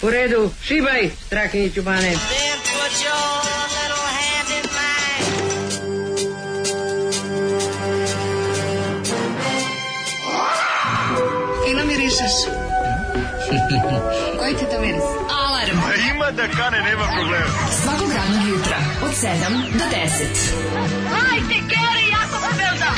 U redu, šibaj, Strahinji Ćubane. Fino mirišeš. Koji ti to miris? Alarm. Ima da kane, nema problema. Svakog radnog jutra, od 7 do 10. Hajde, Geri, jako se belda!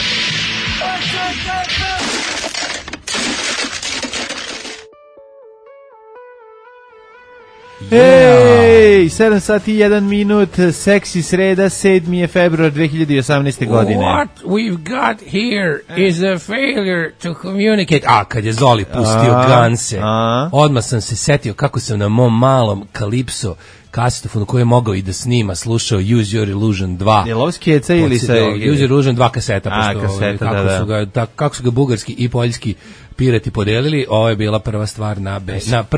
Ej, 7 sati i 1 minut, seksi sreda, 7. je februar 2018. godine. What we've got here is a failure to communicate. Kad je Zoli pustio Ganse, odmah sam se setio kako sam na mom malom Kalipso kasetofonu koji je mogao i da snima, slušao Use Your Illusion 2. Je li ovo skeca ili sa... Use Your Illusion 2 kaseta, pošto kaseta, kako su ga bugarski i poljski pirati podelili, ovo je bila prva stvar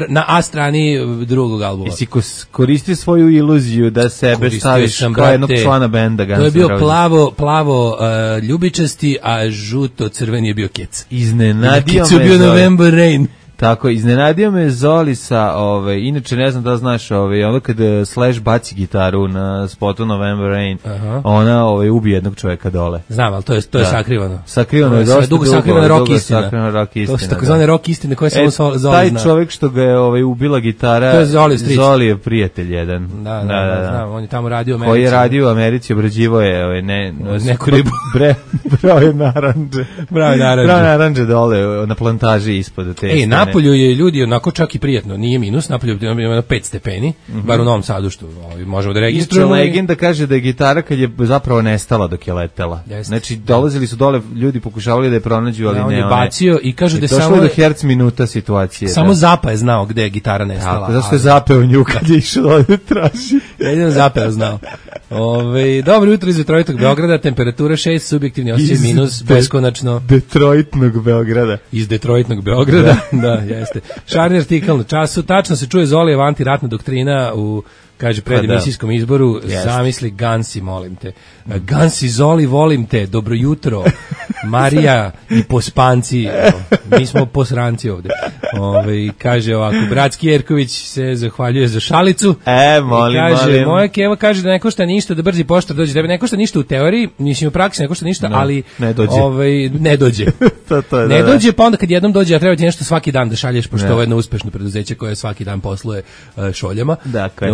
na A strani drugog albuma. Jesi koristio svoju iluziju da sebe staviš kao jednog člana benda Guns N' Roses? To je bio plavo ljubičasti, a žuto crveni je bio Kec. Iznenadio me bio November Rain. Tako, iznenadio me Zoli sa, inače ne znam da znaš, onda kada Slash baci gitaru na spotu November Rain, ona ubije jednog čovjeka dole. Znam, ali to je sakrivano. Sakrivano je dosta dugo. Sakrivano rock istina. To su takozvane rock istine koje samo Zoli zna. Taj čovjek što ga je ubila gitara, to je Zoli je prijatelj jedan. Da, znam, on je tamo radio u Americi. Koji je radio u Americi, obrađivo je neku ribu. Brave naranđe. Brave naranđe dole na plantaži ispod te. Napolju je ljudi onako čak i prijatno, nije minus, napolju je 5 stepeni, bar u Novom Sadu što možemo da registrujemo. Legenda kaže da je gitara kad je zapravo nestala dok je letela. Znači dolazili su dole, ljudi pokušavali da je pronađu, ali ne. On je bacio i kažu da je samo do herc minuta situacije. Samo Zapa je znao gde je gitara nestala. Tako, zašto je zapeo nju kad je išao dole da traži. Jedino Zapa je znao. Dobro jutro iz Detroitnog Beograda, temperatura 6, subjektivni osjećaj minus, beskonačno. Detroitnog Beograda. Iz Detroitnog Beograda, da, jeste. Šarni artikal na času, tačno se čuje Zolijeva antiratna doktrina u, kaže, predemisijskom izboru, zamisli Gansi, molim te. Gansi, Zoli, volim te, dobro jutro, Marija i pospanci, mi smo posranci ovde. Kaže ovako, Bratski Jerković se zahvaljuje za šalicu. Molim. Moja Keva kaže da ne košta ništa da brzi poštar dođe, da ne košta ništa u teoriji, mislim u praksi ne košta ništa, ali ne dođe. Ne dođe. Ne dođe, pa onda kad jednom dođe, a treba ti nešto svaki dan da šalješ, pošto ovo je jedno uspešno preduzeće koje svaki dan posluje šoljama. Dakle.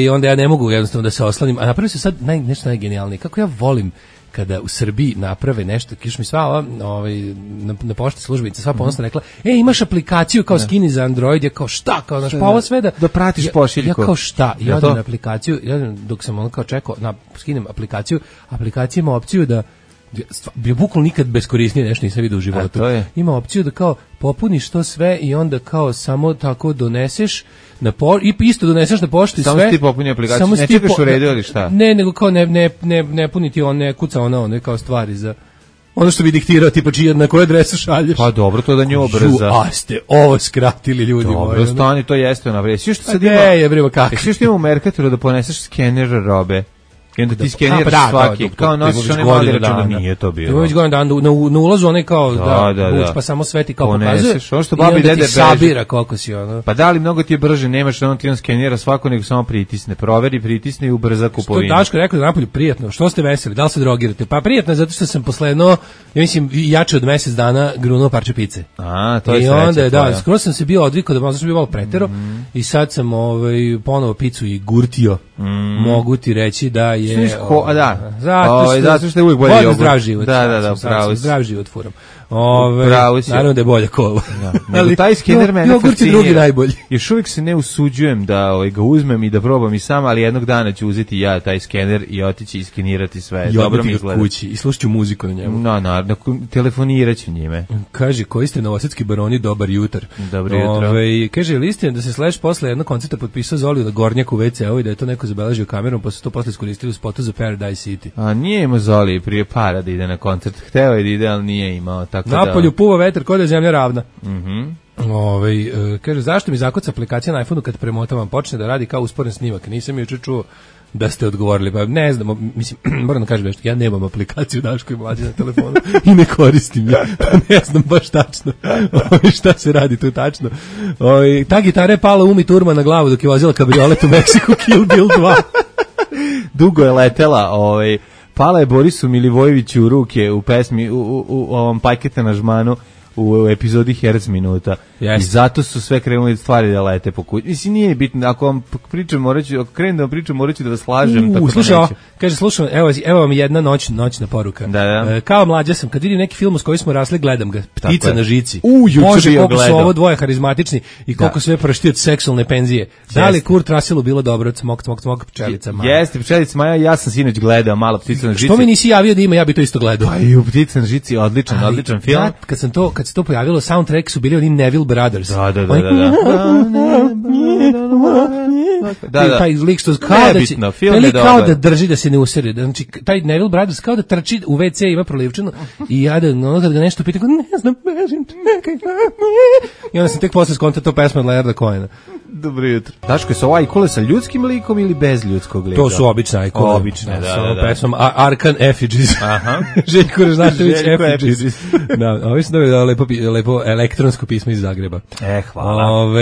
I onda ja ne mogu jednostavno da se oslanim, a napravio se sad nešto najgenijalnije. Kako ja volim kada u Srbiji naprave nešto, kiš mi sva na pošti službenica sva ponosno rekla, imaš aplikaciju kao skini za Android, ja kao šta, kao naš, pa ovo sve da pratiš pošiljku. Ja kao šta, ja odem na aplikaciju, dok sam kao čekao, skinem aplikaciju, aplikacija ima opciju da bi bukvalno nikad beskorisnije nešto nisam vidio u životu. Ima opciju da kao popuniš to sve i onda kao samo tako doneseš i isto doneseš na poštu i sve. Samo si ti popuni aplikaciju, ne čekaš u redu ili šta? Ne, nego kao ne puni ti ne kuca ono kao stvari za ono što bi diktirao, tipa na koju adresu šalješ. Pa dobro, to da nju obrza. A ste ovo skratili, ljudi moji. Dobro, stani, to jeste naprijed. Svi što sad ima u Mercatoru da poneseš skener robe. I onda ti skeniraš svaki, kao nosiš one mali računa, nije to bilo. Ima već godin dan, na ulazu one kao, buć, pa samo sveti kao pokazuje, i onda ti sabira koliko si ono. Pa da li mnogo ti je brže, nemaš ono ti on skenira svako, nego samo pritisne, proveri, pritisne i ubrza kupovinu. Što Daško rekao da napolju prijatno, što ste veseli, da li se drogirate? Pa prijatno je zato što sam posle ja mislim, jače od mesec dana grunuo parče pice. To je sreća tvoja. I onda, skoro sam se bio odvikao da možda sam bio malo pretero i sad sam ponovo picu i gurtio. Mogu ti reći da je zato što je uvijek bolje jogurt. Zdrav život. Da, pravo. Zdrav život furam. Naravno da je bolja kola. Ali taj skener mene jogurt je drugi najbolji. Još uvijek se ne usuđujem da ga uzmem i da probam i sam, ali jednog dana ću uzeti ja taj skener i otići i skenirati sve. Dobro mi izgleda. Kući i slušat ću muziku na njemu. Naravno, telefonirat ću njime. Kaže, koji ste novosadski baroni, dobar jutar. Dobro jutro. Kaže, ili istina da se Slash posle jednog koncerta potpisao Zoliju na Gornjaku u WC-u i da je to neko zabeležio kamerom, pa su to posle iskoristili u spotu za Paradise City. A nije imao Zoli prije da ide na koncert. Hteo je da ide, ali nije imao. Napolju puva vetar, kod je zemlja ravna. Kaže, zašto mi zakuca aplikacija na iPhoneu kad premotavam, počne da radi kao usporen snimak? Nisam juče čuo da ste odgovorili, pa ne znam, mislim, moram da kažem nešto, ja nemam aplikaciju Daško i Mlađa na telefonu i ne koristim je, pa ne znam baš tačno šta se radi tu tačno. Ta gitara je pala Umi Turman na glavu dok je vozila kabriolet u Meksiku, Kill Bill 2. Dugo je letela, pala je Borisu Milivojeviću u ruke u pesmi, u ovom Pajkete na žmanu, u epizodi Herc minuta. I zato su sve krenuli stvari da lete po kući. Mislim, nije bitno, ako vam pričam, ako krenem da vam pričam, morat ću da vas slažem. Slušaj, evo vam jedna noćna poruka. Da. Kao mlađa sam, kad vidim neki film s kojim smo rasli, gledam ga. Ptica na žici. Može, koliko su ovo dvoje harizmatični i koliko sve prašti od seksualne penzije. Da li Kurt Russellu bilo dobro? Cmok, pčelica Maja. Jeste, pčelica Maja, ja sam sinoć gledao malo Ptica na žici. Što mi nisi javio da ima, ja bi to isto gledao. Pa i u Ptica na žici, odličan film. Kad se to pojavilo, soundtrack su bili oni Neville Brothers. Da. Taj lik što kao da drži da se ne usere. Znači, taj Neville Brothers kao da trči u WC, ima prolivčinu i ja kad ga nešto pita, ne znam, i onda sam tek posle skonta to pesma od Leonarda Cohena. Dobro jutro. Daško, su ovo ajkule sa ljudskim likom ili bez ljudskog lika? To su obične ajkule. Obične, da. Pesmom Arkan Effigies. Aha. Željko Režnatović Effigies. Da, ovi su dobili lepo elektronsko pismo iz Zagreba. Hvala.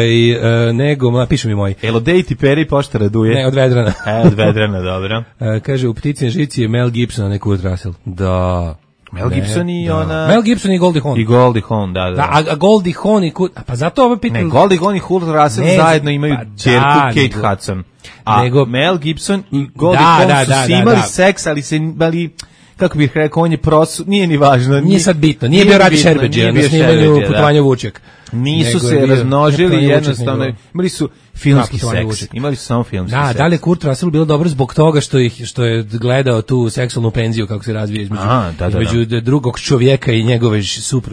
Pišu mi moj. Elodej ti peri pošta raduje. Ne, od Vedrana. Od Vedrana, dobro. Kaže, u Ptici na žici je Mel Gibson, a ne Kurt Russell. Da. Mel Gibson i ona... Mel Gibson i Goldie Hawn. I Goldie Hawn, da. A Goldie Hawn i Kurt... Pa zato ovo pitam... Ne, Goldie Hawn i Kurt Russell zajedno imaju ćerku Kate Hudson. A Mel Gibson i Goldie Hawn su imali seks, ali kako bih rekao, on je nije ni važno. Nije sad bitno, nije bio Radi Šerbeđija na snimanju Putovanja Vučjak. Nisu se razmnožili jednostavno, imali su filmski seks, imali su samo filmski seks. Da li je Kurt Russell bilo dobro zbog toga što je gledao tu seksualnu penziju kako se razvija između drugog čovjeka i njegove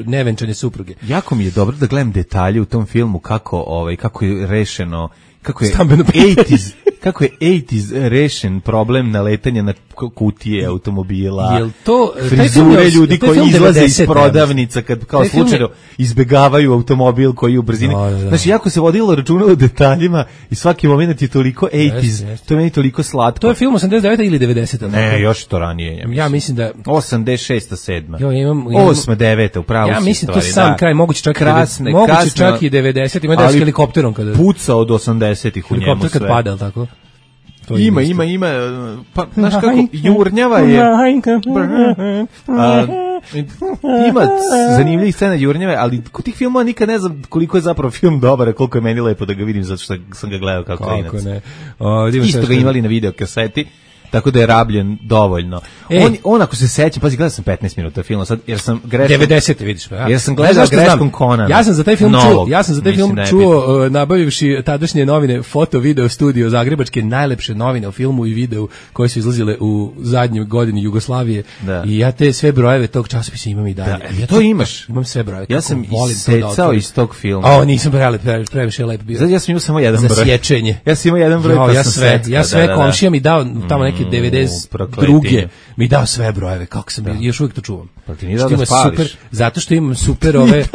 nevenčane supruge. Jako mi je dobro da gledam detalje u tom filmu kako je rešeno, kako je 80s rešen problem naletanja na kutije automobila, frizure ljudi koji izlaze iz prodavnica kad kao slučajno izbegavaju automobil koji je u brzini. Znači, jako se vodilo računa o detaljima i svaki moment je toliko 80s, to je meni toliko slatko. To je film 89. ili 90. Ne, još to ranije. Ja mislim da... 86. 7. 8. 9. upravo si. Ja mislim to sam kraj, moguće čak i 90. Ima da s helikopterom kada... Puca od 80-ih u njemu sve. Helikopter kad pada, ali tako? Ima, pa, znaš kako, jurnjava je, ima zanimljivih scena jurnjave, ali kod tih filmova nikad ne znam koliko je zapravo film dobar, a koliko je meni lepo da ga vidim, zato što sam ga gledao kao klinac. Isto ga imali na videokaseti, tako da je rabljen dovoljno. On ako se seća, pazi, gledao sam 15 minuta filma sad, jer sam greškom... 90. vidiš pa. Jer sam gledao greškom Conana. Ja sam za taj film čuo, nabavivši tadašnje novine Foto Video Studio Zagrebačke, najlepše novine o filmu i videu koje su izlazile u zadnjoj godini Jugoslavije. I ja te sve brojeve tog časopisa imam i dalje. To imaš? Imam sve brojeve. Ja sam isecao iz tog filma. Nisam previše lep bio. Ja sam imao samo jedan broj. Za sječenje. Ja sam imao jedan broj pa sam secao. Ja sve komšija mi dao tamo neke 92. mi dao sve brojeve, kako sam još uvijek to čuvam. Pa ti nije dao da spališ. Zato što imam super ove,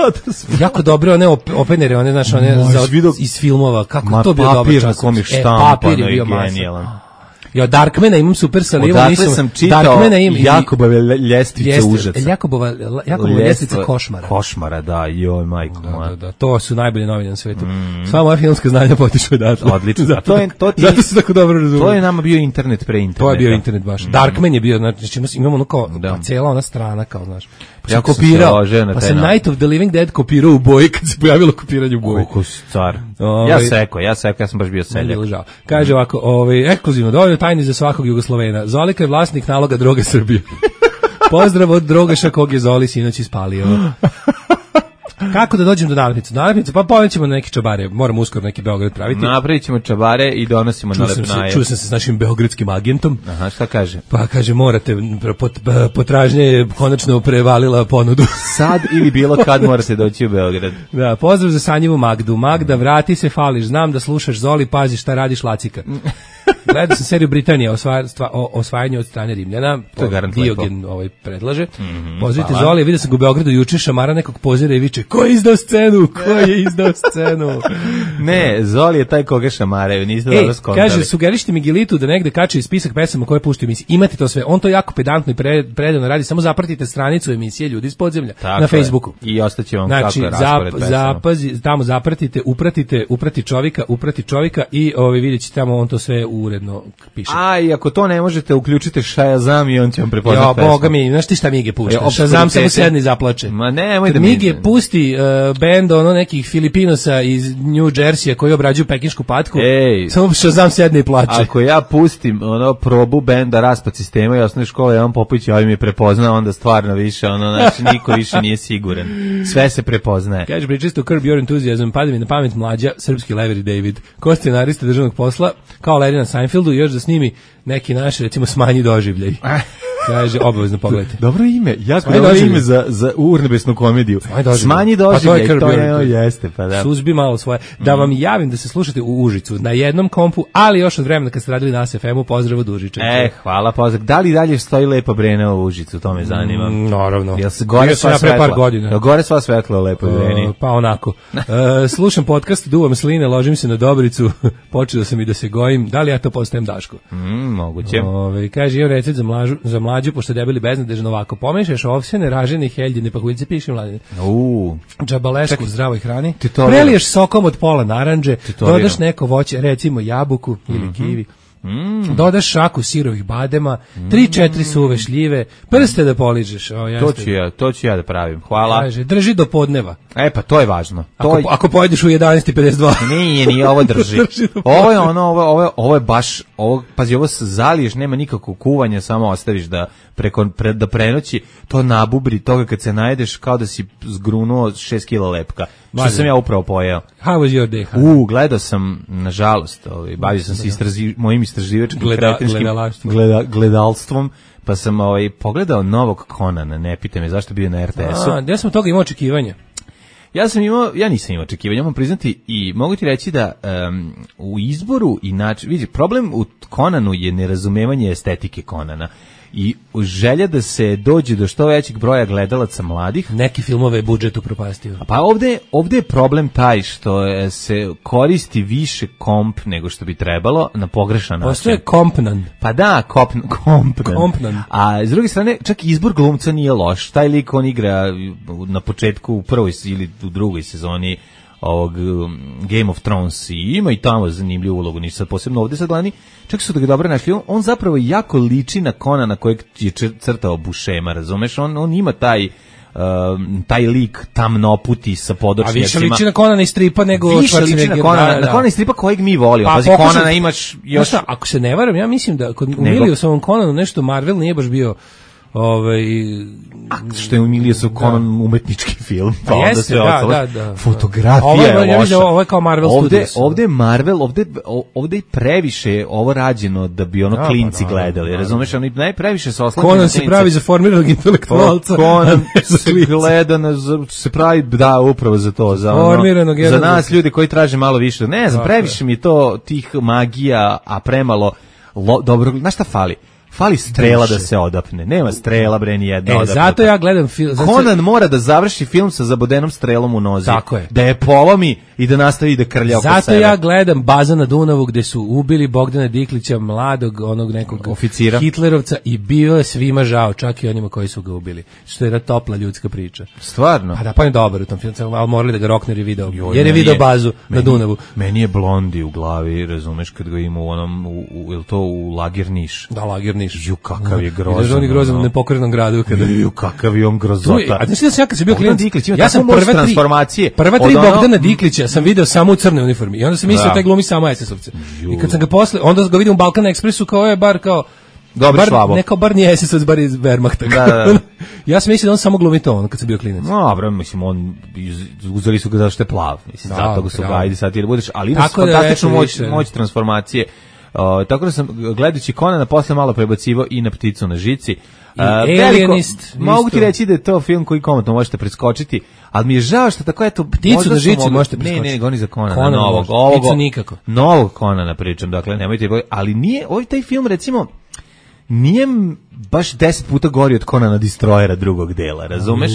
jako dobre one openere, one, znaš, one iz filmova, kako to bio dobar čas. Papir je bio genijalan. Ja, Darkmana imam super sa livom. Odatle sam čitao Jakobove ljestvice užasa. Jakobova ljestvica košmara. Košmara, da, joj, majko moja. Da, to su najbolje novine na svetu. Sva moja filmska znanja potiču odatle. Odlično. Zato se tako dobro razumije. To je nama bio internet pre interneta. To je bio internet baš. Darkman je bio, znači imamo ono kao cijela ona strana, kao, znaš. Ja kopirao, pa sam Night of the Living Dead kopirao u boji kad se pojavilo kopiranje u boji. Koliko si car. Ja sam baš bio seljak. Kaže ovako, ekskluzivno, dovoljno tajni za svakog Jugoslovena. Zolika je vlasnik naloga Droga Srbije. Pozdrav od Drogaša kog je Zoli sinoć ispalio. Kako da dođem do nalepnice? Nalepnice, pa povećemo na neke čabare. Moramo uskoro neki Beograd praviti. Napravit ćemo čabare i donosimo nalepnaje. Čuo sam se s našim beogradskim agentom. Aha, šta kaže? Pa kaže, morate, potražnja je konačno prevalila ponudu. Sad ili bilo kad morate doći u Beograd. Da, pozdrav za Sanjivu Magdu. Magda, vrati se, fališ. Znam da slušaš Zoli, pazi šta radiš, lacika. Gledao sam seriju Britanija o osvajanju od strane Rimljana. To Diogen predlaže. Pozdravite Zoli, vidio sam ga u Beogradu juče, šamara nekog pozira i viče, Ko je izdao scenu? Ne, Zoli je taj koga šamaraju, niste dobro skontali. Kaže, sugerišite mi Gilitu da negde kače spisak pesama koje puštaju emisije. Imate to sve. On to jako pedantno i predano radi. Samo zapratite stranicu emisije Ljudi iz podzemlja na Facebooku. I ostaće vam znači, kako je raspored pesama. Tamo zapratite, uprati čovjeka i vidjet ćete tamo, on to sve uredno piše. A, i ako to ne možete, uključite Shazam i on će vam prepoznat pesmu. Boga mi, znaš ti šta Mige pušta? Shazam samo sedne i zaplače. Ma nemoj da Mige pusti bend nekih Filipinosa iz New Jersey koji obrađuju pekinšku patku. Samo Shazam sedne i plače. Ako ja pustim probu benda Raspad sistema i osnovne škole, Jovan Popović mi je prepoznao, onda stvarno više, znači niko više nije siguran. Sve se prepoznaje. Kaže, pričaste o Curb Your Enthusiasm, pada mi na pamet mlađa, srpski Lever i David. Ko scenarista državnog posla, kao Larry na Seinfeldu, još da snimi neki naš, recimo, Smanji doživljaj. Kaže, obavezno pogledajte. Dobro ime, jako dobro ime za urnebesnu komediju. Smanji doživljaj, to jeste, pa da. Suzbi malo svoje. Da vam javim da se slušate u Užicu, na jednom kompu, ali još od vremena kad ste radili na FM-u, pozdrav od Užičanke. Hvala, pozdrav. Da li dalje stoji Lepa Brena u Užicu, to me zanima. Naravno. Jel se gore sva svetla? Jel gore sva svetla u Lepoj Breni? Pa onako. Slušam podcast, duvam sline, ložim se na Dobricu, počeo sam i da se gojim. Da li ja to postajem Daško? Moguće. Kaže, imam recept za mlađu, pošto debeli beznadežno ovako. Pomešaš ovsene, ražene, heljine, pakuljice, piši mladine. Džabalešku u zdravoj hrani. Preliješ sokom od pola narandže, dodaš neko voće, recimo jabuku ili kivi. Dodaš šaku sirovih badema, 3-4 suve šljive, prste da poližeš. To ću ja da pravim. Hvala. Kaže, drži do podneva. Pa to je važno. Ako pojedeš u 11:52. Nije, ovo drži. Ovo je baš, pazi, ovo zaliješ, nema nikakvog kuvanja, samo ostaviš da prenoći, to nabubri toga kad se najedeš kao da si zgrunuo 6 kila lepka. Što sam ja upravo pojeo. How was your day? Gledao sam, nažalost, bavio sam se mojim istraživačkim gledalstvom, pa sam pogledao novog Conana, ne pite me zašto bio na RTS-u. Ja sam toga imao očekivanja. Ja nisam imao očekivanja, moram priznati i mogu ti reći da u izboru i način, vidi, problem u Conanu je nerazumevanje estetike Conana. I želja da se dođe do što većeg broja gledalaca mladih. Neki filmove budžet upropastio. Pa ovde je problem taj što se koristi više komp nego što bi trebalo na pogrešan način. Postoje kompnan. Pa da, kompnan. A s druge strane, čak izbor glumca nije loš. Taj lik on igra na početku u prvoj ili u drugoj sezoni ovog Game of Thrones i ima i tamo zanimljivu ulogu, nisu sad posebno ovde sad gledani, čak su da ga dobro našli, on zapravo jako liči na Conana kojeg je crtao Buscema, razumeš, on ima taj lik tamnoputi sa podočnjacima. A više liči na Conana iz stripa nego više liči na Conana iz stripa kojeg mi volimo. Pazi, Conana imaš još... Ako se ne varam, ja mislim da kod umilio sa ovom Conanu nešto Marvel nije baš bio što je umilio sa Conan umetnički film, pa onda sve ostalo. Fotografija je loša. Ovo je kao Marvel Studios. Ovde je Marvel, ovde je previše ovo rađeno da bi klinci gledali, razumeš? Oni najpreviše se oslanjaju. Conan se pravi za formiranog intelektualca. Conan se gleda, se pravi, da, upravo za to, za nas ljudi koji traže malo više. Ne znam, previše mi to tih magija, a premalo dobro, znaš šta fali? Fali strela da se odapne. Nema strela, bre, ni jedna odapne. Zato ja gledam film. Conan mora da završi film sa zabodenom strelom u nozi. Tako je. Da je polomi i da nastavi da krlja oko sebe. Zato ja gledam Baza na Dunavu gde su ubili Bogdana Diklića, mladog onog nekog oficira Hitlerovca i bio je svima žao, čak i onima koji su ga ubili. Što je topla ljudska priča. Stvarno? Pa da, pa je dobar u tom filmu, ali morali da ga Rockner je video. Jer je video Bazu na Dunavu. Meni je Blondi u glavi, razumeš, kad ga ima u onom, je li to u Lager Niš? Da, Lager Niš. Ju, kakav je grozan. On je grozan u nepokrenom gradu. Ju, kakav je on grozota. A znaš da sam ja kad sam bio klinac, ja sam prva tri Bogdana Diklića sam video samo u crnoj uniformi. I onda sam mislio taj glumi samo SS-ovce. I kad sam ga posle, onda ga vidim u Balkan Expressu kao je bar kao dobar švabo. Neko bar nije SS-ovac, bar iz Wehrmachta. Da. Ja sam mislio da on samo glumi to, kad sam bio klinac. No, bro, mislim, uzeli su ga zato što je plav. Mislim, zato ga su ga, ajde sad ti da budeš, ali ima fantastičnu moć transformacije. Tako da sam, gledajući Conana, posle malo prebacivao i na Pticu na žici. Mogu ti reći da je to film koji komotno možete preskočiti, ali mi je žao što tako eto... Pticu na žici možete preskočiti. Ne, goni za Conana, novog. Pticu nikako. Novog Conana pričam, dakle, nemojte, ali nije, taj film, recimo, nije baš 10 puta gori od Conana Destroyera drugog dela, razumeš?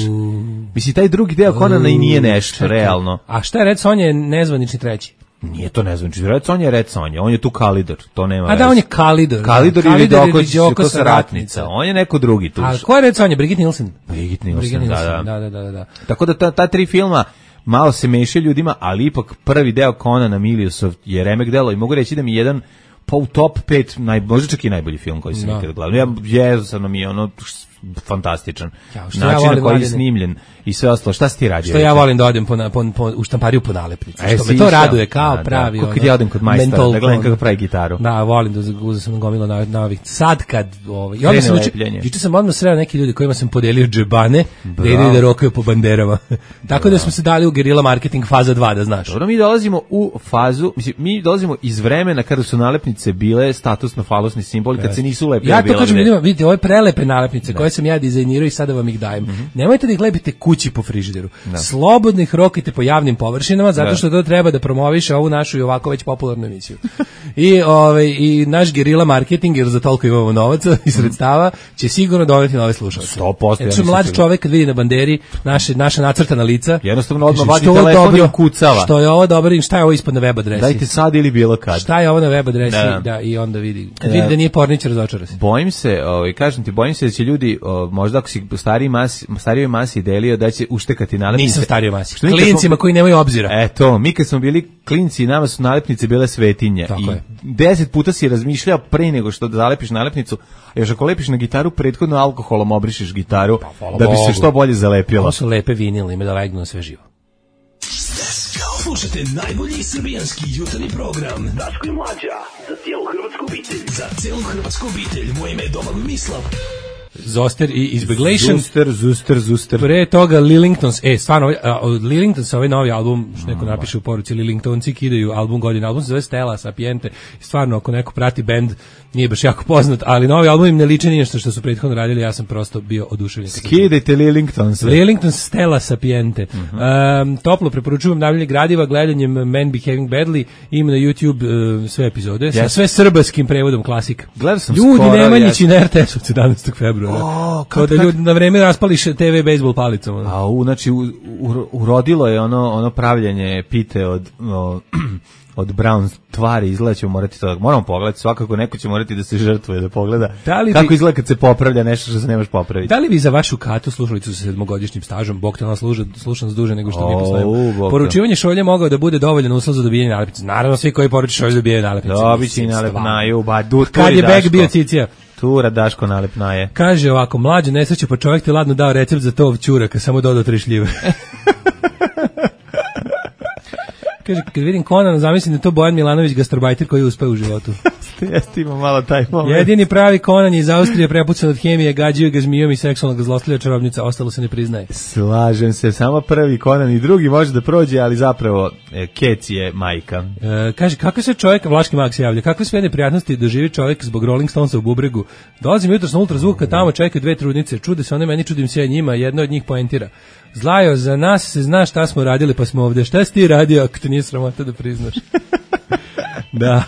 Misli, taj drugi deo Conana i nije nešto, realno. A šta je Red Sonja je nezvanični treći? Nije to nezvanični, Red Sonja je Red Sonja, on je tu Kalidor, to nema veze. A da, on je Kalidor. Kalidor ili Viđokosa ratnica, on je neko drugi tu. A ko je Red Sonja? Brigitte Nielsen? Brigitte Nielsen, da. Tako da ta 3 filma malo se mešaju ljudima, ali ipak prvi deo Conana Miliusov je remek delo i mogu reći da mi jedan pa u top 5, možda čak i najbolji film koji sam ikad gledao. Jednostavno mi je ono fantastičan. Način na koji je snimljen i sve ostalo. Šta si ti radio? Što ja volim da odem u štampariju po nalepnici. Što me to raduje kao pravi. Kako kad ja odem kod majstora da gledam kako pravi gitaru. Da, volim da uzem sam gomilo na ovih. Sad kad i onda sam juče sam odmah sreo neki ljudi kojima sam podelio džebane da idu da rokaju po banderama. Tako da smo se dali u gerila marketing faza 2, da znaš. Dobro, mi dolazimo u fazu, mislim, mi dolazimo iz vremena kada su nalepnice bile statusno-falosni simboli, kad se nisu lepile. Ja to kažem ljudima, vidite, ove prelepe nalepnice koje sam ja dizajnirao i sada vam ih dajem. Nemojte da ih lepite kući po frižideru. Slobodno ih rokajte po javnim površinama, zato što to treba da promoviše ovu našu i ovako već popularnu emisiju. I naš gerila marketing, jer za toliko imamo novaca i sredstava, će sigurno doneti nove slušalce. 100%. Jer što mlad čovek kad vidi na banderi naša nacrtana lica, jednostavno odmah vadi telefon i kucava. Što je ovo dobro i šta je ovo ispod na web adresi? Dajte sad ili bilo kad. Šta je ovo na web adresi? Da, i onda vidi. Kad vidi da nije pornić, razočara se. Bojim se, kažem ti, bojim se da će ljudi, možda ako si starijoj masi delio, da će uštekati nalepnice. Nisam starijoj masi. Klincima koji nemaju obzira. Eto, mi kad smo bili klinci, nama su nalepnice bile svetinje. Tako I je. 10 puta si razmišljao pre nego što da zalepiš nalepnicu, a još ako lepiš na gitaru, prethodno alkoholom obrišeš gitaru, da bi se što bolje zalepilo. Ovo su lepe vinile, ima da legnu na sve živo. Slušajte najbolji srbijanski jutarnji program Daško i Mlađa, za cijelu hrvatsku obitelj. Za cijelu hrvatsku obitelj, moje ime je Domagoj Mislav. Zoster i Izbeglation. Zuster. Pre toga Lillingtons. Stvarno, od Lillingtons ovaj novi album, što neko napiše u poruci, Lillingtonci kidaju album godine. Album se zove Stella Sapiente. Stvarno, ako neko prati bend, nije baš jako poznat, ali novi album im ne liči ništa što su prethodno radili, ja sam prosto bio oduševljen. Skidajte Lillingtons. Lillingtons Stella Sapiente. Toplo preporučujem navljanje gradiva gledanjem Men Behaving Badly. Ima na YouTube sve epizode, sa sve srbskim prevodom klasika. Ljudi Nemanjići na RTS od 17. februara. Kao da ljudi na vreme raspali TV bejsbol palicom. Znači urodilo je ono pravljanje pite od Brown tvari, izgleda ćemo morati to, moramo pogledati, svakako neko će morati da se žrtvuje da pogleda kako izgleda kad se popravlja nešto što se nemaš popraviti. Da li vi za vašu Katu slušalicu sa 7-godišnjim stažom, Bog te nas slušam s duže nego što mi postojimo, poručivanje šolje mogao da bude dovoljan uslov za dobijanje nalepnice? Naravno, svi koji poruče šolje dobijaju nalepnice. Dobići nalepnaju, kad je beg bio cicija. Tura Daško nalepnaje. Kaže ovako, Mlađe nesreće, pa čovjek ti ladno dao recept za tov ćuraka, samo dodao 3 šljive. Kaže, kad vidim Conana, zamislim da to Bojan Milanović gastarbajter koji uspeo u životu. Jeste, ima malo taj moment. Jedini pravi Conan je iz Austrije, prepucan od hemije, gađaju ga zmijom i seksualnog zlostavlja čarobnica, ostalo se ne priznaje. Slažem se, samo prvi Conan i drugi može da prođe, ali zapravo Keci je majka. Kaže, kakve sve čovjek, Vlaški mag se javlja, kakve sve neprijatnosti doživi čovjek zbog Rolling Stonesa u bubregu. Dolazim jutros na ultrazvuka, tamo čekaju 2 trudnice, čude se one meni, čudim se ja njima, jedna od njih poentira. Zlajo, za nas se zna šta smo radili pa smo ovde. Šta si ti radio ako te nije sramota da priznaš? Da.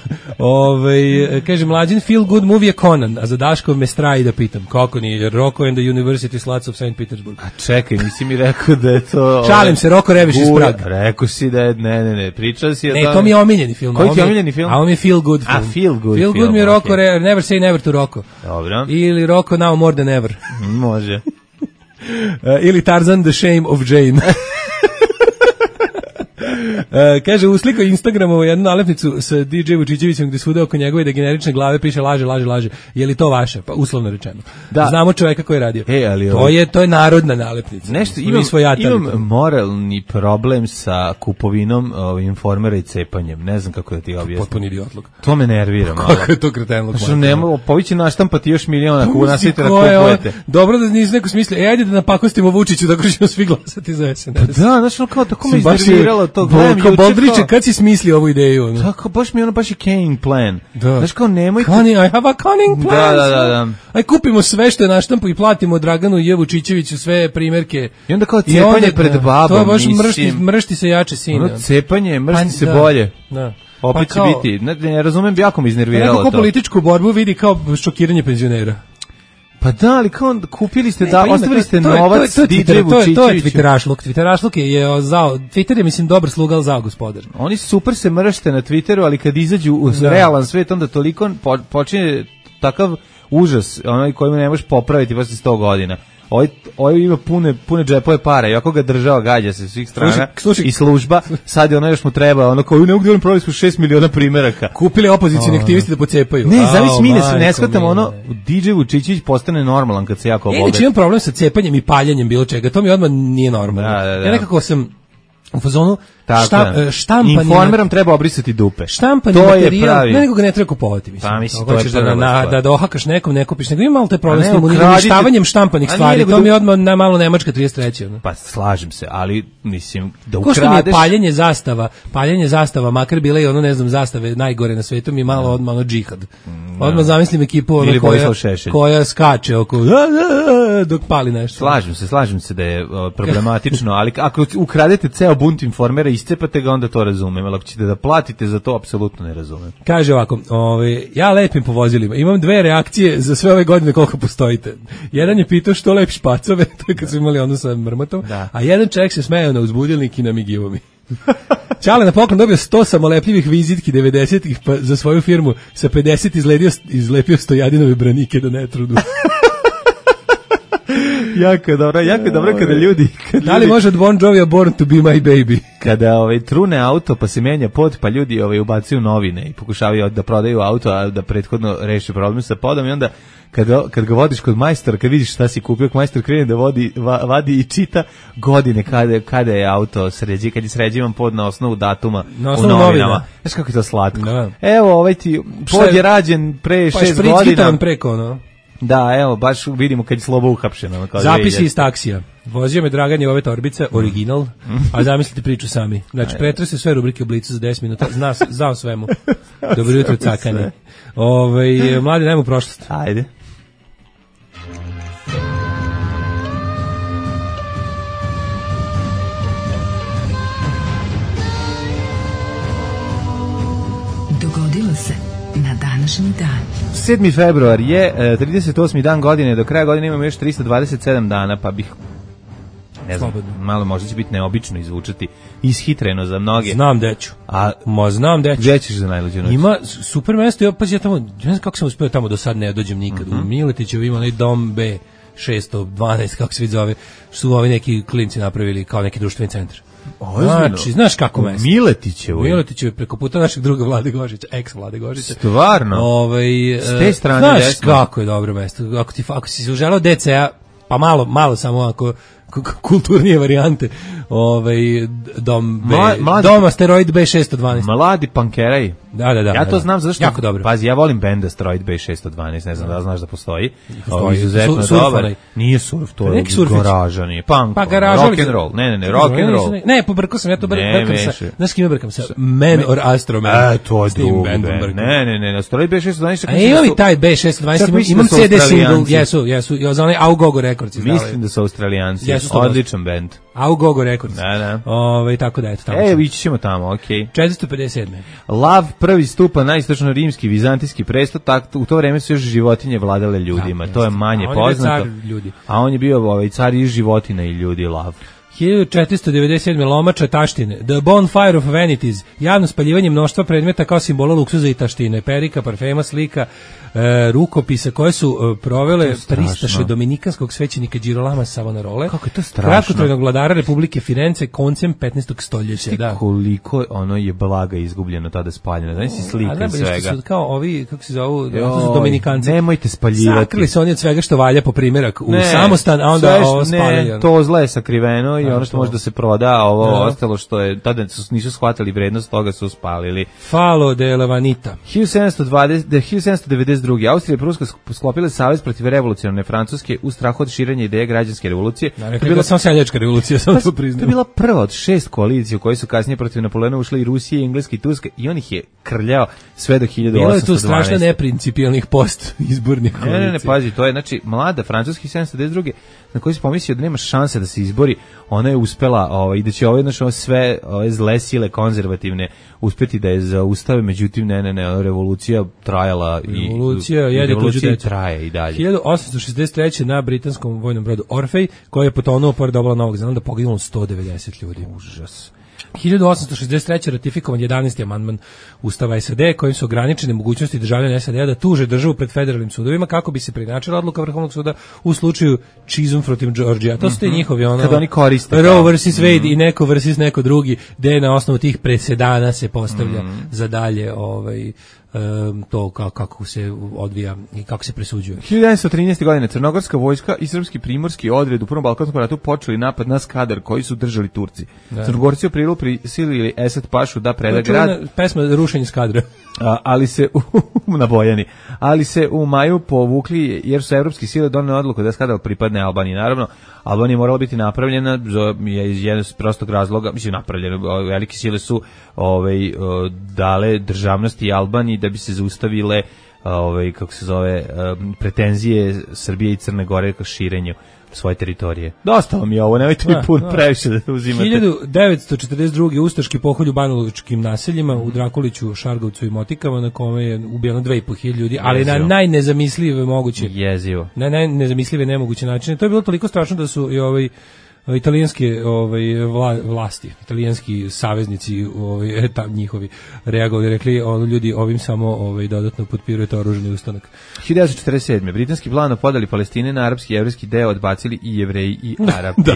Kaže, Mlađin feel good movie je Conan, a za Daškov me straji da pitam. Kako nije? Rocco and the University Sluts of St. Petersburg. A čekaj, nisi mi rekao da je to... Šalim se, Rocco Rebiš iz Praga. Rekao si da je, ne, pričao si... Ne, to mi je omiljeni film. Koji ti je omiljeni film? A on mi je feel good film. Feel good film. Feel good mi je Rocco, Never Say Never to Rocco. Dobro. Ili Rocco Now More Than Ever. Može. Ili Tarzan The Shame of Jane. Kaže, uslikao Instagramovo jednu nalepnicu sa DJ Vučićevićem gde svuda oko njegove degenerične glave piše laže. Je li to vaše? Pa uslovno rečeno. Da. Znamo čoveka koji je radio. Ali to je narodna nalepnica. Nešto imam moralni problem sa kupovinom informera i cepanjem. Ne znam kako da ti objasnim. Potpuni idiotluk. To me nervira malo. Kako je to kretenluk? Što nemo, povići naštampati još miliona ako nasite da kupujete. Dobro da nisi neko smisli. Ajde da napakostimo Vučiću da ćemo svi glasati za SNS. Da, znači kao tako me iznerviralo to. Kao Boldriče, kad si smislio ovu ideju? Tako, baš je cunning plan. Znaš kao, nemojte... I have a cunning plan. Da. Aj, kupimo sve što je na štampu i platimo Draganu i Vučićeviću sve primjerke. I onda kao cepanje pred babom. To je baš mršti se jače sine. Cepanje, mršti se bolje. Da. Opet će biti, ne razumem, jako me iznerviralo to. Neko političku borbu vidi kao šokiranje penzionera. Pa da, ali kao kupili ste, ostavili ste novac DJ Vučićeviću. To je Twitterašluk. Twitterašluk je zao, Twitter je, mislim, dobar sluga, ali zao gospodar. Oni super se mršte na Twitteru, ali kad izađu u realan svet, onda toliko počinje takav užas, onaj koji ne možeš popraviti posle 100 godina. Ovo ima pune džepove para, i ako ga država gađa se svih strana i služba, sad je ono još mu treba, ono kao, ne mogu da vam prodali smo 6 miliona primeraka. Kupili opozicijni aktivisti da pocepaju. Ne, zavis mi ne shvatamo, ono, DJ Vučićević postane normalan kad se jako obogati. Znači imam problem sa cepanjem i paljenjem bilo čega, to mi odmah nije normalno. Da. Ja nekako sam u fazonu štampani. Informerom treba obrisati dupe. Štampani to materijal, nego ga ne treba kupovati, mislim. Pa mislim, to je da ohakaš nekom, ne kupiš, nego ima malo te problem s tim uništavanjem štampanih stvari, to mi je odmah malo Nemačka 33. Pa slažem se, ali mislim, da ukradeš... Ko što mi je paljenje zastava, makar bile i ono, ne znam, zastave najgore na svetu, mi je malo odmah džihad. Odmah zamislim ekipu koja skače oko dok pali nešto. Slažem se da je problematično, ali ako ukradete ceo bunt informera, iscepate ga, onda to razumem, ali ako ćete da platite za to, apsolutno ne razumem. Kaže ovako, ja lepim po vozilima, imam 2 reakcije za sve ove godine koliko postojite. Jedan je pitao što lepiš pacove, to je kad su imali ono sa mrmotom, a jedan čovjek se smejao na uzbudilnik i namigivo mi. Čale na poklon dobio 100 samolepljivih vizitki 90-ih, pa za svoju firmu sa 50 izlepio Stojadinove branike da ne trudu. Jako dobro kada ljudi... Da li može od Bon Jovija Born to be my baby? Kada trune auto pa se menja pod, pa ljudi ubacuju novine i pokušavaju da prodaju auto, a da prethodno reši problem sa podom, i onda kad ga vodiš kod majstora, kad vidiš šta si kupio, majstor krene da vadi i čita godine kada je auto sređivan, kad je sređivan pod na osnovu datuma u novinama. Znaš kako je to slatko? Da. Evo, pod je rađen pre 6 godina. Preko, no? Da, evo, baš vidimo kad je Slobo uhapšen. Zapisi iz taksija. Vozio me Dragan ove torbice, original, a zamislite priču sami. Znači, pretrese sve rubrike u Blicu za 10 minuta, znao svemu. Dobro jutro, cakanje. Mladi, dajmo u prošlost. Ajde. Dogodilo se na današnji dan. 7. februar je 38. dan godine, do kraja godine imamo još 327 dana, pa bih, ne znam, malo možda će biti neobično izvučati, ishitreno za mnoge. Znam deću. Znam deću. Gdje ćeš za najluđu noć? Ima super mesto, pa ja tamo, ne znam kako sam uspio tamo do sad, ne dođem nikad. U Miletićevu ima onaj dom B 612, kako se vidi zove, su ovi neki klinci napravili kao neki društveni centar. Znači, znaš kako mesto? Miletićevo preko puta našeg druga Vlade Gožića, ex Vlade Gožića. Stvarno? S te strane znaš desno. Kako je dobro mesto. Ako si se uželao DCA, pa malo samo ako kulturnije varijante, dom B, dom Asteroid B612. Mladi pankeraj. Da. Ja to znam zato što, jako dobro. Pazi, ja volim band Asteroid B612, ne znam da znaš da postoji. Izuzetno dobar. Nije surf, to je garaža, nije punk, rock and roll. Ne, rock and roll. Ne, pobrkao sam, ja to brkam sa, znaš kime brkam sa? Man or Astro Man. To je drugi band. Ne, Asteroid B612. A ima li taj B612, imam CD single, jesu, za onaj Augogo Records. Mislim da su Australijanci. Odličan band. Augogo Records. Da. Tako da, eto tamo. Ići ćemo tamo, okej. 457. Lav prvi stupa na istočno-rimski, vizantijski presto, u to vreme su još životinje vladale ljudima. To je manje poznato. A on je bio car i životina i ljudi, Lav. 1497. Lomača taštine. The Bonfire of Vanities. Javno spaljivanje mnoštva predmeta kao simbola luksuza i taštine. Perika, parfema, slika, rukopisa koje su provele pristaše dominikanskog svećenika Girolama Savonarole. Kako je to strašno. Kratkotrajnog vladara Republike Firence koncem 15. stoljeća. Da. Koliko ono je blaga izgubljeno tada spaljeno. Znaš si slika i svega. Su kao ovi, kako se zovu, to su dominikanci. Nemojte spaljivati. Sakrili su oni od svega što valja po primjerak u samostan, a onda ovo spalili. Ne, to zle je sakriveno i ono što može da se proda, a ovo ostalo što je, tada nisu shvatili vrednost toga, su spalili. Falo de Levanita. 1792. Austrija i Pruska sklopile savez protiv revolucionarne Francuske u strahu od širenja ideje građanske revolucije. To je bila samo seljačka revolucija, samo to priznam. To je bila prva od 6 koalicija u kojoj su kasnije protiv Napoleona ušli i Rusija, Engleska i Turska, i on ih je krljao sve do 1812. Bilo je tu strašno neprincipijalnih post izbornih koalicija. Ne, pazi, to je, znači, mlada Francuski 1792. na koji se pomislio da nema šanse da se izbori, ona je uspela i da će sve ove zle sile konzervativne uspeti da je zaustave, međutim ne, revolucija trajala revolucija traje i dalje. 1863. na britanskom vojnom brodu Orfej, koji je potonuo pored obala Novog Zelanda, poginulo 190 ljudi. Užas. 1863. ratifikovan 11. amandman Ustava SAD kojim su ograničene mogućnosti državljana SAD da tuže državu pred federalnim sudovima kako bi se preinačila odluka Vrhovnog suda u slučaju Chisholm protiv Georgija. To su te njihovi kad oni koriste Roe vs. Wade i neko versus neko drugi, gde na osnovu tih presedana se postavlja za dalje to kako se odvija i kako se presuđuje. 1913. godine crnogorska vojska i srpski primorski odred u Prvom balkanskom ratu počeli napad na Skadar koji su držali Turci. Crnogorci u aprilu prisilili Esad Pašu da preda grad. Pesma Rušenje Skadra. Ali se na Bojani, ali se u maju povukli jer su evropske sile donele odluku da Skadar pripadne Albaniji. Naravno, Albanija je morala biti napravljena iz jednog prostog razloga, napravljena, velike sile su dale državnosti Albaniji da bi se zaustavile pretenzije Srbije i Crne Gore ka širenju svoje teritorije. Dosta vam je ovo, nemojte mi previše da uzimate. 1942. ustaški pokolj u Banjalučkim naseljima u Drakuliću, Šargovcu i Motikama, na kome je ubijeno 2.500 ljudi, ali jezivo. Na najnezamislive moguće. Jezivo. Na najnezamislive nemoguće načine. To je bilo toliko strašno da su i italijanske vlasti, italijanski saveznici njihovi reagovali, rekli ljudi ovim samo dodatno potpirujete oružani ustanak. 1947. britanski plan o podeli Palestine na arapski i jevrejski deo odbacili i Jevreji i Arapi. Da.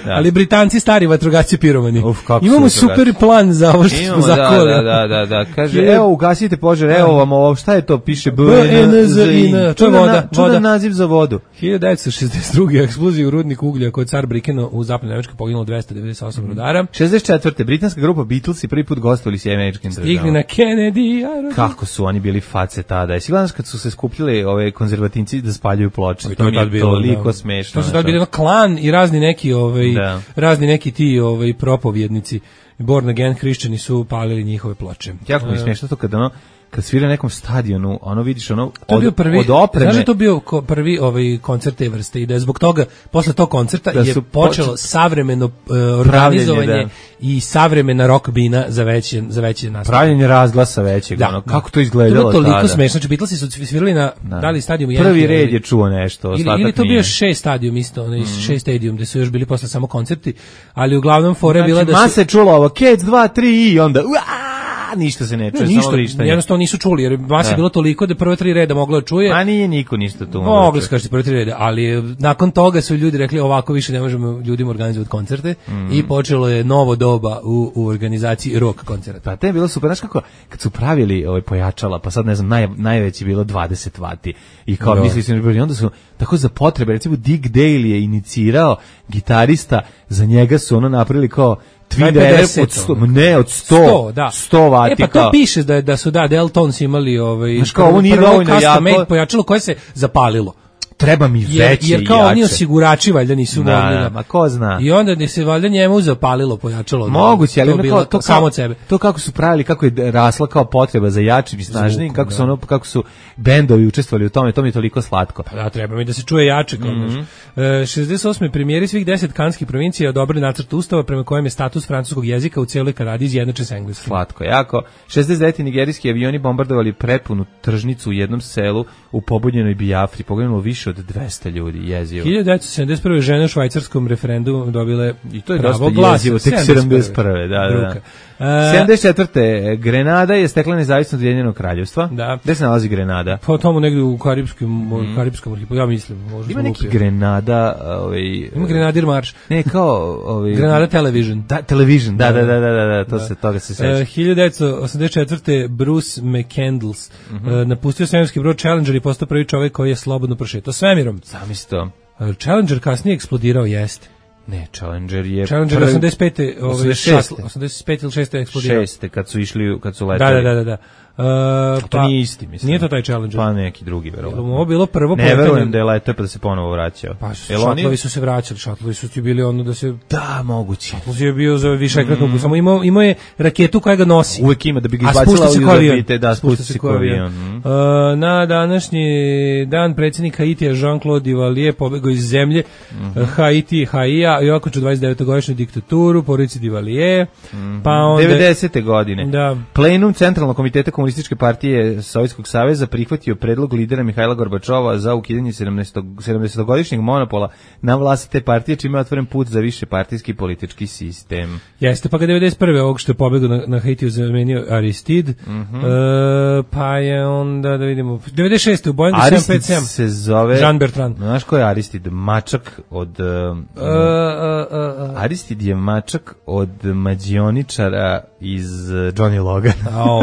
Ali Britanci stari vatrogasci piromani. Imamo super plan za ovo što smo zakovali. Da. Kaže, evo ugasite požar, evo vam ovo, šta je to, piše BNZIN. To je voda. Čudan naziv za vodu. 1962. eksplozija u rudniku uglja kod Car Brikeno u zapadnoj Nemačkoj poginulo 298 rudara. 64. britanska grupa Beatlesi prvi put gostovali s američkim državama. Stigli na Kennedy. Kako su oni bili face tada. Jesi gledano kad su se skupljali ove konzervativci da spaljuju ploče. To je toliko smešno. To su tad bili klan i razni neki ti propovjednici Born Again hrišćani su palili njihove ploče. Jako mi smešno to kad svira na nekom stadionu, vidiš od opreme. Znaš da je to bio prvi koncert te vrste i da je zbog toga, posle tog koncerta je počelo savremeno organizovanje i savremena rock bina za veće nastupe. Pravljenje razglasa većeg, kako to izgledalo tada. To je toliko smešno, znači Beatlesi su svirali na dali stadijumu. Prvi red je čuo nešto, ili to bio 6 stadijum isto, 6 stadijum, gde su još bili posle samo koncerti, ali uglavnom fora je bila da su... Mase čulo ovo, Cats 2, 3 i onda... ništa se ne čuje, samo vrištanje. Jednostavno nisu čuli, jer vas je bilo toliko da prve 3 reda moglo da čuje. A nije niko ništa tu. Mogli su kažete prve 3 reda, ali nakon toga su ljudi rekli ovako više ne možemo ljudima organizovati koncerte i počelo je novo doba u organizaciji rock koncerta. Pa to je bilo super, znaš kako, kad su pravili pojačala, pa sad ne znam, najveći bilo 20 vati i kao mislili su, onda su tako za potrebe, recimo Dick Dale je inicirao gitarista, za njega su napravili kao Twin Rev od 100 vati. Pa to piše da su Deltons imali znaš kao, ovo nije dovoljno jako pojačalo koje se zapalilo. Treba mi veće i jače. Jer kao oni osigurači valjda nisu mogli. Ma ko zna. I onda se valjda njemu zapalilo pojačalo. Moguće, ali to samo od sebe. To kako su pravili, kako je rasla kao potreba za jačim i snažnim, kako su bendovi učestvovali u tome, to mi je toliko slatko. Pa da, treba mi da se čuje jače. 68. premijeri svih 10 kanskih provincija odobrili nacrt ustava prema kojem je status francuskog jezika u cijeloj Kanadi izjednačen s engleskim. Slatko, jako. 69. nigerijski avioni bombardovali prepunu tržnicu u jednom selu u pobunjenoj Bijafri. Poginulo više od 200 ljudi, jezivo. 1971. žene u švajcarskom referendumu dobile i to je dosta jezivo, tek 71. Da. 74. Grenada je stekla nezavisnost od Ujedinjenog kraljevstva. Da. Gde se nalazi Grenada? Pa tamo negdje u Karipskom arhipelagu, ja mislim. Ima neki Grenada... Ima Grenadir marš. Ne, kao... Grenada Television. Television, da, toga se seća. 1984. Bruce McCandless napustio svemirski brod Challenger i postao prvi čovjek koji je slobodno prošetao svemirom. Zamisli to. Challenger kasnije eksplodirao, jeste. Ne, Challenger je... Challenger 85. 85 ili 6. eksplodirao. 6. kad su letali. Da. To nije isti, mislim. Nije to taj Challenger. Pa neki drugi, verovatno. Ovo bilo prvo ne verujem da je letao pa da se ponovo vraćao. Pa šatlovi su se vraćali, šatlovi su ti bili ono da se... Da, moguće. Šatlovi je bio za višekratnu, samo imao je raketu koja ga nosi. Uvek ima da bi ga izbacila u orbite, da, spušta se ko avion. Na današnji dan predsjednik Haitija Jean-Claude Duvalier pobegao iz zemlje Haiti, Haija i okončao 29-godišnju diktaturu, porodici Duvalier. Pa onda 90. godine. Da. Plenum Centralnog komiteta Komunističke partije Sovjetskog saveza prihvatio predlog lidera Mihajla Gorbačova za ukidanje 70-godišnjeg monopola na vlasti te partije, čime je otvoren put za više partijski politički sistem. Jeste, pa ga 91. ovog što je pobegao na Haitiju zamenio Aristide, pa je onda, da vidimo, 96. u Boeingu 757. Aristide se zove... Jean Bertrand. Znaš ko je Aristide? Mačak od... Aristide je mačak od mađioničara iz Johnny Logan.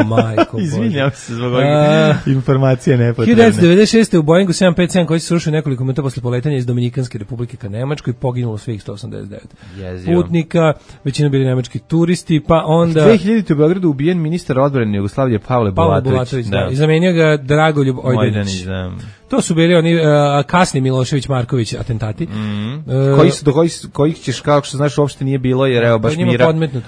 Majko, izvinjam se zbog ovih informacije nepotrebne. 1996. u Boeingu 757 koji se srušio nekoliko minuta posle poletanja iz Dominikanske republike ka Nemačkoj, poginulo svih 189 putnika, većina bili nemački turisti, pa onda... 2000. u Beogradu ubijen ministar odbrane Jugoslavije Pavle Bulatović. Da. I zamenio ga Dragoljub Ojdanić. To su bili oni kasni Milošević Marković atentati. Kojih ćeš, kao što znaš, uopšte nije bilo, jer evo baš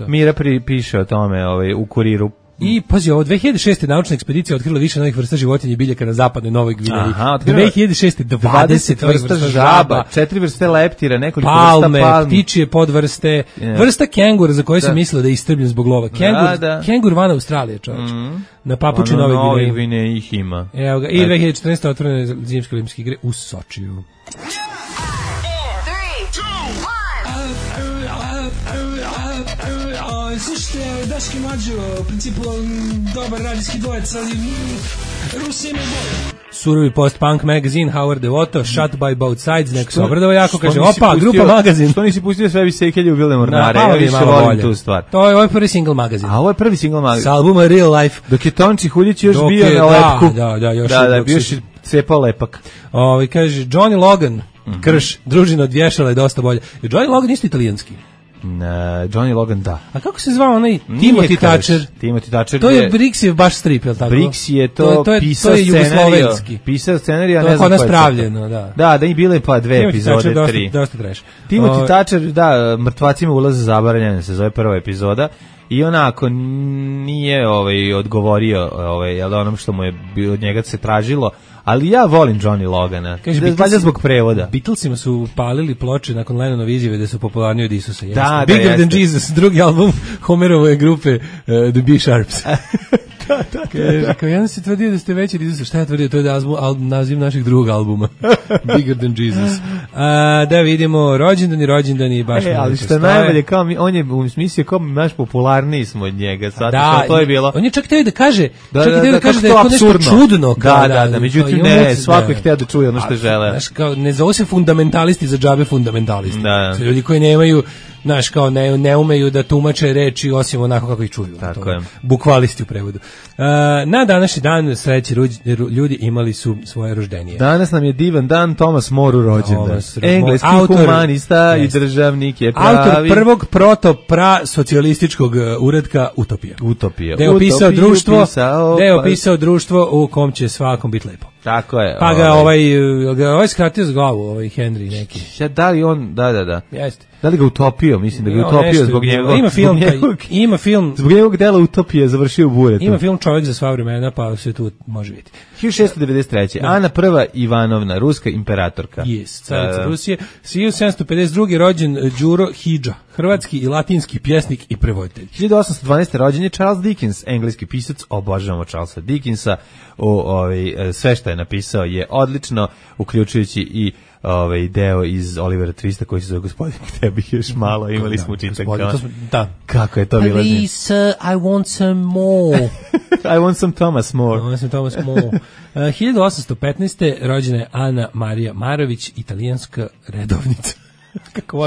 Mira piše o tome u Kuriru. I, pazi, ovo, 2006. naučna ekspedicija otkrila više novih vrsta životinja i biljaka na zapadnoj Novoj Gvineji. 2006. 20 vrsta žaba, 4 vrste leptira, nekoliko vrsta palmi, ptičije podvrste, vrsta kengura za koje se mislilo da je istrbljen zbog lova. Kengur van Australije, čovječ. Na papuči Nove Gvineji ih ima. Evo ga, i 2014. otvorene zimske olimpijske igre u Sočiju. Slušajte, Daški Mađo, u principu dobar radijski dvojec, ali Rusija ima bolje. Surovi post-punk magazine Howard Devoto, Shot by Both Sides, neko se obradova jako, kaže, opa, grupa magazin. Što nisi pustio sve visekelje u Vilne Mornare, ja više volim tu stvar. To je ovaj prvi single magazin. A ovo je prvi single magazin. S albuma Real Life. Dok je Tonči Huljić još bio na lepku. Da, još da, bio je cepao lepak. Kaže, Johnny Logan, Krš, družina od vješala je dosta bolje. Johnny Logan isto italijanski. Johnny Logan, da. A kako se zvao onaj Timothy Thatcher? Timothy Thatcher. To je Brixiev baš strip, je li tako? Brix je to pisao scenariju. Pisao scenariju, a ne znam ko je. To je kod nas pravljeno, da. Da je bile pa 2 epizode, 3. Dosta trash. Timothy Thatcher, da, mrtvacima ulaze zabranjene, se zove prva epizoda. I onako nije odgovorio onom što mu je od njega se tražilo, ali ja volim Johnny Logana. Kaže, valjda zbog prevoda. Beatlesima su palili ploče nakon Lennonove izjave da su popularniji od Isusa. Da, Bigger Than Jesus, drugi album Homerove grupe The B-Sharps. Kao jedan se tvrdio da ste veći od Isusa. Šta je tvrdio? To je naziv našeg drugog albuma. Bigger Than Jesus. Da vidimo, rođendani baš. Ali što je najbolje, kao on je u smislu kao naš popularniji smo od njega. Da, to je bilo. On je čak htio da kaže da je to nešto čudno. Da, međutim ne, svako je htio da čuje ono što žele. Znaš, kao, ne zove se fundamentalisti za džabe fundamentalisti. Su ljudi koji nemaju, znaš, kao ne umeju da tumače reči osim onako kako ih čuju. Tako je. Bukvalisti u prevodu. Na današnji dan sreći ljudi imali su svoje rođenje. Danas nam je divan dan, Thomas More rođendan. Engleski humanista i državnik je pravi. Autor prvog socijalističkog uredka Utopija. Da je opisao društvo u kom će svakom biti lepo. Tako je. Pa ga ovaj skratio z glavu, Henry neki. Da li on, da. Jeste. Da li ga utopio? Mislim da ga utopio zbog njega. Ima film. Zbog njegovog dela Utopije završio u buretu. Ima film Čovjek za sva vremena, pa se tu može vidjeti. 1693. Ana I. Ivanovna, ruska imperatorka. Carica Rusije. 1752. rođen Đuro Hidža, hrvatski i latinski pjesnik i prevoditelj. 1812. rođen je Charles Dickens, engleski pisac, obožavamo Charlesa Dickensa. Sve što je napisao je odlično, uključujući i deo iz Olivera Twista koji se zove Gospodin, gde bih još malo, imali smo učitak. Da. Kako je to bilo? Please, I want some more. I want some Thomas More. 1815. rođena je Ana Marija Marović, italijanska redovnica. Kako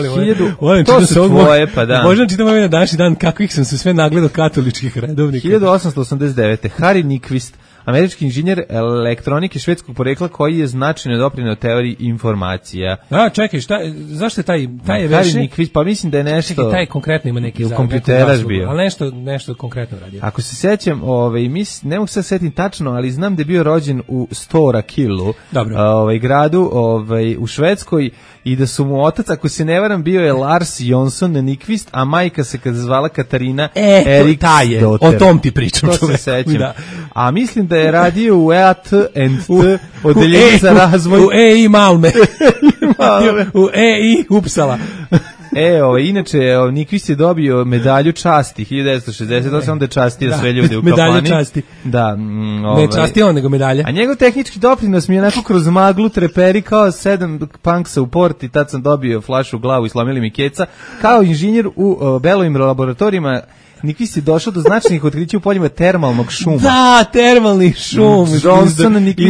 volim to su tvoje, pa da. Možda čitam ovaj na današnji dan kakvih sam se sve nagledao katoličkih redovnika. 1889. Harry Nyquist, američki inženjer elektronike švedskog porekla koji je značajno doprineo teoriji informacija. A, čekaj, zašto je taj je veše? Pa mislim da je nešto... Čekaj, taj konkretno ima neki kompjuteraš bio. Ali nešto konkretno radio. Ako se sećam, ne mogu se setim tačno, ali znam da je bio rođen u Stora Killu, gradu u Švedskoj, i da su mu otac, ako se ne varam, bio je Lars Jonsson Nyquist, a majka se kada zvala Katarina Eriksdotter. O tom ti pričam. To se sećam. Da. A mislim da je radio u EAT&T, odeljenje za razvoj. U EI Malme. U EI Upsala. Inače, Nyquist je dobio medalju časti 1968, onda je častio sve ljude u kafani. Medalju časti. Da. Ne častio on, nego medalja. A njegov tehnički doprinos mi je onako kroz maglu treperi kao 7 punksa u porti, tad sam dobio flašu u glavu i slomili mi keca. Kao inženjer u Belovim laboratorijima, Nyquist je došao do značajnih otkrića u poljima termalnog šuma. Da, termalni šum. Is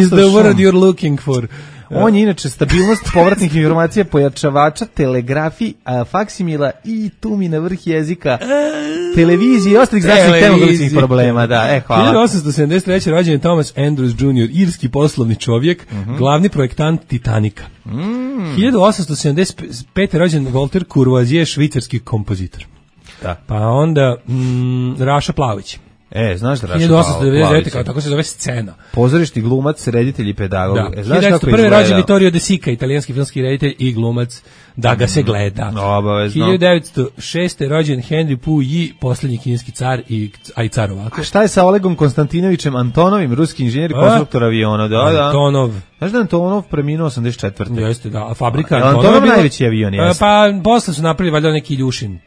the word you're looking for. On je inače stabilnost povratnih informacija, pojačavača, telegrafiji, faksimila i tu mi na vrh jezika, televizije i ostalih značajnih termografičnih problema. Da, hvala. 1873. rođen je Thomas Andrews Jr., irski poslovni čovjek, glavni projektant Titanika. 1875. rođen Walter Courvoisier, švicarski kompozitor. Da. Pa onda Raša Plavić. Znaš da Raša Plavić? 1899. Tako se zove Scena. Pozorišni glumac, reditelj i pedagog. Da. Znaš kako je izgledao? Rođen Vittorio De Sica, italijanski filmski reditelj i glumac, da ga se gleda. Obavezno. 1906. rođen Henry Puyi, posljednji kineski car i car ovako. A šta je sa Olegom Konstantinovićem Antonovim, ruski inženjer i konstruktor aviona? Antonov. Znaš da Antonov preminuo 84. Jeste, da. A fabrika Antonov najveći avion, jeste. Pa posle su napravili valjda neki Iljušin.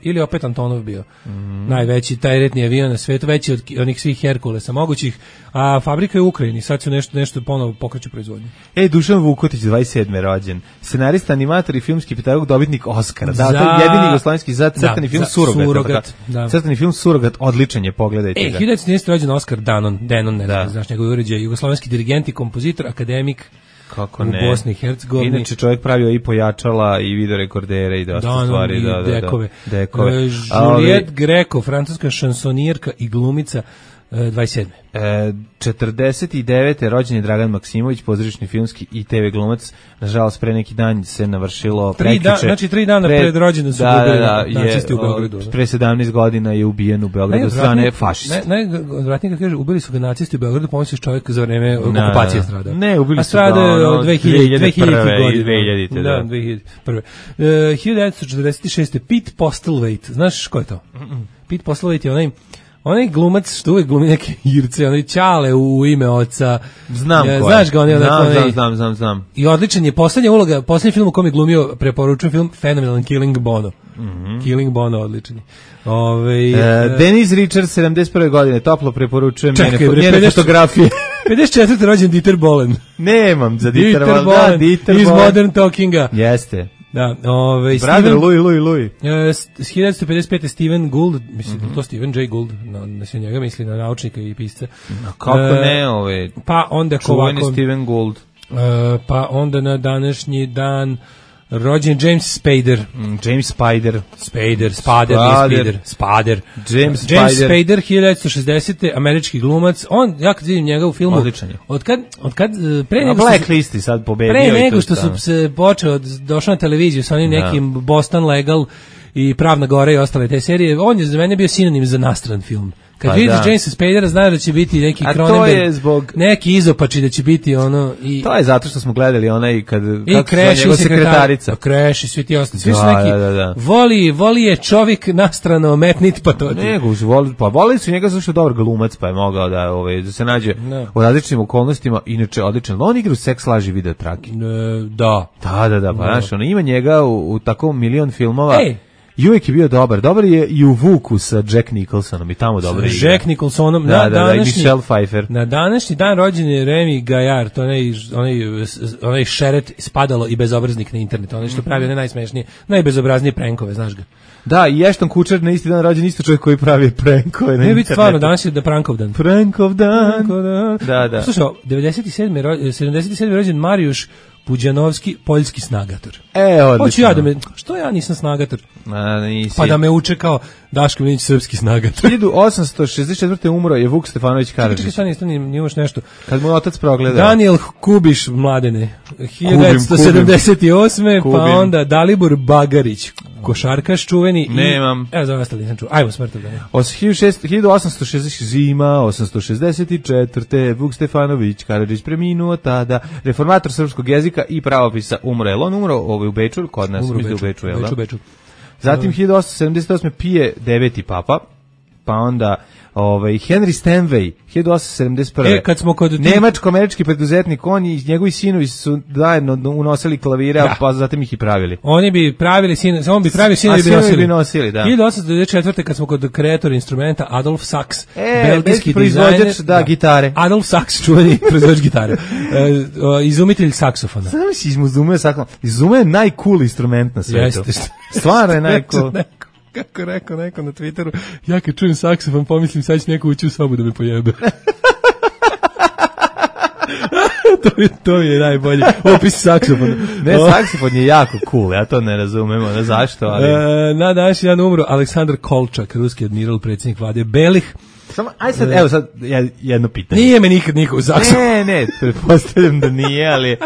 Ili opet Antonov bio. Najveći tajretni avion na svetu, veći od onih svih Herkulesa mogućih, a fabrika je u Ukrajini, sad su nešto ponovo pokreću proizvodnju. Dušan Vukotić, 27. rođen, scenarista, animator i filmski pedagog, dobitnik Oscara. To je jedini jugoslovenski za crtani film Surogat. Crtani film Surogat, odličan je, pogledajte ga. 1913. rođen Oskar Danon, ne znaš njegov uređaj, jugoslovenski dirigent i kompozitor, akademik. Kako u ne. Bosni i Hercegovini. Inače čovjek pravio i pojačala i videorekordere i dosta stvari. Dekove. Juliette Greco, francuska šansonirka i glumica, 27. 49. rođen je Dragan Maksimović, pozorišni filmski i TV glumac. Nažalost, pre neki dan se navršilo prekjuče. Znači 3 dana pred rođendan su ubili nacisti u Beogradu. Pre 17 godina je ubijen u Beogradu od strane fašista. Najodvratnije kad kaže, ubili su ga nacisti u Beogradu, pomisliš čovjek za vreme okupacije strada. Ne, ubili su ga 2000 godina. 2000. Da, 2001. 1946. Pete Postlethwaite. Znaš ko je to? Pete Postlethwaite je onaj glumac što uvijek glumi neke Irce, onaj Ćale u ime oca. Znam ko je. Znaš ga, Znam. I odličan je, posljednji film u kom je glumio, preporučujem film, fenomenalan Killing Bono. Killing Bono, odličan je. Denise Richards, 71. godine, toplo preporučujem njene fotografije. 54. rođen Dieter Bohlen. Nemam za Dieter Bohlen. Iz Modern Talkinga. Jeste. Da, Brother Louis. 1955. Steven Gould, mislim to Steven J. Gould, na sve njega misli, na naučnika i pisca. Kako ne, pa onda čuveni Steven Gould. Pa onda na današnji dan rođen James Spader. Spader. James Spader, 1960. američki glumac. Ja kad vidim njega u filmu, Odkad pre nego Blacklisti sad pobedio. Pre nego što su se došao na televiziju sa onim nekim Boston Legal i Pravna Gora i ostale te serije, on je za mene bio sinonim za nastran film. Kad vidiš Jamesa Spadera, znaš da će biti neki Cronenberg, neki izopači da će biti ono... To je zato što smo gledali onaj kako njegov sekretarica. Crash i svi ti ostali. Svi su neki... Voli je čovjek nastrano metnit, pa to... Voli su njega zašto je dobar glumac, pa je mogao da se nađe u različitim okolnostima, inače odličan. On igra u Seks, laži, video trake. Da. Pa znaš, ima njega u tako milion filmova. I uvijek je bio dobar je i u Vuku sa Jack Nicholsonom i tamo dobro igra. Jack Nicholsonom, Michelle Pfeiffer. Na današnji dan rođen je Remy Gaillard, to onaj šeret spadalo i bezobraznik na internetu, onaj što pravi one najsmešnije, najbezobraznije prankove, znaš ga. Da, i Ashton Kutcher na isti dan rođen, isto čovjek koji pravi prankove na internetu. Biti stvarno, danas je Prankov dan. Prankov dan. Da. Slušaj, 77. rođen Marijuš Puđanovski, poljski snagator. Odlično. Hoću ja da me, što ja nisam snagator? Nisi. Pa da me uče kao Daško Milinić, srpski snagator. 1864. umro je Vuk Stefanović Karadžić. Čekaj, sad nimaš nešto. Kad mu otac progledao. Daniel Kubiš, mladene, 1978. Pa onda Dalibor Bagarić, košarkaš čuveni. Nemam. Evo za ostali nisam čuo. Ajmo smrtno. 1860 zima, 864. Vuk Stefanović Karadžić preminuo tada. Reformator srpskog jezika i pravopisa umro. Je on umro u Beču? Kod nas. Umro u Beču, je li? Beču. Zatim 1878. Pije 9. papa, pa onda Henry Stanway 1871. Kad smo kod nemačko-američki preduzetnik, on i njegovi sinovi su zajedno unosili klavire, pa zatim ih i pravili. Oni bi pravili sinovi bi nosili, da. 1894. kad smo kod kreator instrumenta Adolf Sachs, belgijski proizvođač gitare. Adolf Sachs, čuveni proizvođač gitare. Izumitelj saksofona. Znam si izumuje saksofon. Izumuje najcool instrument na svetu. Stvarno je najcool. Kako rekao neko na Twitteru, ja kad čujem saksofon pomislim sad će neko ući u sobu da me pojebe. to je najbolji opis saksofona. Ne, saksofon je jako cool, ja to ne razumem, zašto, ali... Na današnji dan umro Aleksandar Kolčak, ruski admiral, predsjednik vlade Belih. Samo, evo sad jedno pitanje. Nije me nikad niko u saksofon. Ne, pretpostavljam da nije, ali...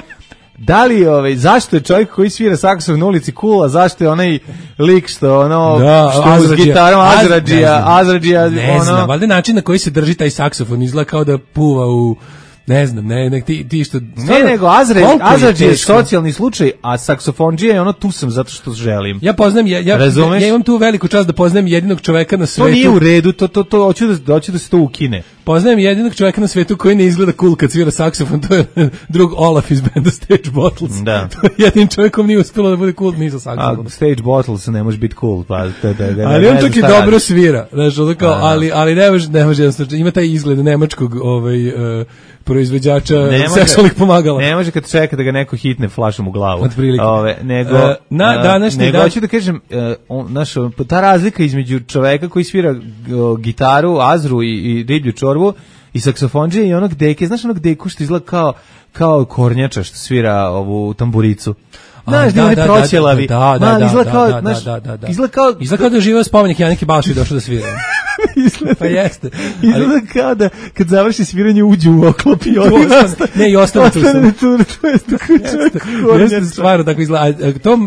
Da li zašto je čovjek koji svira saksofon na ulici cool, a zašto je onaj lik što s gitarom Azradžija, ne znam, valjda način na koji se drži taj saksofon izgleda kao da puva u ne znam, ti što... nego Azradžija je socijalni slučaj, a saksofondžija je tu sam zato što želim. Ja poznam, ja imam tu veliku čast da poznajem jedinog čoveka na svetu. To nije u redu, to hoću da se to ukine. Poznajem jedinog čoveka na svetu koji ne izgleda cool kad svira saksofon, to je drug Olaf iz benda Stage Bottles. Da. To je jedin čovjekom nije uspjelo da bude cool ni za saksofon. A Stage Bottles ne može biti cool, pa ali on čak i dobro svira, znaš, ali ne može jednostavno, ima taj izgled nemačkog proizvođača seksualnih pomagala. Ne može kad čeka da ga neko hitne flašom u glavu. Nego hoću da kažem, ta razlika između čoveka koji svira gitaru, azru i riblju čorbu i saksofondžije i onog deke, znaš onog deku što izgleda kao kornjača što svira ovu tamburicu. Znaš, da oni proćelavi. Izgleda kao da živeo spomenik Janike Balši došao da svira. Pa jeste. Izgleda kao da kad završi sviranje uđe u oklop i ne, i ostane tu sam. Jeste stvarno tako izgleda.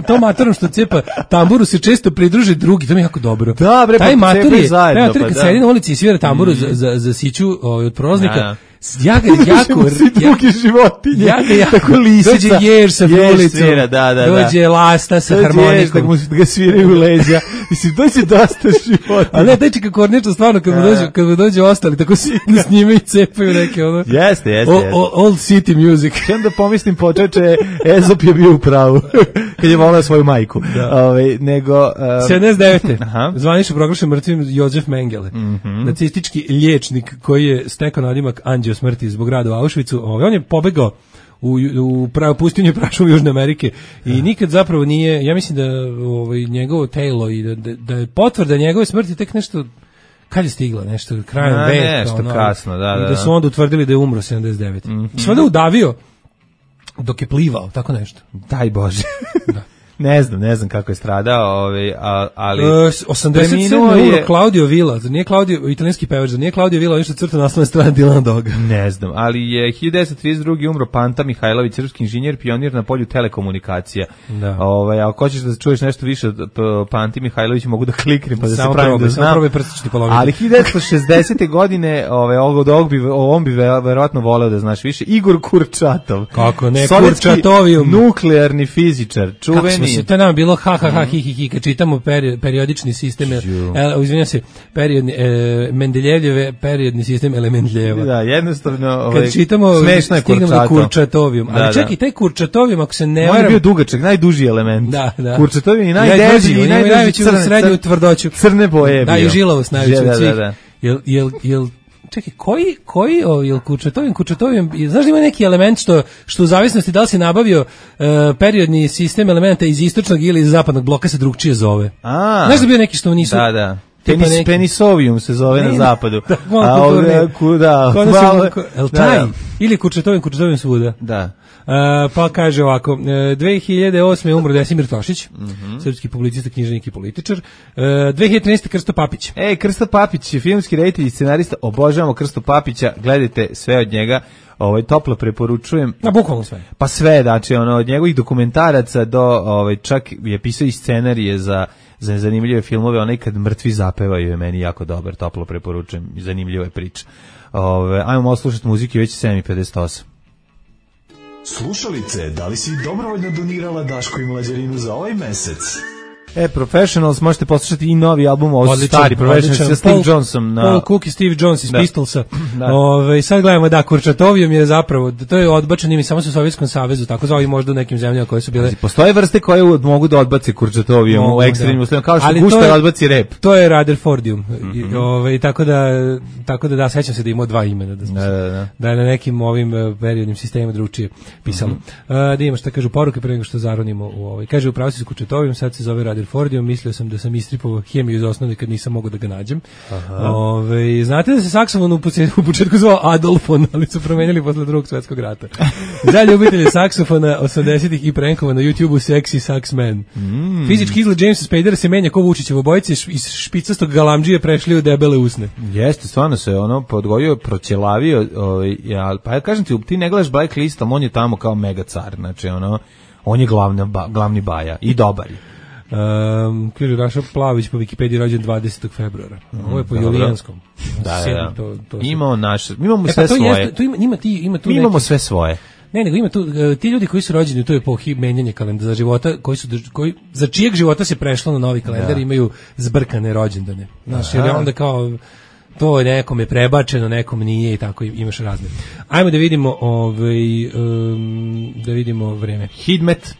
To matorom što cepa tamburu se često pridruže drugi, to mi je jako dobro. Da, bre, taj mator je, kad sedi na ulici i svira tamburu za siću od proznika, ja ga jako drugi životinje, tako lisica, dođe jež sa frulicom, dođe lasta sa harmonikom, da ga sviraju u leđa, mislim, dođe dosta životinja. A ne, teči kako korneča, stvarno, kad mu dođe ostali, tako sjedno s njime i cepaju neke, Jeste. Old city music. I onda pomislim, počeče, Ezop je bio u pravu, kad je volao svoju majku. Nego... 79. Zvanično proglašen mrtvim Jozef Mengele, nacistički liječnik koji je stekao nadimak anđeo smrti zbog rada u Auschwitzu. On je pobegao u pustinju i prašumu Južne Amerike i nikad zapravo nije, ja mislim da njegovo telo i da je potvrda njegove smrti tek nešto, kad je stigla, nešto krajem veka. Nešto kasno, da. I da su onda utvrdili da je umro 79. I sve da udavio dok je plivao, tako nešto. Daj Bože. Da. Ne znam kako je stradao, ali 87. umro Claudio Villa, nije Claudio, italijanski pevač, nije Claudio Villa, nešto crta naslovne strane Dilana Doga. Ne znam, ali je 1932. umro Panta Mihajlović, srpski inženjer, pionir na polju telekomunikacija. Da. Ako hoćeš da čuješ nešto više od Panti Mihajlović, mogu da kliknem pa da se pravim da znam. Ali 1960. godine, on bi verovatno voleo da znaš više, Igor Kurčatov. Kako ne, Kurčatovijum. Nuklearni fizičar, čuveni. To nam bilo hi, kad čitamo periodični sistem, izvinjam se, Mendeljevljeve periodni sistem Mendljeva. Da, jednostavno, kad čitamo, stignemo do Kurčatovijum. Ali čak i taj Kurčatovijum, ako se ne varam... On je bio dugačak, najduži element. Da. Kurčatovijum je najdeži i najveći srednju tvrdoću. Crne boje. Da, i žilavost najveći od svih. Jel čekaj, jel Kurčatovijum, znaš da ima neki element što u zavisnosti da li si nabavio periodni sistem elementa iz istočnog ili iz zapadnog bloka se drugčije zove. Znaš da bio neki što nisu... Da. Penisovium se zove na zapadu. A ovdje kuda? Ili Kurčetovim svuda. Da. Pa kaže ovako, 2008. umro Desimir Tošić, srpski publicista, književnik i političar. 2013. Krsto Papić. Krsto Papić je filmski reditelj i scenarista, obožavamo Krsto Papića, gledajte sve od njega. Toplo preporučujem. Na bukvalno sve. Pa sve, znači od njegovih dokumentaraca do čak je pisao i scenarije za zanimljive filmove, onaj kad mrtvi zapevaju je meni jako dobar, toplo preporučujem, zanimljiva je priča. Ajmo malo slušati muziki, već 7:58. Slušalice, da li si dobrovoljno donirala Daško i Mlađarinu za ovaj mesec? Professionals, možete poslušati i novi album, ovo su stari Professionals sa Steve Johnson. Paul Cook i Steve Jones iz Pistolsa. Sad gledamo, Kurčetovijom je zapravo, to je odbačen ime samo u Sovjetskom savezu, tako zove možda u nekim zemljama koje su bile... Postoje vrste koje mogu da odbace Kurčetovijom u ekstremnim uslovima, kao što Guštar odbaci rep. To je Rutherfordium. Tako da sećam se da imao dva imena, da je na nekim ovim periodnim sistemima drugačije pisalo. Da imamo šta kažu poruke pre nego što zaronimo u ovaj. Kaže, upravo si s Kurčetovijom, sad se zove Rutherfordium, mislio sam da sam istripovao hemiju iz osnovne kad nisam mogao da ga nađem. Znate da se saksofon u početku zvao Adolfon, ali su promenjali posle Drugog svjetskog rata. Za ljubitelje saksofona 80-ih i prenkova na YouTubeu Sexy Sax Man. Fizički izgled Jamesa Spadera se menja ko Vučićev, obojice iz špicastog galamdžije prešli u debele usne. Jeste, stvarno se podgojio, proćelavio, pa ja kažem ti ne gledaš Blacklist, ali on je tamo kao mega car, znači on je glavni baja i dobar je. Kaže Raša Plavić po Wikipediji rođen 20. februara. Ovo je po Julijanskom. Da. Imamo naše, mi imamo sve svoje. Mi imamo sve svoje. Ne, nego ima tu ti ljudi koji su rođeni u toj epohi menjanja kalendara za života, koji za čijeg života se prešlo na novi kalendar, imaju zbrkane rođendane. Znaš, jer onda kao to je nekom je prebačeno, nekom nije i tako imaš razne. Ajmo da vidimo da vidimo vreme. Hidmet.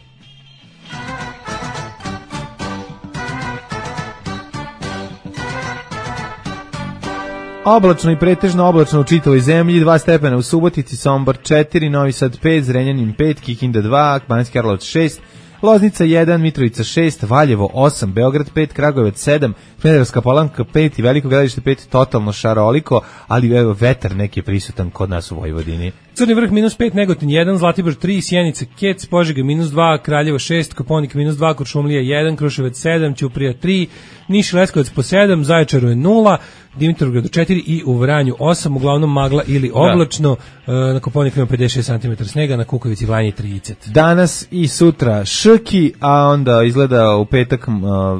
Oblačno i pretežno oblačno u čitavoj zemlji, 2 stepena u Subotici, Sombor 4, Novi Sad 5, Zrenjanin 5, Kikinda 2, Banjski Karlovac 6, Loznica 1, Mitrovica 6, Valjevo 8, Beograd 5, Kragujevac 7, Smederevska Palanka 5 i Veliko Gradište 5, totalno šaroliko, ali evo vetar neki je prisutan kod nas u Vojvodini. Crni vrh -5, Negotin 1, Zlatibor 3, Sjenica, Kec, Požega -2, Kraljevo 6, Koponik -2, Kuršumlija 1, Kruševac 7, Ćuprija 3, Niš i Leskovac po 7, Zaječaru je 0, Dimitrovgradu 4 i u Vranju 8, uglavnom magla ili oblačno, na Koponiku ima 56 cm snega, na Kukovici Vranje 30. Danas i sutra šrki, a onda izgleda u petak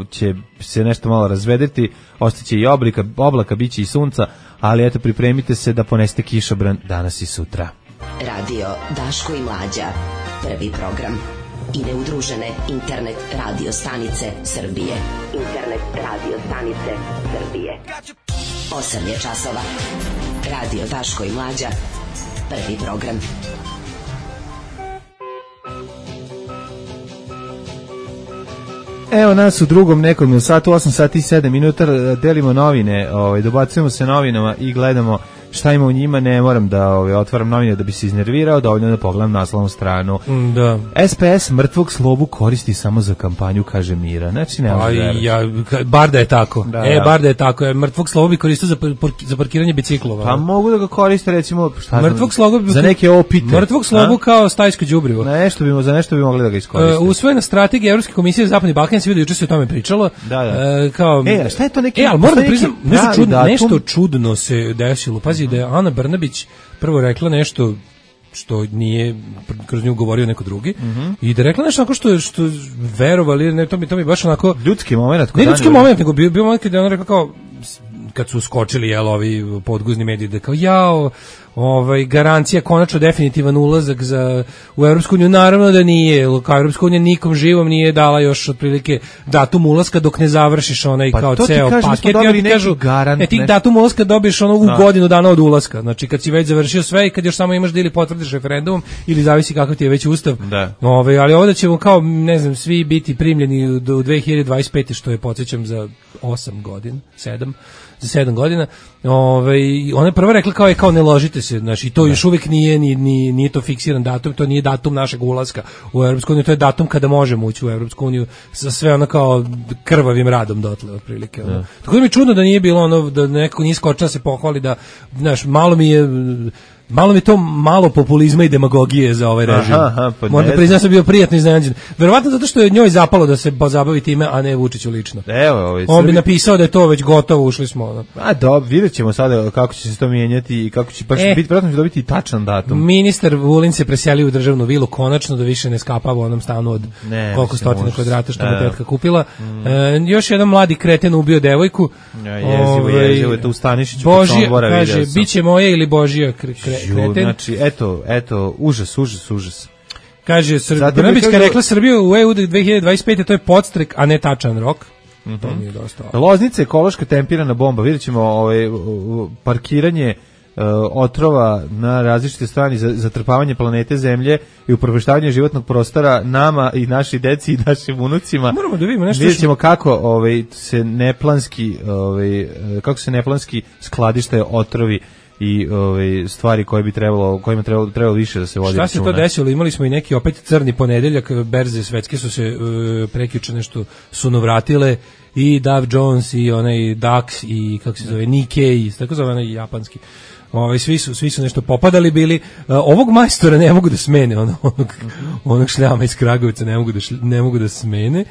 će se nešto malo razvedeti, ostaće i oblaka, biće i sunca, ali eto pripremite se da poneste kišobran danas i sutra. Radio Daško i Mlađa, prvi program. I neudružene internet radio stanice Srbije. 8 je časova. Radio Daško i Mlađa, prvi program. Evo nas u drugom nekom satu, 8 sati i 7 minuta, delimo novine, dobacujemo se novinama i gledamo šta ima u njima, ne moram da otvaram novine da bi se iznervirao, dovoljno da pogledam naslovnu stranu. Da. SPS mrtvog slobu koristi samo za kampanju, kaže Mira. Znači, bar da je tako. Bar da je tako. Mrtvog slobu bi koristio za parkiranje biciklova. Pa mogu da ga koriste, recimo, za neke opite. Mrtvog slobu kao stajsko đubrivo. Za nešto bi mogli da ga iskoriste. Usvojena strategija Evropske komisije za Zapadni Balkan, se vidi juče se o tome pričalo. Šta je to neki... ali moram da priznam, nešto čudno se desilo. Pazi, da je Ana Brnabić prvo rekla nešto što nije kroz nju govorio neko drugi i da je rekla nešto onako što verovali, ne, to mi baš onako ljudski moment. Ne ljudski moment, nego bio moment kada je ona rekla kao kad su skočili ovi podguzni mediji da kao garancija konačno definitivan ulazak u Evropsku uniju, naravno da nije, kao Evropska unija nikom živom nije dala još otprilike datum ulaska dok ne završiš onaj kao ceo paket. I kažu, ti datum ulaska dobiješ u godinu dana od ulaska, znači kad si već završio sve i kad još samo imaš da ili potvrdiš referendumom ili zavisi kakav ti je već ustav. Ali ovdje ćemo kao, ne znam, svi biti primljeni do 2025. što je, podsjećam, za 8 godina, 7, za 7 godina. Ona je prva rekla kao ne ložite se, znači to još uvijek nije to fiksiran datum, to nije datum našeg ulaska u Evropsku uniju, to je datum kada možemo ući u Evropsku uniju sa sve ono kao krvavim radom dotle otprilike. Tako da mi je čudno da nije bilo ono, da neko nije skočio da se pohvali, da, znaš, malo mi je to malo populizma i demagogije za ovaj režim. Pa moram da priznam, sam bio prijatno iznenađen. Verovatno zato što je njoj zapalo da se pozabavi time, a ne Vučiću lično. On bi napisao da je to već gotovo, ušli smo. Ono. Vidjet ćemo sada kako će se to mijenjati i kako će vjerojatno će dobiti tačan datum. Ministar Vulin se preselio u državnu vilu konačno, da više ne skapava u onom stanu od koliko stotina kvadrata što mu tetka kupila. Još jedan mladi kreten ubio devojku. Jezivo je to u Stanišiću. Božija, kaže, biće moje ili Božija kreten. Znači, eto, užas. Kaže, Brnabićka rekla Srbiju u EU 2025. to je podstrek, a ne tačan rok. To mi je dosta. Loznica je ekološka tempirana bomba. Vidjet ćemo parkiranje otrova na različite strane, zatrpavanje planete Zemlje i upropaštavanje životnog prostora nama i našoj deci i našim unucima. Moramo da vidimo nešto. Vidjet ćemo kako se neplanski skladište otrovi i stvari koje bi kojima trebalo više da se vodi računa. Šta se to desilo? Imali smo i neki opet crni ponedeljak, berze svetske su se prekjuče nešto sunovratile, i Dow Jones i onaj DAX i kako se zove Nikkei, tako zove onaj japanski. Svi su nešto popadali bili. Ovog majstora ne mogu da smene, onog šljama iz Kragujevca ne mogu da smene.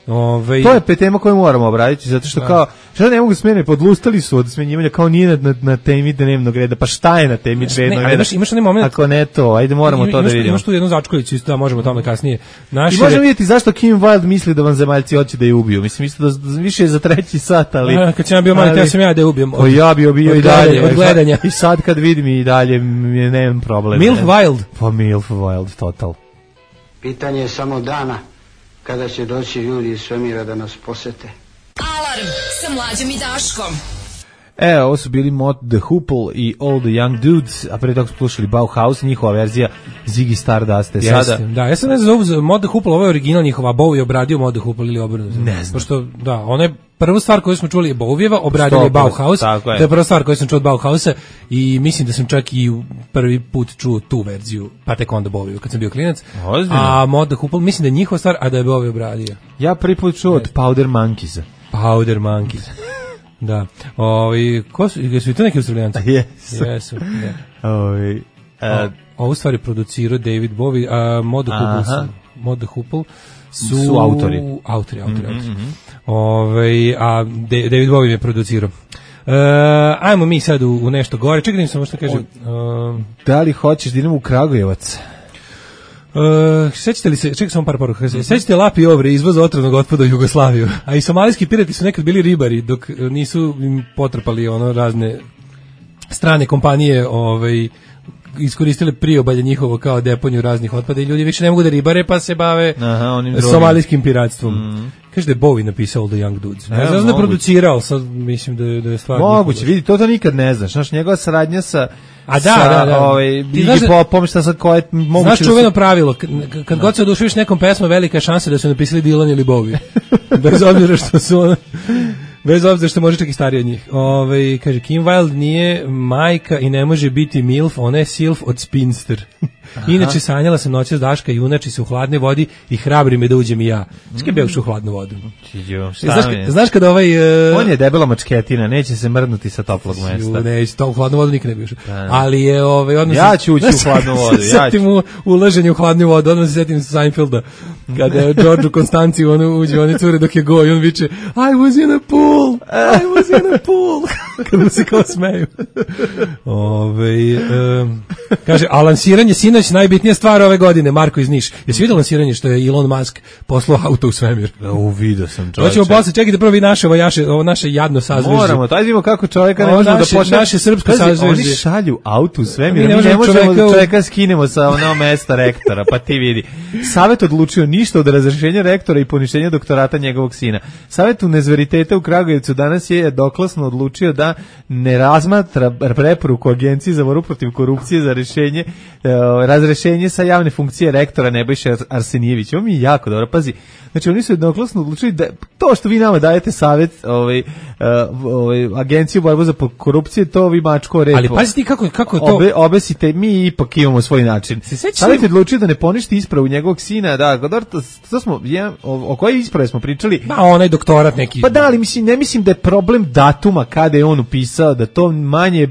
To je tema koju moramo obraditi, zato što kao, šta ne mogu smene, podlustali su od smenjivanja, kao nije na temi dnevnog reda, pa šta je na temi dnevnog reda? Imaš onaj moment, ako ne to, ajde moramo to da vidimo. Imaš tu jednu začkoljicu, isto da možemo o tome kasnije. I možemo vidjeti zašto Kim Wilde misli da vanzemaljci hoće da je ubiju. Mislim, isto da više je za 3. sat, ali... Kad sam ja bio mali, ja sam da je ubijem. Ja bi bio i dalje. Od gledanja. I sad kad vidim i dalje, nemam problem. Milf Wilde. Pa Milf Wilde, total. Pitanje je samo dana kada će doći ljudi iz svemira da nas posete. Alarm sa Mlađom i Daškom. Ovo su bili Mod the Hoople i All the Young Dudes, a pre toga smo slušali Bauhaus, njihova verzija Ziggy Stardust. Da, ja sam ne znam za Mod the Hoople, ovo je original njihova, Bowie je obradio Mod the Hoople ili obrnuto. Ne znam. Pošto, da, ona je prva stvar koju smo čuli je Bowieva, obradio je Bauhaus, to je prva stvar koju sam čuo od Bauhausa i mislim da sam čak i prvi put čuo tu verziju, pa tek onda Bowieva kad sam bio klinac. A Mod the Hoople, mislim da je njihova stvar, a da je Bowie obradio. Ja prvi put čuo od Powder Monkeys. Powder Monkeys. Da. Jesu i to neki Australijanci? Jesu. Ovu stvari producirao David Bowie, a Mod the Hoople su autori. A David Bowie je producirao. Ajmo mi sad u nešto gore. Čekaj da im samo što kažem. Da li hoćeš da idemo u Kragujevac? Sećate li se, čekaj samo par poruka, sećate Lapi Ovre, izvoz otrovnog otpada u Jugoslaviju, a i somalijski pirati su nekad bili ribari, dok nisu im potrpali razne strane kompanije iskoristile priobalje njihovo kao deponiju raznih otpada i ljudi više ne mogu da ribare pa se bave somalijskim piratstvom. Kaže da je Bowie napisao All the Young Dudes. Ne znam da je producirao, sad mislim da je stvar... Moguće, vidi, to nikad ne znaš. Znaš, njegova saradnja sa... Iggy Popom, šta sad koje... Znaš čuveno pravilo, kad god se oduševiš nekom pesmom, velika je šansa da su napisali Dylan ili Bowie. Bez obzira što su bez obzira što može čak i stariji od njih. Kaže, Kim Wilde nije majka i ne može biti milf, ona je silf od spinster. Inače, sanjala sam noćas Daška, junači se u hladnoj vodi i hrabri me da uđem i ja. Skaj bih u hladnu vodu. Znaš kada on je debela mačketina, neće se mrdnuti sa toplog mesta. Neće, to u hladnu vodu nikad ne bi ušao. Ali je ja ću ući u hladnu vodu. Setim u ulaženju u hladnu vodu, odmah se setim Seinfelda. Kada je George u Konstanciji uđe, one cure dok je go i on viče I was in a pool. Kada mu se kao smeju. Kaže, a lansiranje sinoć najbitnija stvar ove godine, Marko iz Niš. Jesi vidio lansiranje što je Elon Musk poslao auto u svemir? Vidio sam, čovječe. Hoćemo posle, čekajte prvo vi ovo naše jadno sazvežđe. Moramo, to vidimo kako čovjeka ne možemo da počne. Naše srpsko sazvežđe. Oni šalju auto u svemir, mi ne možemo da čovjeka skinemo sa onog mesta rektora, pa ti vidi. Savet odlučio ništa od razrešenja rektora i poništenja doktorata njegovog sina. Savet Univerziteta u Kragujevcu danas je doklasno odlučio da da ne razmatra preporuku Agencije za borbu protiv korupcije za rešenje, razrešenje sa javne funkcije rektora Nebojše Arsenijevića. Ovo mi je jako dobro, pazi. Znači, oni su jednoglasno odlučili da to što vi nama dajete savjet Agenciju borbu za korupcije, to vi mačko repo. Ali pazi ti kako to... Obesite, mi ipak imamo svoj način. Savjet je odlučio da ne poništi ispravu njegovog sina, da, to smo, o kojoj isprave smo pričali? Ma, onaj doktorat neki. Pa da, ali ne mislim da je problem datuma kada je on upisao, da to manje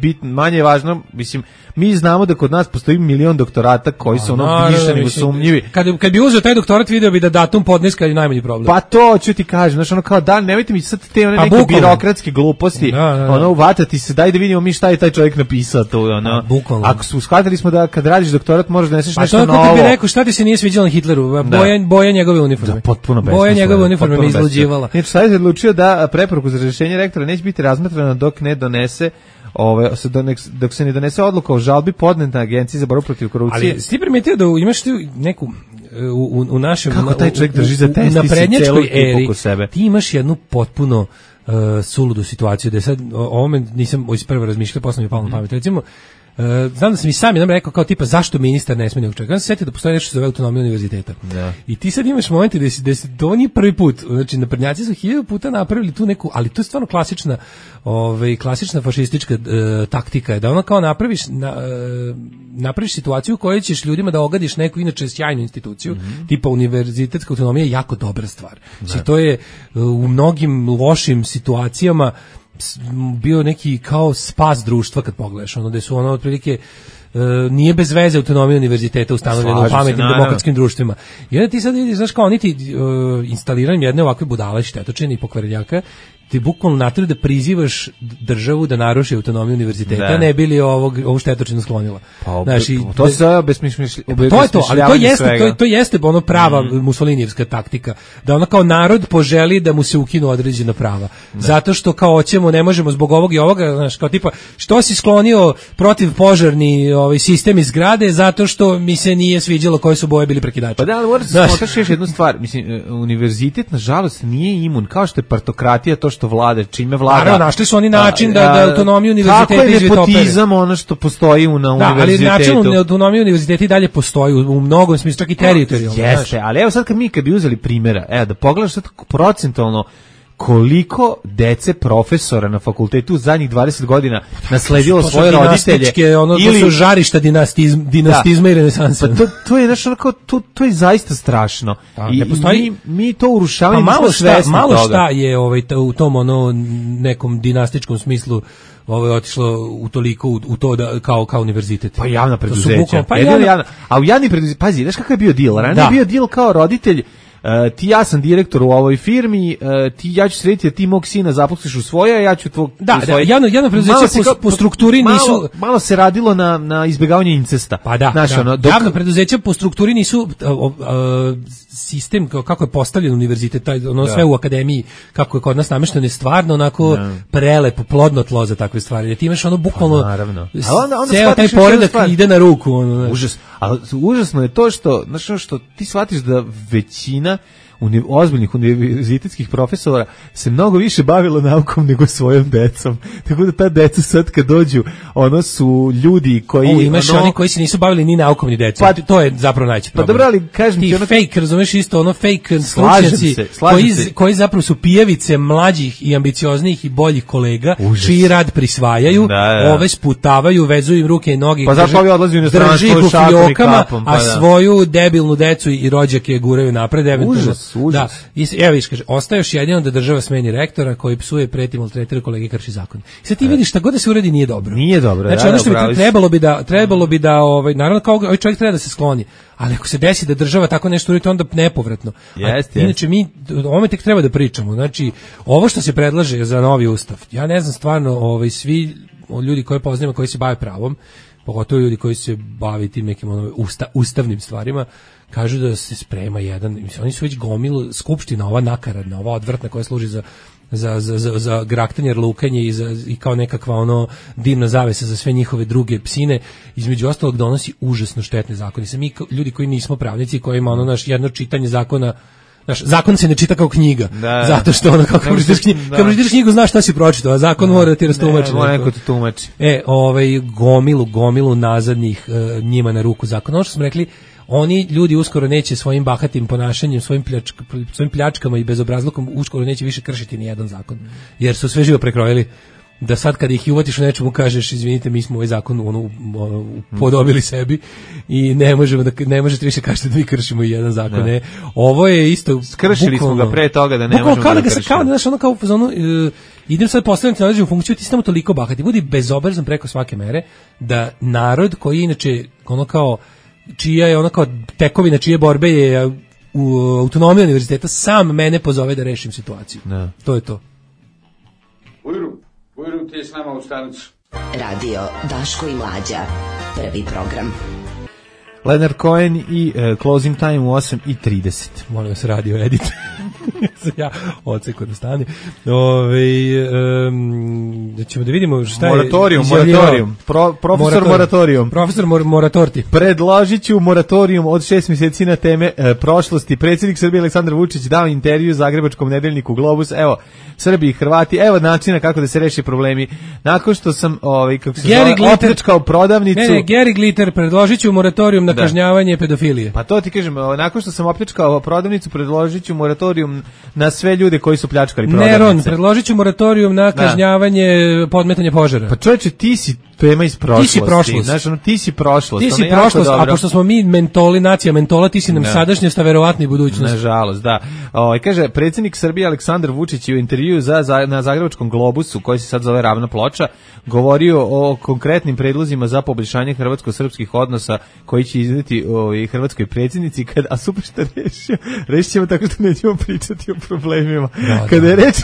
je važno, mislim, mi znamo da kod nas postoji milion doktorata koji su više nego sumnjivi. Kad bi uzeo taj doktorat, video bi da datum podneska je najmanji problem. Pa to ću ti kažem, znači ono kao da, nemojte mi sad te neke birokratske gluposti, ono vatati se, daj da vidimo mi šta je taj čovjek napisao to, ono. Ako su shvatili smo da kad radiš doktorat možeš da neseš nešto novo. Pa to bi rekao, šta ti se nije sviđalo na Hitleru, boja njegove uniforme. Da, potpuno besmisleno. Boja njegove uniforme me izluđivala. Znači, sad je odlučio da preporuku za razrješenje rektora neće biti razmatrana dok ne donese dok se ne donese odluka o žalbi podneta Agenciji za borbu protiv korupcije. Ali si ti primetio da imaš ti neku u našem kako taj čovjek drži za testi naprednjačkoj eri ti imaš jednu potpuno suludu situaciju da je sad o ovome nisam isprvo razmišljao, posle mi je palo na pamet. Recimo, znam da sam i sam jednom rekao kao tipa zašto ministar ne smije nekog čovjeka. Ja sam se setio da postoji nešto što zove autonomija univerziteta. Da. I ti sad imaš momente da se to nije prvi put. Znači naprednjaci su 1000 puta napravili tu neku, ali to je stvarno klasična fašistička taktika je da ono kao napraviš situaciju u kojoj ćeš ljudima da ogadiš neku inače sjajnu instituciju, tipa univerzitetska autonomija je jako dobra stvar. Znači to je u mnogim lošim situacijama bio neki kao spas društva kad pogledaš, ono da su ono otprilike nije bez veze autonomija univerziteta ustanovljena u pametnim demokratskim društvima. I onda ti sad vidiš, znaš kao, oni ti instaliranjem jedne ovakve budale, štetočine i pokvarenjaka, ti bukvalno natriju da prizivaš državu da naruši autonomiju univerziteta, ne bi li ovu štetočinu sklonila. Pa, znači, to se to je to, ali to jeste ono prava Mussolinijevska taktika, da ono kao narod poželi da mu se ukinu određena prava. Zato što kao hoćemo, ne možemo zbog ovog i ovoga, znaš, kao tipa, što si sklonio protiv požarni sistem iz zgrade, zato što mi se nije sviđalo koje su boje bili prekidači. Pa da, ali moraš da smotaš još jednu stvar, mislim, univerzitet nažalost nije imun, kao što je partokratija to što vlada, čime vlada. Naravno, našli su oni način da autonomiju univerziteta izvitopere. Tako je nepotizam ono što postoji na univerzitetu. Da, ali način autonomiju univerziteta i dalje postoji u mnogom smislu, čak i teritorijalno. Jeste, ali evo sad kad bi uzeli primjera, da pogledaš sad procentualno koliko dece profesora na fakultetu zadnjih 20 godina nasledilo svoje roditelje ili su žarišta dinastizma i renesansa. Pa to je znači onako to je zaista strašno. I mi to urušavamo, malo šta je u tom nekom dinastičkom smislu otišlo u toliko u to da kao univerzitet. Pa javna preduzeća. A u javni preduzeća, pazi, znaš kakav je bio deal? Ranije je bio deal kao roditelj, ti ja sam direktor u ovoj firmi, ja ću srediti da ti mog sina zaposliš u svoje, a ja ću tvog... Da, javno preduzeće po strukturi nisu... Malo se radilo na izbjegavanje incesta. Pa da, javno preduzeće po strukturi nisu sistem kako je postavljen univerzitet, sve u akademiji, kako je kod nas namešteno, je stvarno onako prelepo, plodno tlo za takve stvari. Ti imaš bukvalno... Ceo taj poredak ide na ruku. Užasno je to što ti shvatiš da većina ozbiljnih univerzitetskih profesora se mnogo više bavilo naukom nego svojom decom. Tako da ta deca sad kad dođu, ono su ljudi koji... imaš oni koji se nisu bavili ni naukom ni decom. Pa, to je zapravo najveći problem. Pa dobro, ali kažem ti... fake, razumeš isto, fake stručnjaci koji zapravo su pijavice mlađih i ambicioznijih i boljih kolega, čiji rad prisvajaju, ove sputavaju, vezuju im ruke i noge, pa zašto ovi odlazi u inostranstvo, drži ih u fiokama, a svoju debilnu decu i rođake guraju napred, eventualno. Da, evo viš, kaže, ostaje još jedino da država smeni rektora koji psuje, preti, maltretira kolege, krši zakon. I sad ti vidiš šta god da se uredi nije dobro. Nije dobro. Znači ono što bi trebalo bi da naravno kao ovaj čovjek treba da se skloni. Ali ako se desi da država tako nešto uredi, onda nepovratno. Inače mi o ovome tek treba da pričamo. Znači ovo što se predlaže za novi ustav. Ja ne znam stvarno, svi ljudi koje poznajemo koji se bave pravom, pogotovo ljudi koji se bave tim nekim ustavnim stvarima, kažu da se sprema jedan, mislim, oni su već gomilu, skupština ova nakaradna, ova odvrtna koja služi za graktanje, lukanje i kao nekakva dimna zavesa za sve njihove druge psine, između ostalog donosi užasno štetne zakone. Mi ljudi koji nismo pravnici, koji ima naš jedno čitanje zakona Znaš, zakon se ne čita kao knjiga, zato što ono, kad pročitaš knjigu, znaš šta si pročitao, a zakon mora da ti rastumači. Mora neko ti tumači. Gomilu nazadnih njima na ruku zakona. Ono što smo rekli, oni ljudi uskoro neće svojim bahatim ponašanjem, svojim pljačkama i bezobrazlukom uskoro neće više kršiti ni jedan zakon, jer su sve živo prekrojili. Da sad kad ih uvatiš u nečemu kažeš izvinite, mi smo ovaj zakon podobili sebi i ne možete više kažete da mi kršimo i jedan zakon. Ne. Ovo je isto skršili smo ga pre toga da ne možemo da kršimo. Kao da znaš, ono kao u fazonu, idem sad postaviti na određenu funkciju, ti si tamo toliko bahati, budi bezobrazan preko svake mere, da narod koji inače ono kao čija je ono kao tekovina čije borbe je u autonomiji univerziteta sam mene pozove da rešim situaciju. Ne. To je to. Ujru ti je s nama u stanicu. Radio Daško i Mlađa. Prvi program. Leonard Cohen i Closing Time u 8:30. Molim vas, radio edit. Ja odseko da stane. Ćemo da vidimo šta je... Moratorium. Profesor Moratorti. Predložit ću moratorium od 6 mjeseci na teme prošlosti. Predsjednik Srbije Aleksandar Vučić dao intervju Zagrebačkom nedeljniku Globus. Evo, Srbi i Hrvati, evo načina kako da se reši problemi. Nakon što sam opljačkao prodavnicu... Ne, Gary Glitter, predložit ću moratorium na kažnjavanje pedofilije. Pa to ti kažem, nakon što sam opljačkao prodavnicu, predložit ću moratorium na sve ljude koji su pljačkali prodavnice. Neron, predložit ću moratorium na kažnjavanje podmetanja požara. Pa čovječe, ti si tema iz prošlosti. Ti si prošlost. Znaš, ti si prošlost. Ti si prošlost, a pošto smo mi mentoli, nacija mentola, ti si nam sadašnjost, a verovatno i budućnost. Nažalost, da. Kaže, predsjednik Srbije Aleksandar Vučić je u intervjuu na Zagrebačkom Globusu, koji se sad zove Ravna ploča, govorio o konkretnim predlozima za poboljšanje hrvatsko-srpskih odnosa koji će izneti hrvatskoj predsjednici, a super što rešit ćemo tako što nećemo pričati o problemima. Kada je reč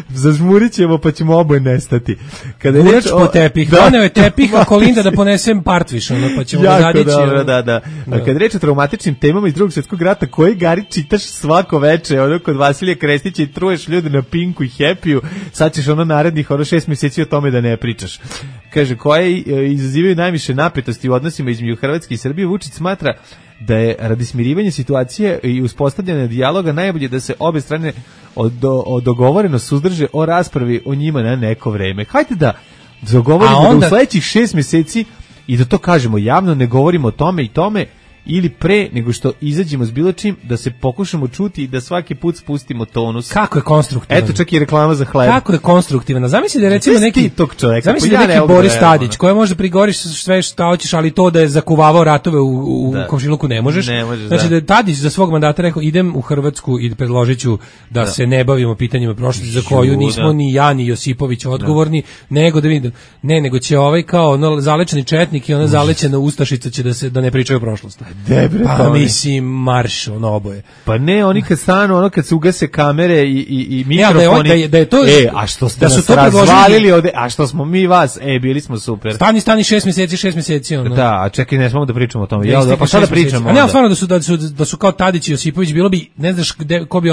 zažmurit ćemo pa ćemo oboje nestati. Kada je reč po tepih, doneo je tepih, a Kolinda da ponesem partviš, pa ćemo da zadići. Jako dobro, da. Kada je reč o traumatičnim temama iz Drugog svjetskog rata, koji Gari čitaš svako veče, kod Vasilija Krestića i truješ ljude na Pinku i Happy-u, sad ćeš narednih 6 mjeseci o tome da ne pričaš. Kaže, koje izazivaju najviše napetosti u odnosima između Hrvatske i Srbije, Vučić smatra da je radi smirivanja situacije i uspostavljanja dijaloga najbolje da se obe strane dogovoreno suzdrže o raspravi o njima na neko vreme. Hajde da dogovorimo da u sledećih 6 mjeseci i da to kažemo javno, ne govorimo o tome i tome, ili pre nego što izađemo s bilo čim, da se pokušamo čuti i da svaki put spustimo tonus. Kako je konstruktivan? Eto, čak i reklama za hleb. Kako je konstruktivan? Zamisli da je recimo neki tog čovjeka. Zamisli da neki Boris Tadić, koji može prigoriš sve što hoćeš, ali to da je zakuvavao ratove u komšiluku ne možeš. Znači da je Tadić za svog mandata rekao, idem u Hrvatsku i predložiću da se ne bavimo pitanjima prošlosti za koju nismo ni ja ni Josipović odgovorni, nego da vidim, nego će kao zalečeni četnik i ona zalećena ustašica će da ne pričaju o prošlosti. Pa mislim marš oboje. Pa ne, oni kad stanu, kad se ugase kamere i mikrofoni. Da je to a što ste nas razvalili ovde, a što smo mi vas, bili smo super. Stani 6 mjeseci Da, a čekaj, ne smemo da pričamo o tome. Pa šta da pričamo? A ne, stvarno da su kao Tadić i Josipović, bilo bi, ne znaš ko bi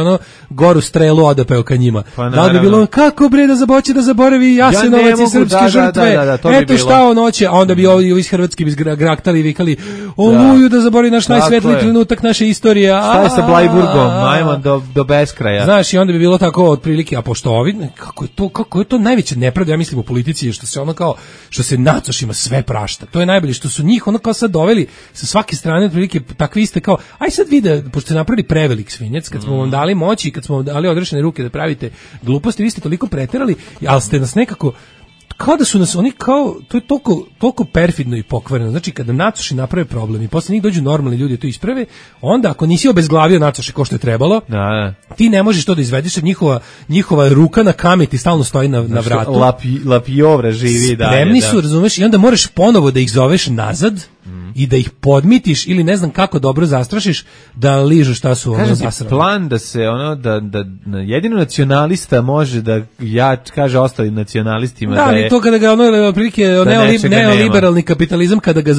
goru strelu odapeo ka njima. Da bi bilo, kako bre da zaboravi Jasenovac i srpske žrtve. Eto šta noće, a onda bi ovi iz Hrvatske graktali i vikali, oluju da zaboravi naš najsvetliji trenutak naše istorije. Šta je sa Blajburgom? Ajmo do beskraja. Znaš, i onda bi bilo tako otprilike, a pošto ovi, kako je to najveća nepravda, ja mislim u politici, što se što se nacošima sve prašta. To je najbolje, što su njih kao sad doveli sa svake strane otprilike takvi iste kao, aj sad vide, pošto ste napravili prevelik svinjac, kad smo vam dali moći, kad smo vam dali odrešene ruke da pravite gluposti, vi ste toliko preterali, ali ste nas nekako kao da su nas oni to je toliko perfidno i pokvareno. Znači kada nacoši naprave problem i posle njih dođu normalni ljudi to isprave, onda ako nisi obezglavio nacoše kao što je trebalo, ti ne možeš to da izvedeš, njihova ruka na kameti stalno stoji na vratu. Lapijovra živi dalje. Spremni su, razumeš, i onda moraš ponovo da ih zoveš nazad i da ih podmitiš ili ne znam kako dobro zastrašiš da ližu šta su zasrali. Plan da se da jedino nacionalista može da kaže ostalim nacionalistima da je to kada ga otprilike neoliberalni kapitalizam kada ga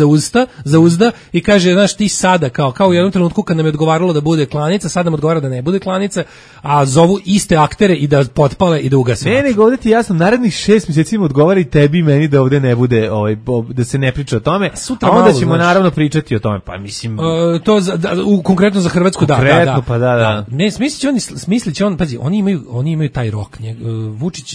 zauzda i kaže, znaš, ti sada kao u jednom trenutku kad nam je odgovaralo da bude klanica, sad nam odgovara da ne bude klanica, a zovu iste aktere i da potpale i da ugase. Ne, nego ovdje ti jasno, narednih 6 mjeseci odgovara i tebi i meni da ovdje ne bude, da se ne priča o tome, a onda ćemo naravno pričati o tome, pa mislim... To konkretno za Hrvatsku, konkretno, pa da. Ne, smislit će on, pazi, oni imaju taj rok.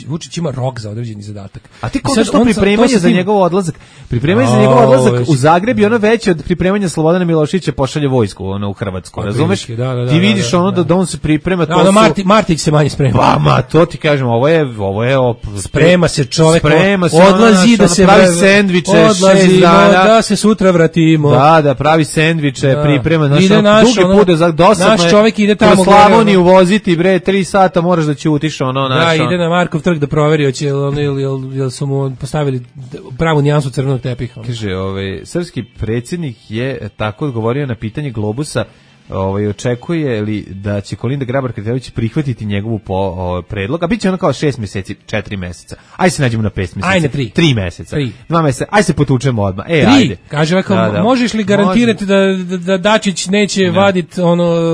Vučić ima rok za određeni zadatak. A ti kako što pripremanje za njegov odlazak? Pripremanje za njegov odlazak u Zagreb je ono veće od pripremanja Slobodana Miloševića pošalje vojsku u Hrvatsku, razumeš? Ti vidiš ono da on se priprema, to su... Martić se manje sprema. Pa, ma, to ti kažem, ovo je sprema se čovjek, odlazi da se pravi sendviče, da se sutra vratimo. Da, pravi sendviče, priprema, dugi put, dosadno naš čovjek ide tamo kroz Slavoniju voziti, bre, 3 sata moraš da ćutiš, ono, naš. Da, ide na Markov trg da proveri, jel su mu postavili pravu nijansu crvenog tepiha. Kaže, srpski predsjednik je tako odgovorio na pitanje Globusa, očekuje li da će Kolinda Grabar-Kitarović prihvatiti njegovu predlog, a bit će ono kao 6 mjeseci, 4 meseca. Ajde se nađemo na 5 mjeseci. Ajde 3 meseca. 2 mjeseca. Ajde se potučemo odmah. 3. Ajde. Kaže ovako, možeš li garantirati da Dačić neće vaditi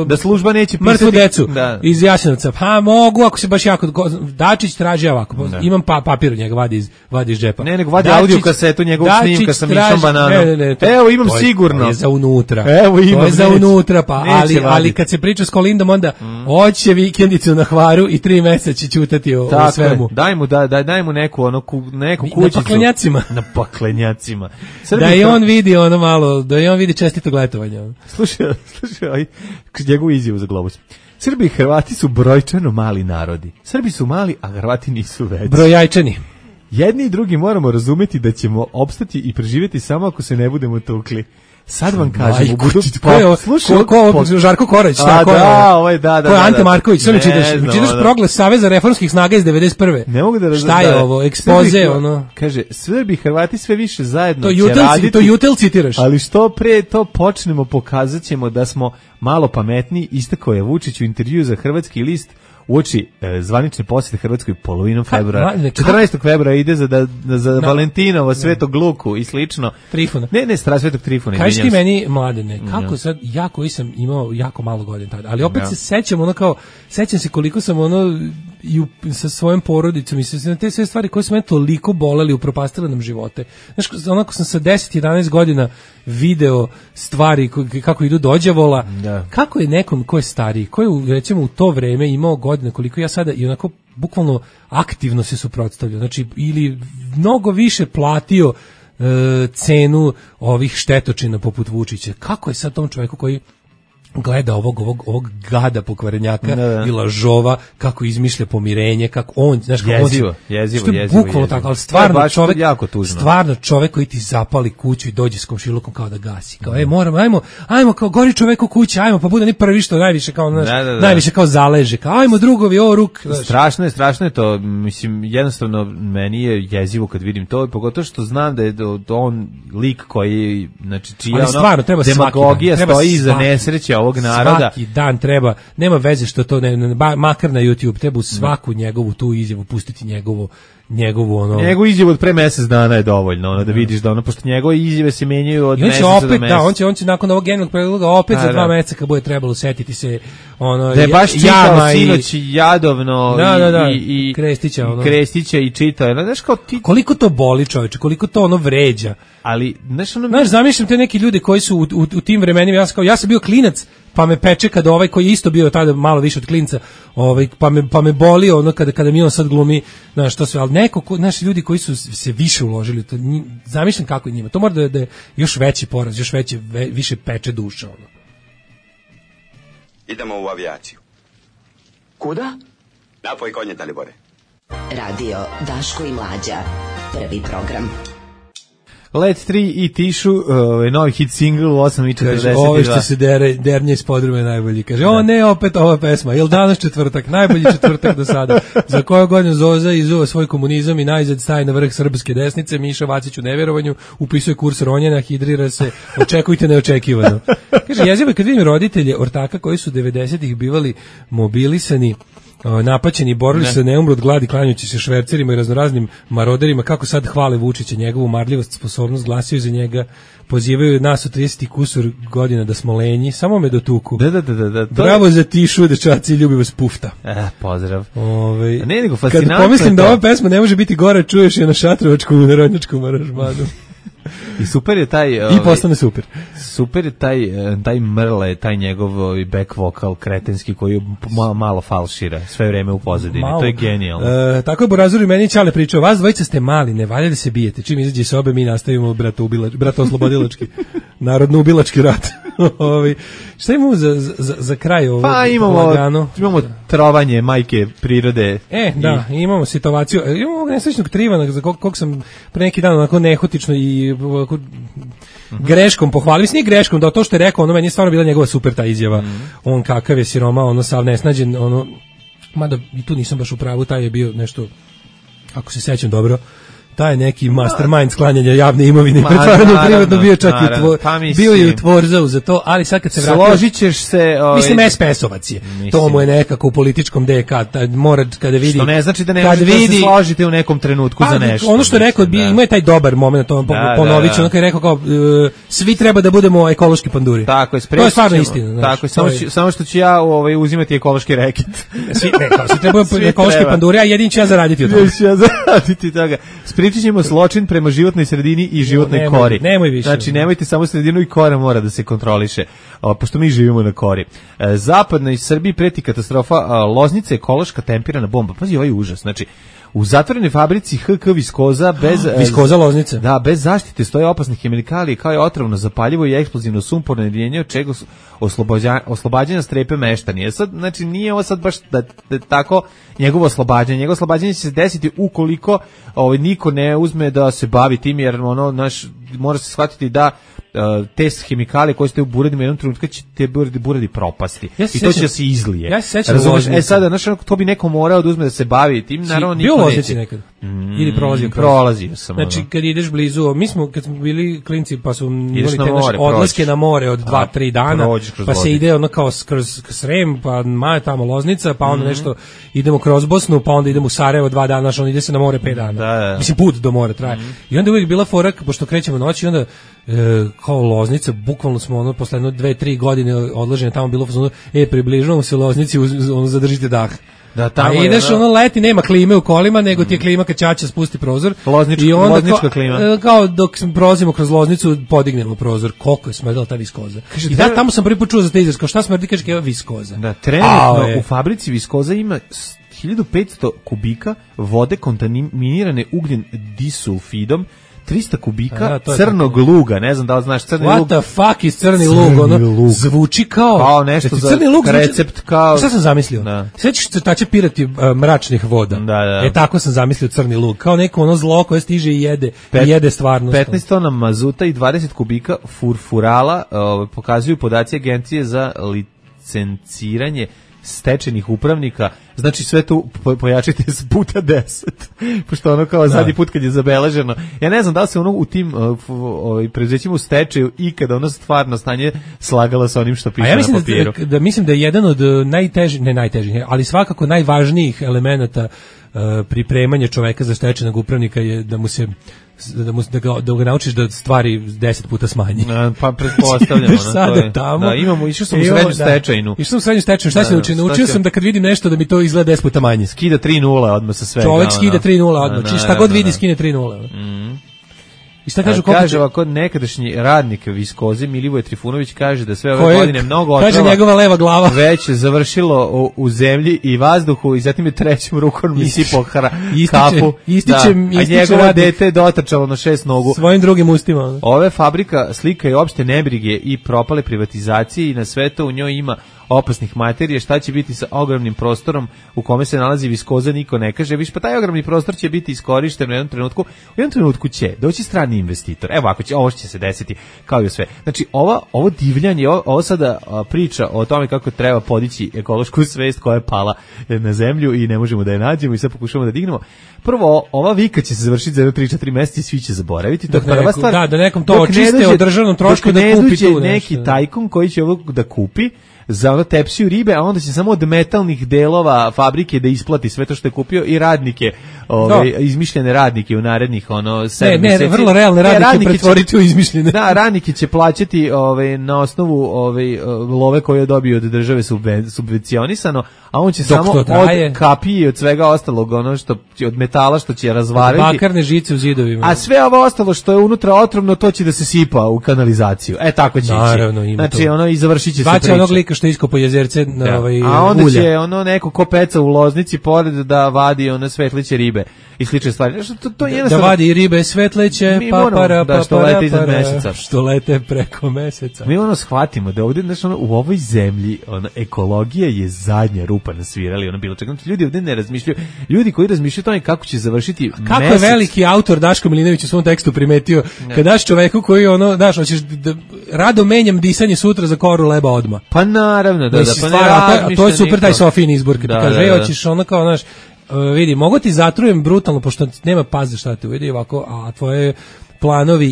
da služba neće pisati mrtvu decu iz Jasenovca? Pa mogu, ako se baš jako... Dačić traži ovako. Imam papir od njega, vadi iz džepa. Ne, nego vadi audio kasetu njegovog snimka sa Mišom Bananom. Evo, imam sigurno. To je za unutra. Evo, imam. To je za unutra, pa ali kad se priča s Kolindom, onda hoće vikendicu na Hvaru i 3 meseca će ćutati o svemu. Daj mu neku kućicu. Na paklenjacima. Na paklenjacima. Da i on vidi ono malo, da i on vidi čestito gletovanje. Slušaj, njegovu izjavu za Globus. Srbi i Hrvati su brojčano mali narodi. Srbi su mali, a Hrvati nisu veći. Brojajčani. Jedni i drugi moramo razumeti da ćemo opstati i preživjeti samo ako se ne budemo tukli. Sad vam kažem, ko Žarko Korać, tako je. Da. Ko je Ante Marković, sve mi čitaš proglas Saveza reformskih snaga iz 91. Ne mogu da šta je ovo, ekspoze, ono. Kaže, Srbi i Hrvati sve više zajedno će raditi. To Jutel citiraš. Ali što pre to počnemo, pokazat ćemo da smo malo pametniji, istakao je Vučić u intervju za Hrvatski list uoči zvanične posjete Hrvatskoj polovinom februara. 14. februara ide za Valentinovo, Svetog Luku i slično. Trifuna. Ne, Svetog Trifuna. Kaži ti meni, Mladene, kako sad, ja koji sam imao jako malo godina tada, ali opet se sećam, sećam se koliko sam sa svojom porodicom i sa te sve stvari koje su mene toliko boleli, upropastile nam živote. Znaš, onako sam sa 10-11 godina video stvari kako idu do đavola, kako je nekom ko je stariji, ko je recimo u to vreme imao godina koliko ja sada i onako bukvalno aktivno se suprotstavljao, znači ili mnogo više platio cenu ovih štetočina poput Vučića. Kako je sad tom čoveku koji gleda ovog gada pokvarenjaka i lažova, kako izmišlja pomirenje, kako on, znaš, kako jezivo. Bukvalno tako, ali stvarno čovek koji ti zapali kuću i dođe s komšilukom kao da gasi. Kao, ajmo, kao gori čovek u kući, ajmo, pa bude ni prvi što najviše kao, najviše kao zaleže, kao ajmo drugovi, ruk. Strašno je to, mislim, jednostavno meni je jezivo kad vidim to, pogotovo što znam da je on lik koji, znači, čija demagogija stoji iza nesreće ovog naroda. Svaki dan treba, nema veze što to makar na YouTube, treba u svaku njegovu tu izjavu pustiti njegovu izjavu od pre mjesec dana je dovoljno, da vidiš da pošto njegove izjave se menjaju od mjeseca do mjeseca. On će nakon ovog genijalnog predloga opet za 2 mjeseca kad bude trebalo setiti se da je baš čitao sinoć Jadovno i Krestića i čitao. Znaš kao ti... Koliko to boli, čoveče, koliko to vređa. Ali, znaš, zamišljam te neki ljudi koji su u tim vremenima, ja sam bio klinac, pa me peče kada koji je isto bio tada malo više od klinca, pa me boli kada mi on sad glumi, znaš, to sve, ali naši ljudi koji su se više uložili, to, zamišljam kako je njima, to mora da je još veći poraz, još više peče duša, Idemo u avijaciju. Kuda? Napoj konje, Dalibore. Radio Daško i Mlađa, prvi program. Let 3 i Tišu, novi hit single u 8:42. Ovo što se dernje iz podrume najbolji. Kaže, ne, opet ova pesma. Jel danas četvrtak? Najbolji četvrtak do sada. Za koju godinu Zoza izuva svoj komunizam i najzad staje na vrh srpske desnice. Miša Vacić u nevjerovanju, upisuje kurs ronjena, hidrira se, očekujte neočekivano. Kaže, jezivo je kad vidim roditelje ortaka koji su 90-ih bivali mobilisani, napaćeni, borili se ne umru od gladi klanjajući se švercerima i raznoraznim maroderima, kako sad hvale Vučića, njegovu marljivost, sposobnost, glasaju za njega, pozivaju nas u 30 kusur godina da smo lenji, samo me dotuku. Da. Bravo za Tišu, dečaci, ljubi vas Pufta. Pozdrav. Ne, nego fascinantno. Kad pomislim da ova pesma ne može biti gora, čuješ je na šatrovačkom i narodnjačkom aranžmanu. I super je taj... I postane super. Super je taj Mrle, taj njegov back vokal kretenski koji malo falšira sve vreme u pozadini. To je genijalno. Tako je Borazur i meni Ćale pričao, vas dvojica ste mali, ne valja da se bijete. Čim izađe s obe, mi nastavimo bratooslobodilački, narodno-ubilački rat. Šta imamo za kraj ovog? Pa imamo trovanje majke prirode. Da, imamo situaciju. Imamo ovog nesrećnog Trivana, za kog sam pre neki dan onako nehotično i greškom pohvalio. Mislim, nije greškom, da to što je rekao, ono meni je stvarno bila njegova super ta izjava. On kakav je siroma, ono sav nesnađen, ono, mada i tu nisam baš u pravu, taj je bio nešto, ako se sećam dobro, taj neki mastermind sklanjanja javne imovine, pretvarano u privatno, bio čak bio je u Tvorzau za to, ali sad kad se vratio... Složit ćeš se... Mislim, SPS-ovac je. To mu je nekako u političkom DK, mora kada vidi... Što ne znači da ne možete da se složite u nekom trenutku za nešto. Ono što je rekao, ima je taj dobar moment, ponovit ću, ono kad je rekao kao, svi treba da budemo ekološki panduri. Tako je, to je stvarno istina. Tako je, samo što ću ja uzimati ekološki reket. Svi treba ekološki panduri, a jedin ću ja zaraditi od toga. Pričat ćemo zločin prema životnoj sredini i životnoj kori. Nemoj više. Znači, nemojte samo sredinu i kora mora da se kontroliše, pošto mi živimo na kori. Zapadnoj Srbiji preti katastrofa, Loznica ekološka tempirana bomba. Pazi, ovaj užas. Znači, u zatvorenoj fabrici HK Viskoza Viskoza Loznica. Da, bez zaštite stoje opasne hemikalije kao je otrovno zapaljivo i eksplozivno sumporno jedinjenje, od čega oslobađanja strepe meštani. Sad, znači, nije ovo sad baš da tako njegovo oslobađanje će se desiti ukoliko niko ne uzme da se bavi tim, jer mora se shvatiti da te hemikalije koje ste u buredima jednom trenutku će te buredi propasti. I to će da se izlije. Ja se sećam Loznice. Sada, to bi neko morao da uzme da se bavi tim, naravno niko neće. Bio nekad? Ili prolazio? Prolazio sam. Znači, kad ideš blizu, kad smo bili klinci, pa su imali te naše odlaske na more od 2-3 dana, pa se ide ono kao kroz Srem, pa Maja tamo Loznica, pa onda nešto idemo kroz Bosnu, pa onda idemo u Sarajevo 2 dana, znači ide se na more 5 dana. Mislim, put do mora traje. I onda uvijek bila fora, pošto krećemo noći, onda kao Loznica, bukvalno smo posle 2-3 godine odlaženja tamo bilo približavamo se Loznici, zadržite dah. Da, a ideš leti, nema klime u kolima, nego ti je klima kad ćaća spusti prozor. Loznička klima. Kao dok prolazimo kroz Loznicu, podignemo prozor. Koliko je smrdela ta Viskoza. I da, tamo sam prvi put čuo za te izraz. Kao šta smrdi, kaže evo Viskoza. Da, trenutno u fabrici Viskoza ima 1500 kubika vode kontaminirane ugljen disulfidom, 300 kubika crnog luga, ne znam da li znaš crni lug. What the fuck is crni lug? Zvuči kao nešto za crni lug recept kao... Šta sam zamislio? Sećaš crtače pirati mračnih voda? Da. Tako sam zamislio crni lug. Kao neko zlo koje stiže i jede stvarnost. 15 tona mazuta i 20 kubika furfurala pokazuju podaci Agencije za licenciranje stečenih upravnika, znači sve tu pojačite puta 10, pošto ono kao zadnji put kad je zabeleženo. Ja ne znam da li se ono u tim preduzećima u stečaju i kada ono stvarno stanje slagala sa onim što piše na papiru. Mislim da je jedan od najtežih, ali svakako najvažnijih elemenata pripremanja čoveka za stečajnog upravnika je da mu se da ga naučiš da stvari 10 puta smanji. Pa pretpostavljamo. Sada tamo. Da, išao sam u srednju stečajnu. Išao sam u srednju stečajnu. Šta se naučio sam da kad vidim nešto da mi to izgleda 10 puta manje. Skida 3:0 odmah sa svega. Čovjek skida 3:0 odmah. Šta god vidi skine 3:0. I šta kaže ovako nekadašnji radnik Viskoze Milivoje Trifunović kaže da sve ove godine mnogo otrova, kaže njegova leva glava, već završilo u zemlji i vazduhu i zatim je trećom rukom mi sipao kapu. Ističe a njegovo dete je dotrčalo na 6 nogu. Svojim drugim ustima. Ove fabrika slika je opšte nebrige i propale privatizacije i na sve to u njoj ima opasnih materija, šta će biti sa ogromnim prostorom u kome se nalazi Viskoza, niko ne kaže, pa taj ogromni prostor će biti iskorišten u jednom trenutku će doći strani investitor. Evo ovo će se desiti kao i sve. Znači ovo divljanje, ovo sada priča o tome kako treba podići ekološku svest koja je pala na zemlju i ne možemo da je nađemo i sad pokušamo da dignemo. Prvo, ova vika će se završiti za 3-4 mjeseca i svi će zaboraviti. To je prva stvar. Da nekom to očiste o državnom trošku da kupi tu neki tajkun koji će ovo da kupi. za ono tepsiju ribe, a onda će samo od metalnih delova fabrike da isplati sve to što je kupio i radnike, izmišljene radnike u narednih 7 mjeseci. Ne, vrlo realne radnike pretvoriti u izmišljene. Da, radnike će plaćati na osnovu love koje je dobio od države subvencionisano, a on će samo od kapije i od svega ostalog, ono što od metala što će razvariti. Bakarne žice u zidovima. A sve ovo ostalo što je unutra otrovno, to će da se sipa u kanalizaciju. Tako će naravno, ići. Znači, i završit će se priča. Baće onog lika što iskopo jezerce a onda ulja. Će neko ko peca u Loznici pored da vadi svetliće ribe i slične stvari. To je da vadi ribe svetleće, što lete preko meseca. Mi shvatimo da ovdje u ovoj zemlji ekologija je zadnja rupa na svirali, bilo čega. Ljudi ovdje ne razmišljaju. Ljudi koji razmišljaju o tome kako će završiti kako mesec. Je veliki autor Daško Milinović u svom tekstu primetio, kad daš čoveku koji hoćeš da rado menjam disanje sutra za koru leba odma. Pa naravno, to je super taj Sofijin izbor, kad kaže, hoćeš vidi, mogu ti zatrujem brutalno, pošto nema paze šta te uvidi ovako, a tvoje planovi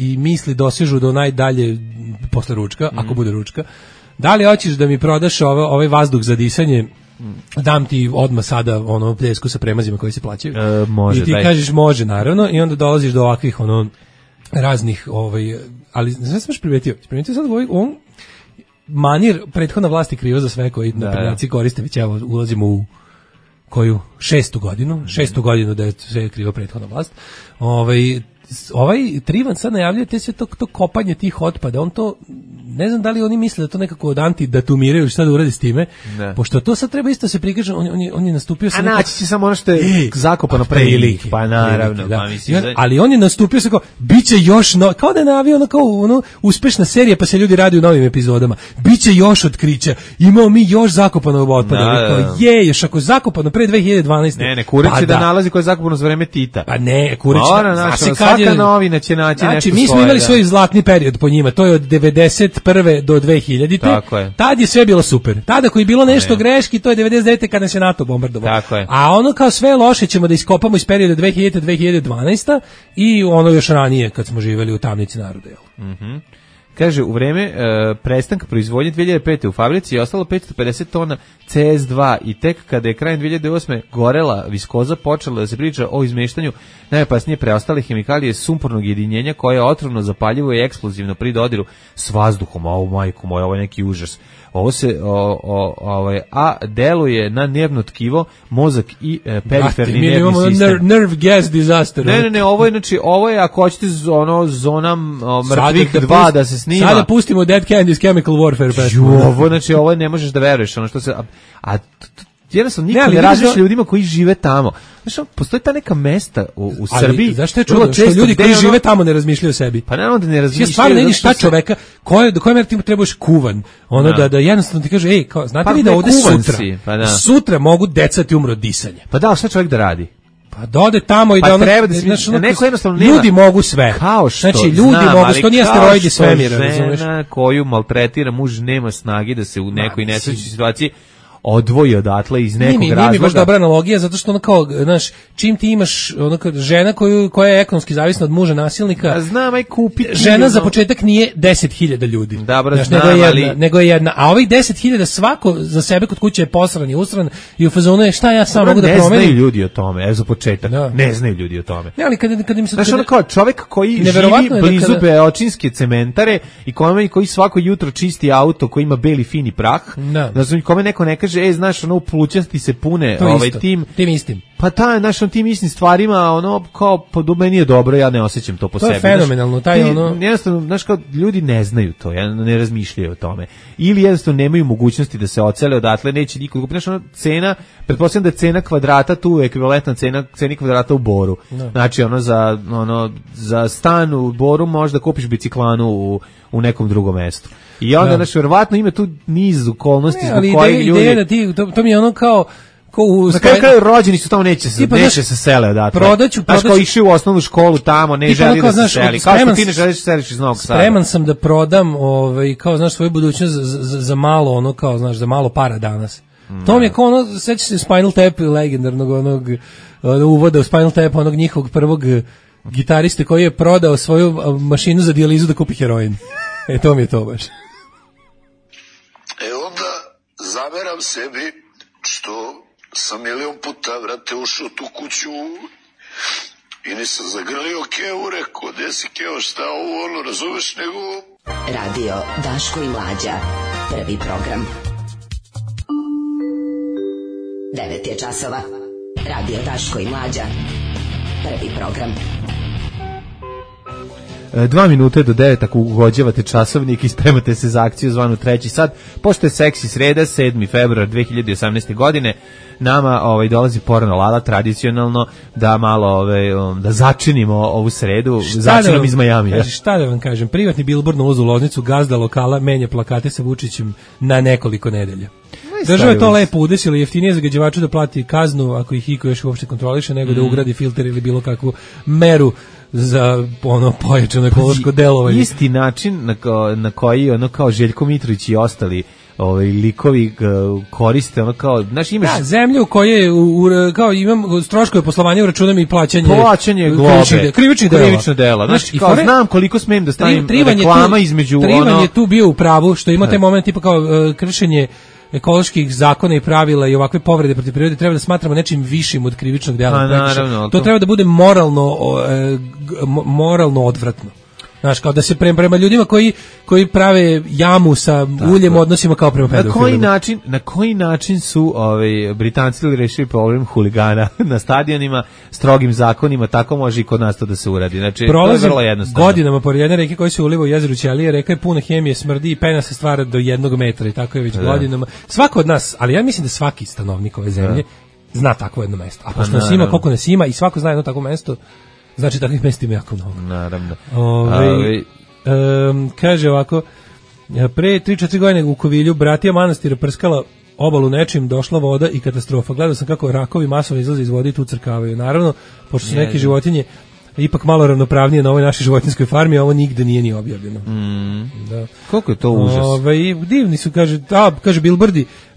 i misli dosežu do najdalje posle ručka, ako bude ručka. Da li hoćeš da mi prodaš ovaj vazduh za disanje? Dam ti odmah sada pljesku sa premazima koji se plaćaju. Može, i ti kažeš može, naravno, i onda dolaziš do ovakvih raznih, ali znaš sam primetio sad on manir prethodna vlast je kriva za sve koji naprednjaci koriste, već evo ulazimo u koju šestu godinu da je sve kriva prethodna vlast. Ovaj Trivan sad najavljuje te sve to kopanje tih otpada, on to, ne znam da li oni misle da to nekako od antidatumiraju ili šta da uradi s time, pošto to sad treba isto se prikaže, on je nastupio sa... A naći će samo ono što je zakopano pre ili, pa naravno. Da. Ali on je nastupio sa kao, bit će još, kao da je najavio kao uspešna serija pa se ljudi radi u novim epizodama, bit će još otkrića, imamo mi još zakopanog otpada, još ako zakopano pre 2012. Ne, Kurić će da nalazi koje je zakopano za vreme Tita. Pa ne, Kurić, svaka novina će naći nešto svoje. Znači, mi smo imali svoj zlatni period po njima, to je od 91. do 2000. Tako je. Tad je sve bilo super. Tada koji je bilo nešto greški, to je 99. kada nas je NATO bombardovao. Tako je. A kao sve loše ćemo da iskopamo iz perioda 2000-2012. i još ranije kad smo živjeli u tamnici naroda. Kaže, u vreme prestanka proizvodnje 2005. u fabrici je ostalo 550 tona CS2 i tek kada je krajem 2008. gorela viskoza, počela da se priča o izmeštanju najopasnije preostale hemikalije sumpornog jedinjenja koje je otrovno, zapaljivo i eksplozivno pri dodiru s vazduhom. Majko moja, ovo je neki užas. Ovo se deluje na nervno tkivo, mozak i periferni nervni sistem. Nerve gas disaster. Ne, ovo je ako hoćete zona mrtvih 2 da se snima. Sada pustimo Dead Candy's Chemical Warfare. Ovo ne možeš da veruješ, što se jednostavno niko ne razmišlja ljudima koji žive tamo. Znaš, postoji ta neka mesta u Srbiji. Zašto je čudno što ljudi koji žive tamo ne razmišljaju o sebi? Pa naravno da ne razmišljaju. Stvarno ne vidiš šta čoveka, do koje mere ti trebaš kuvan. Da jednostavno ti kaže, znate vi da ovde sutra mogu deca ti umru od disanja. Pa da, šta čovjek da radi? Pa da ode tamo i da neko jednostavno nema. Ljudi mogu sve. Kao što, znači, ljudi mogu, što nije asteroidi svemira, razumeš? Žena koju maltretira muž nema snage da se u nekoj nesrećnoj situaciji odvoji odatle iz nekog razloga. Nije mi baš dobra analogija, zato što kao, čim ti imaš žena koja je ekonomski zavisna od muža nasilnika, znam, aj kupiti. Žena za početak nije 10.000 ljudi. Dobro, nego je jedna. A ovih 10.000 svako za sebe kod kuće je posran i usran i u fazonu je šta ja sam mogu da promenim. Ne znaju ljudi o tome, za početak. Ne znaju ljudi o tome. Ne, ali kad im se... Znaš, kao čovjek koji živi blizu beočinske cementare i koji svako jutro čisti auto koji ima beli fini prah, znači kome neko ne kaže, znaš, u plućasti se pune tim istim. Pa tim istim stvarima, kao, pa do meni je dobro, ja ne osjećam to po sebi. To je fenomenalno, jednostavno, znaš, kao, ljudi ne znaju to, ne razmišljaju o tome. Ili jednostavno nemaju mogućnosti da se ocele odatle, neće niko kupiti. Znaš, cena, pretpostavljam da je cena kvadrata tu ekvivalentna ceni kvadrata u Boru. Znači, za stan u Boru možda kupiš biciklanu u nekom drugom mestu. I onda, znači, verovatno ima tu niz okolnosti zbog kojih ljudi... Ideja da ti, to mi je kao na kraju rođeni su tamo, neće se sele odatle. Znaš, kao išli u osnovnu školu tamo, ne želi da se seli. Kao što ti ne želiš da se seliš iz Novog Sada. Spreman sam da prodam, kao, znaš, svoju budućnost za malo, kao, znaš, za malo para danas. To mi je kao sećaš se Spinal Tap legendarnog uvoda u Spinal Tap, onog njihovog prvog gitariste koji je prodao svoju mašinu za dijalizu da kupi heroin. To mi je to baš. Evo, zameram sebi što sam milion puta, vrate, ušao tu kuću i nisam zagrlio Keo, rekao, gde si Keo, šta ovo, ono, razumeš, nego... Radio Daško i Mlađa, prvi program. 9 je časova. Radio Daško i Mlađa, prvi program. 2 minute do 9 ako ugođavate časovnik i spremate se za akciju zvanu 3. sat. Pošto je seksi sreda, 7. februar 2018. godine, nama dolazi Porno Lala tradicionalno da malo da začinimo ovu sredu začinom iz Majamija. Šta da vam kažem, privatni bilbord na ulazu u Loznicu, gazda lokala menja plakate sa Vučićem na nekoliko nedelja. Država je to lepo udesila, jeftinije zagađivaču da plati kaznu ako ih iko još uopšte kontroliše, nego da ugradi filter ili bilo kakvu meru za pojačano ekološko delovanje. Isti način na koji kao Željko Mitrović i ostali likovi koriste, znaš, imaš... Da, zemlju koje kao imam troškove poslovanja, uračunam i plaćanje globe, krivično dela. Znači, kao znam koliko smem da stavim reklama između... Trivan je tu bio u pravu, što ima taj moment tipa kao kršenje ekoloških zakona i pravila i ovakve povrede protiv prirode treba da smatramo nečim višim od krivičnog dela. To treba da bude moralno odvratno. Znaš, kao da se prema ljudima koji prave jamu sa uljem odnosima kao prema pedofilima. Na koji način su Britanci rešili problem huligana na stadionima strogim zakonima, tako može i kod nas to da se uradi. Znači, to je vrlo jednostavno. Godinama pored jedne reke koja se uliva u jezeru Ćelije, reka je puna hemije, smrdi i pena se stvara do 1 metra i tako je već godinama. Svako od nas, ali ja mislim da svaki stanovnik ove zemlje zna takvo jedno mesto. A pošto nas ima koliko nas ima i svako zna jedno takvo mesto, znači takvih mesta ima jako mnogo. Naravno. Kaže ovako, pre 3-4 godine u Kovilju bratija manastira prskala obalu nečim, došla voda i katastrofa. Gledao sam kako rakovi masovno izlaze iz vode i tu crkavaju. Naravno, pošto su neke životinje ipak malo ravnopravnije na ovoj našoj životinjskoj farmi, a ovo nigde nije ni objavljeno. Da. Koliko je to užas? Divni su, kaže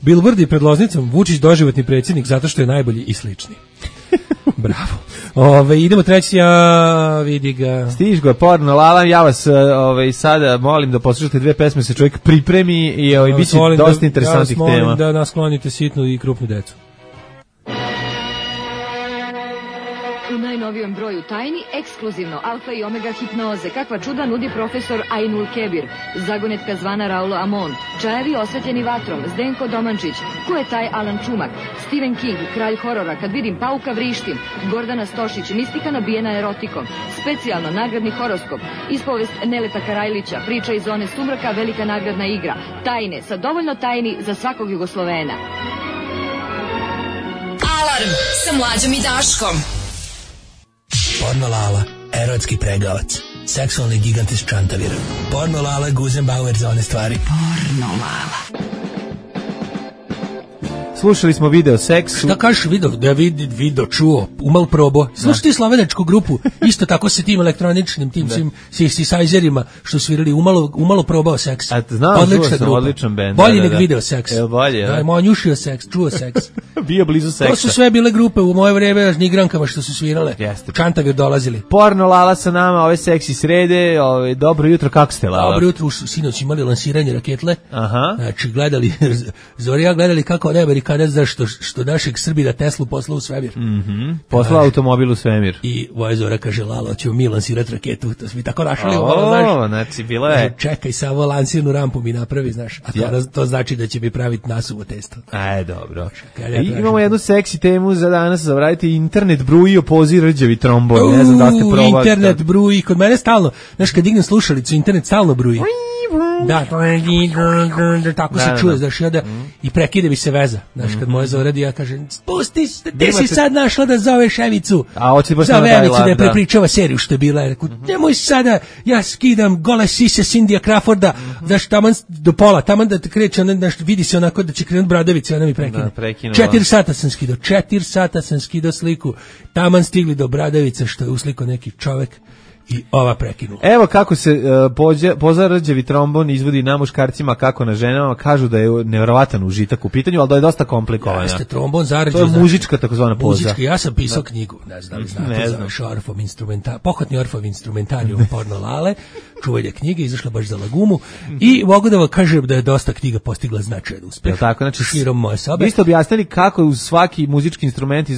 bilbordi pred Loznicom, Vučić doživotni predsjednik zato što je najbolji i slični. Bravo. Idemo treći, vidi ga. Stiž ga Porno Lala, ja vas sada molim da poslušate 2 pesme, se čovjek pripremi i bit će dosta interesantnih tema. Ja vas molim da nasklonite sitnu i krupnu decu. U najnovijem broju tajni, ekskluzivno alfa i omega hipnoze, kakva čuda nudi profesor Ainul Kebir, zagonetka zvana Raulo Amon, čajevi osvetljeni vatrom, Zdenko Domančić, ko je taj Alan Čumak, Stephen King, kralj horora, kad vidim pauka vrištim, Gordana Stošić, mistika nabijena erotikom, specijalno nagradni horoskop, ispovest Neleta Karajlića, priča iz zone sumraka, velika nagradna igra, tajne, sa dovoljno tajni za svakog Jugoslovena. Alarm sa Mlađom i Daškom. Porno Lala, erotski pregavac, seksualni gigant iz Čantavira. Porno Lala, Guzenbauer za one stvari. Porno Lala. Slušali smo video seksu. Šta kažeš video? Da video čuo, umal probo. Slušaj ti slovenačku grupu, isto tako se tim elektroničnim, tim synthesizerima što svirali, umalo probao seks. Odličan bend. Bolji nek video seks. Bolje, da, moj njušio seks, čuo seks. Bio blizu seksa. To su sve bile grupe u moje vreme, nigrankama što su svirale. Čantavir dolazili. Porno Lala sa nama, ove seksi srede, dobro jutro, kako ste, Lala? Dobro jutro, sinoć imali lansiranje raketle. Aha. Znači, Zorija gledali kako od Amerikanac što našeg Srbina Teslu poslao u svemir. Poslao automobil u svemir. I Zora kaže, Lalo, ćemo mi lansirati raketu. To smo mi tako našali. Znači, bilo je... Čekaj, samo lansirnu rampu mi napravi, znaš. A to znači da će mi praviti nasuvo testo. Dobro. Imamo jednu seksi temu za danas, zavraditi internet bruji opozi rđavi trombon. Ne znam da ste probali. Internet bruji, kod mene stalno. Znaš, kad dignem slušalicu, internet stalno bruji. Da, tako se čuje, znaš, i prekide mi se veza. Znaš, kad moja Zoradi, ja kažem, spusti, ti si sad našla da zoveš Evicu. Zove Evicu da je prepričava seriju što je bila. Ja rekao, nemoj sada, ja skidam gole sise Cindija Crawforda, znaš, taman do pola, taman da te kreće, vidi se onako da će krenuti Bradovica, ona mi prekine. 4 sata sam skidao sliku, taman stigli do Bradovica, što je usliko neki čovek. i ova prekinula. Evo kako se pozarađevi trombon izvodi na muškarcima, kako na ženama, kažu da je nevjerovatan užitak u pitanju, ali da je dosta komplikovano. Jeste, trombon zarađe. To je muzička takozvana poza. Muzička, ja sam pisao knjigu, ne znam li znate, zove Orfov pohodni Orfov instrumentarijum porno Lale, čuvanje knjige, izašla baš za Lagumu i mogu da vam kažem da je dosta knjiga postigla značajan uspeh. Tako, znači, širom moje sobe. Vi ste objasnili kako uz svaki muzički instrument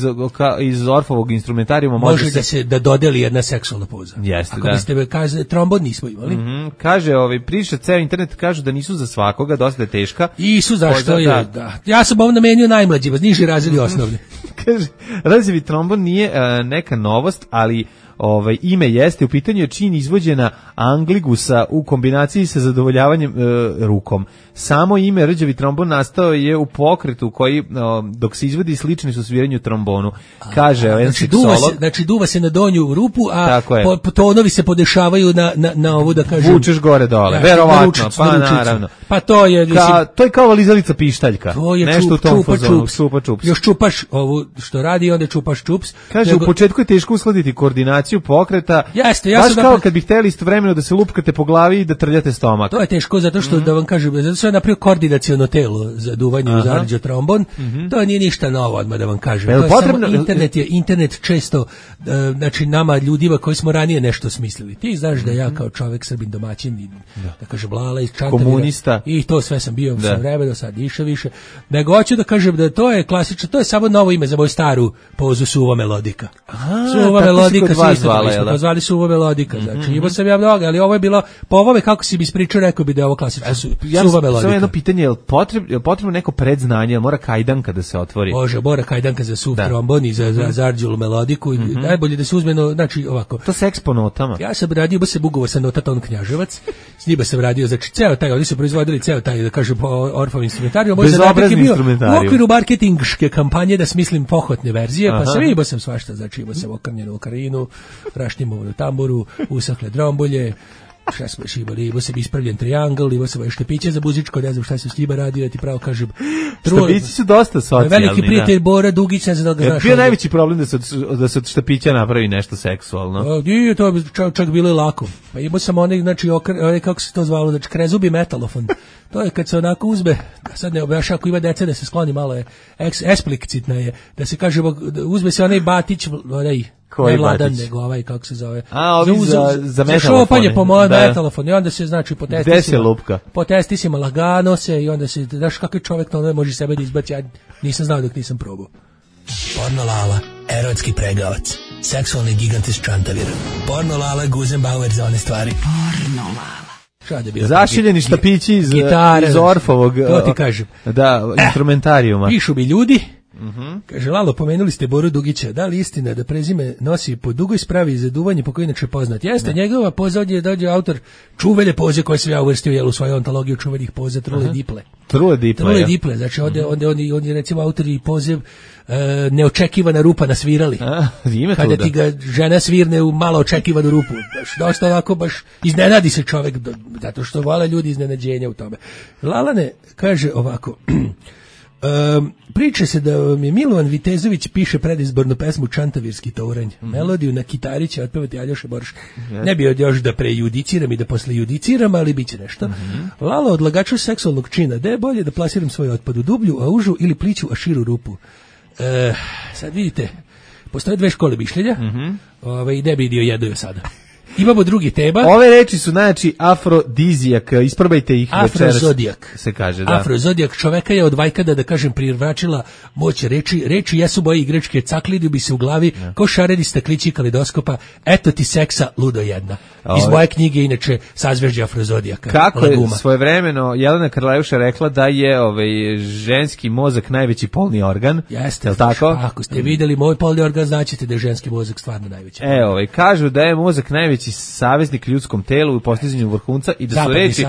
iz Orfovog instrumentarijuma može da dodeli jedna seksualna poza. Jeste, ako biste kaže trombon nismo imali. Kaže, priča ceo internet kažu da nisu za svakoga, dosta je teška. I su zašto je, da. Ja sam ovo namenio najmlađima, niži razredi osnovni. Kaže, razjevi trombon nije neka novost, ali ime jeste, u pitanju je čin izvođena Angligusa u kombinaciji sa zadovoljavanjem rukom. Samo ime rđavi trombon nastao je u pokretu koji, dok se izvodi, slični su sviranju trombonu. Kaže, znači duva se na donju rupu, a tonovi se podešavaju na ovu, da kažem... Vučeš gore dole, verovatno, pa naravno. Pa to je... To je kao lizalica pištaljka. To je nešto u tom fazonu, čupa čups. Još čupaš ovu što radi, onda čupaš čups. Kaže, u početku je teško uskladiti koordinaciju pokreta. Jeste, baš kao kad bi hteli istovremeno da se lupkate po glavi i da trljate stomak. To je teško zato što, da vam kažem, zato što je napravio koordinaciono telo za duvanje u zarđa trombon. To nije ništa novo, odmah da vam kažem. To je potrebno, samo internet često, znači nama ljudima koji smo ranije nešto smislili. Ti znaš da ja kao čovek Srbin domaćin, da kažem Lala iz Čantavira, komunista, i to sve sam bio sa vremena, sad više. Nego hoću da kažem da to je klasično, to je samo novo ime za moju staru pozu suva melodika. Suva melodika se isto zvali suva melodika. Znači imao sam ja mnogo, ali ovo je bilo po ovome kako si mi ispričao, rekao bi da je ovo klasično suva melodika. Samo jedno pitanje, je li potrebno neko predznanje, je li mora kajdanka da se otvori? Može, mora kajdanka za suv trombon i za zarđulu melodiku. Najbolje da se uzme, znači ovako. To se eksponotama. Ja sam radio, ba se ugovor sa Notaton Knjaževac, s njima sam radio, znači ceo taj, oni su proizvodili ceo taj, da kažem, Orfov instrumentarijum. Bezobrazni instrumentarium. U okviru marketinške kampanje da smislim pohotne verzije, pa sam imao sam svašta, znači imao sam okrnjenu okarinu, rašnimovu tamburu, usakle drombolje, šta smo još imali, imao sam ispravljen triangl, imao sam štepiće za muzičko, ne znam šta se s njima radio, ja ti pravo kažem. Štepići su dosta socijalni. Veliki prijatelj Bora Dugić, ne znam da ga znaš. Bio najveći problem da se od štepića napravi nešto seksualno. Nije, to bi čak bilo i lako. Pa imao sam onaj, znači, kako se to zvalo, znači, krezubi metalofon. To je kad se onako uzme, sad ne objašnjam, ako ima dece da se skloni malo je, eksplicitna je, da se kaže, uzme se onaj batić, onaj, ne Vladan, nego ovaj, kako se zove. Za metalofone. Za šopanje po mojem metalofon i onda se, znači, po testisima lagano se i onda se, znaš kakav čovjek to može sebe da izbaci, ja nisam znao dok nisam probao. Porno Lala, erotski pregavac, seksualni gigant iz Čantavira. Porno Lala, Guzenbauer za one stvari. Porno Lala. Zašiljeni štapići iz Orfovog, to ti kažem. Instrumentarijuma. Pišu mi ljudi, kaže, Lalo, pomenuli ste Boru Dugića, da li istina da prezime nosi po dugoj spravi za duvanje po kojoj inače poznat? Jeste, njegova poza ovdje dođe autor čuvene poze koje sam ja uvrstio u svoju ontologiju čuvenih poza, Trule Diple. Trule Diple, znači on je recimo autor i pozev neočekivana rupa na svirali. Kada ti ga žena svirne u malo očekivanu rupu. Dosta ovako baš iznenadi se čovjek, zato što vole ljudi iznenađenja u tome. Lalane kaže ovako, priča se da mi Milovan Vitezović piše predizbornu pesmu Čantavirski touranj. Melodiju na kitari će otpevati Aljoša Borš. Ne bi još da prejudiciram i da posle judiciram, ali bit će nešto. Lalo, odlagaču seksualnog čina, da je bolje da plasiram svoj otpad u dublju, a užu ili pliću, a širu rupu. Sad vidite, postoje dve škole mišljenja, i ne bi dio jedno sada. Imamo drugi tema. Ove reči su, znači, afrodizijak, isprobajte ih večeras. Afrozodijak. Se kaže, da. Afrozodijak čoveka je od vajkada, da kažem, privračila moć reči. Reči jesu moje igračke, caklidi bi se u glavi, ko šareni staklići kalidoskopa, eto ti seksa, ludo jedna. Iz moje knjige, inače, Sazvežđe Afrozodijaka. Kako je svojevremeno Jelena Karleuša rekla da je ženski mozak najveći polni organ. Jeste, je tako? Ako ste vidjeli moj polni organ, značite da je ženski mozak stvarno najveći. Kažu da je mozak najveći saveznik ljudskom telu u postizanju vrhunca i da su reči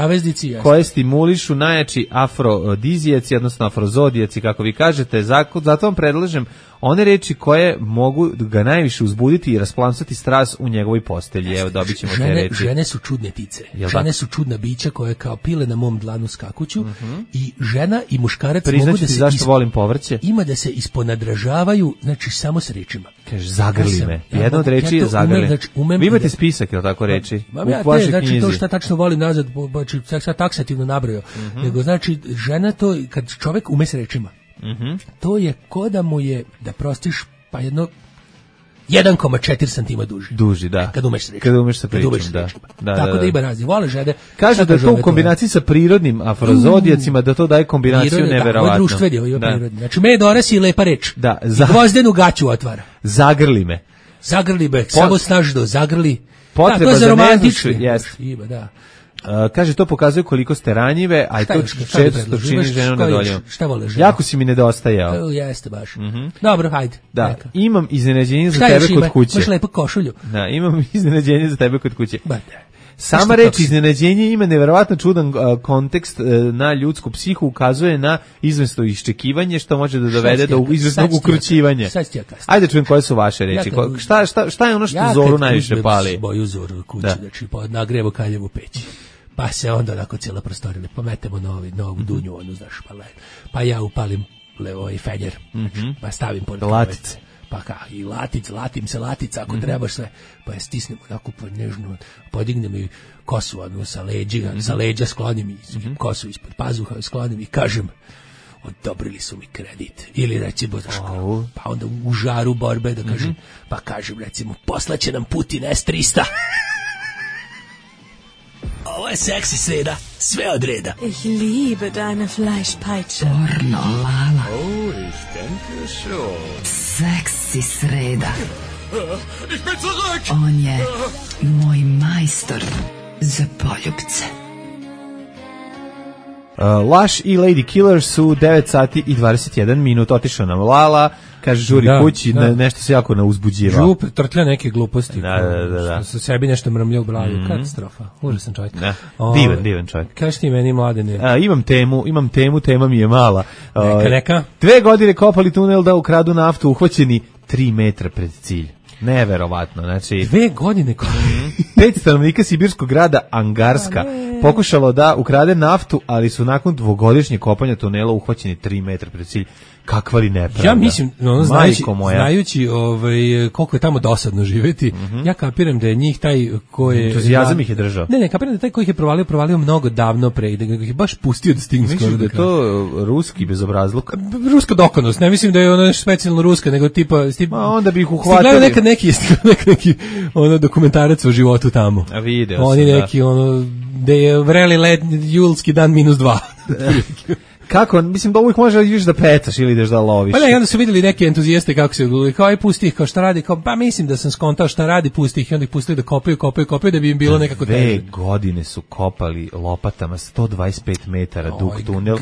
koje stimulišu najjači afrodizijaci, odnosno afrozodijaci, kako vi kažete. Zato vam predlažem one reči koje mogu ga najviše uzbuditi i rasplamsati strast u njegovoj postelji. Evo, dobit ćemo te reči. Žene su čudne tice. Žene su čudna bića koje kao pile na mom dlanu skakuću i žena i muškarac mogu da se zašto volim povrće. Ima da se isponadražavaju, znači samo s rečima. Kaže, zagrli me. Jedna od reči je zagrli. Vi imate spisak, je li tako reči? U vašoj knjizi. Znači, to šta tačno volim nazad, sad taksativno nabrojao. Nego, znači, žena to, kad čovek ume s rečima, to je ko da mu je, da prostiš, pa 1,4 cm duži. Da. Kad umeš sa pričom, da. Tako da ima razli. Vole žene. Kaže da to u kombinaciji sa prirodnim afrozodijacima, da to daje kombinaciju neverovatno. Ovo je društveni, ovo je prirodni. Znači, Medores i lepa reč. Da. Gvozdenu gaću otvara. Zagrli me. Samo snažno, zagrli. Potreba za romantični. Ima, da. Kaže, to pokazuje koliko ste ranjive, a i to često čini ženu nedovoljno. Šta vole žena? Jako si mi nedostajao. Jeste baš. Dobro, hajde. Da, imam iznenađenje za tebe kod kuće. Imaš lepu košulju. Da, imam iznenađenje za tebe kod kuće. Sama reč iznenađenje ima neverovatno čudan kontekst na ljudsku psihu, ukazuje na izvesno iščekivanje što može da dovede do izvesnog ukrućivanja. Ajde čujem koje su vaše reči. Šta je ono što Zoru najviše pali? Moju Zoru kući, znači nagrevo kaljevu peći. Pa se onda onako cijela prostorila, pometemo novu dunju, onu, znaš, pa ja upalim fenjer, pa stavim pored latice. Pa i latim se latica ako trebaš sve, pa je stisnem onako nežno, podignem i kosu sa leđa sklonim i kosu ispod pazuha sklonim i kažem, odobrili su mi kredit. Ili recimo, pa onda u žaru borbe da kažem, pa kažem recimo, poslaće nam Putin S-300. Ovo je seksi sreda, sve od reda. Ich liebe deine Fleischpeitsche. Pornolala. Oh, ich denke schon. Seksi sreda. Ich bin zurück. On je moj majstor za poljubce. Laš i Lady Killer su 9 sati i 21 minut. Otišao nam Lala, kaže žuri kući, nešto se jako uzbuđivao. Trtlja neke gluposti. Da. Što sebi nešto mrmlja u glavi. Katastrofa. Užasan čovjek. Divan čovjek. Kaži ti meni, Mladene. Imam temu, tema mi je mala. Neka. 2 godine kopali tunel da ukradu naftu, uhvaćeni 3 metra pred cilj. Neverovatno, znači 2 godine 5 stanovnika sibirskog grada Angarska pokušalo da ukrade naftu, ali su nakon 2-godišnjeg kopanja tunela uhvaćeni 3 metra pred cilj. Kakva li nepravda. Ja mislim, znajući koliko je tamo dosadno živjeti, ja kapiram da je njih taj ko je... Entuzijazam ih je držao. Ne, kapiram da taj koji ih je provalio mnogo davno pre, da ih je baš pustio da stigne skoro do kraja. Mislim da je to ruski bezobrazluk. Ruska dokonost, ne mislim da je ono nešto specijalno ruska, nego tipa... onda bi ih uhvatili. Stigledao neki dokumentarac o životu tamo. A video sam, oni neki, gde je vreli led julski dan -2. Kako, mislim da uvijek može ideš da pecaš ili ideš da loviš. Pa ne, onda su vidjeli neke entuzijaste kako se gledali, kao aj pusti ih, kao šta radi, kao pa mislim da sam skontao šta radi, pusti ih i onda ih pustili da kopaju da bi im bilo nekako teže. 2 godine su kopali lopatama 125 metara dug tunel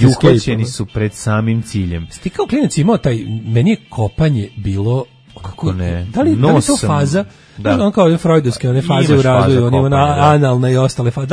i uhvaćeni su pred samim ciljem. Ti kao klinac imao meni je kopanje bilo... Kako ne? Da li to faza? Da. On kao freudovske, one faze u razvoju, on ima analna i ostale faze.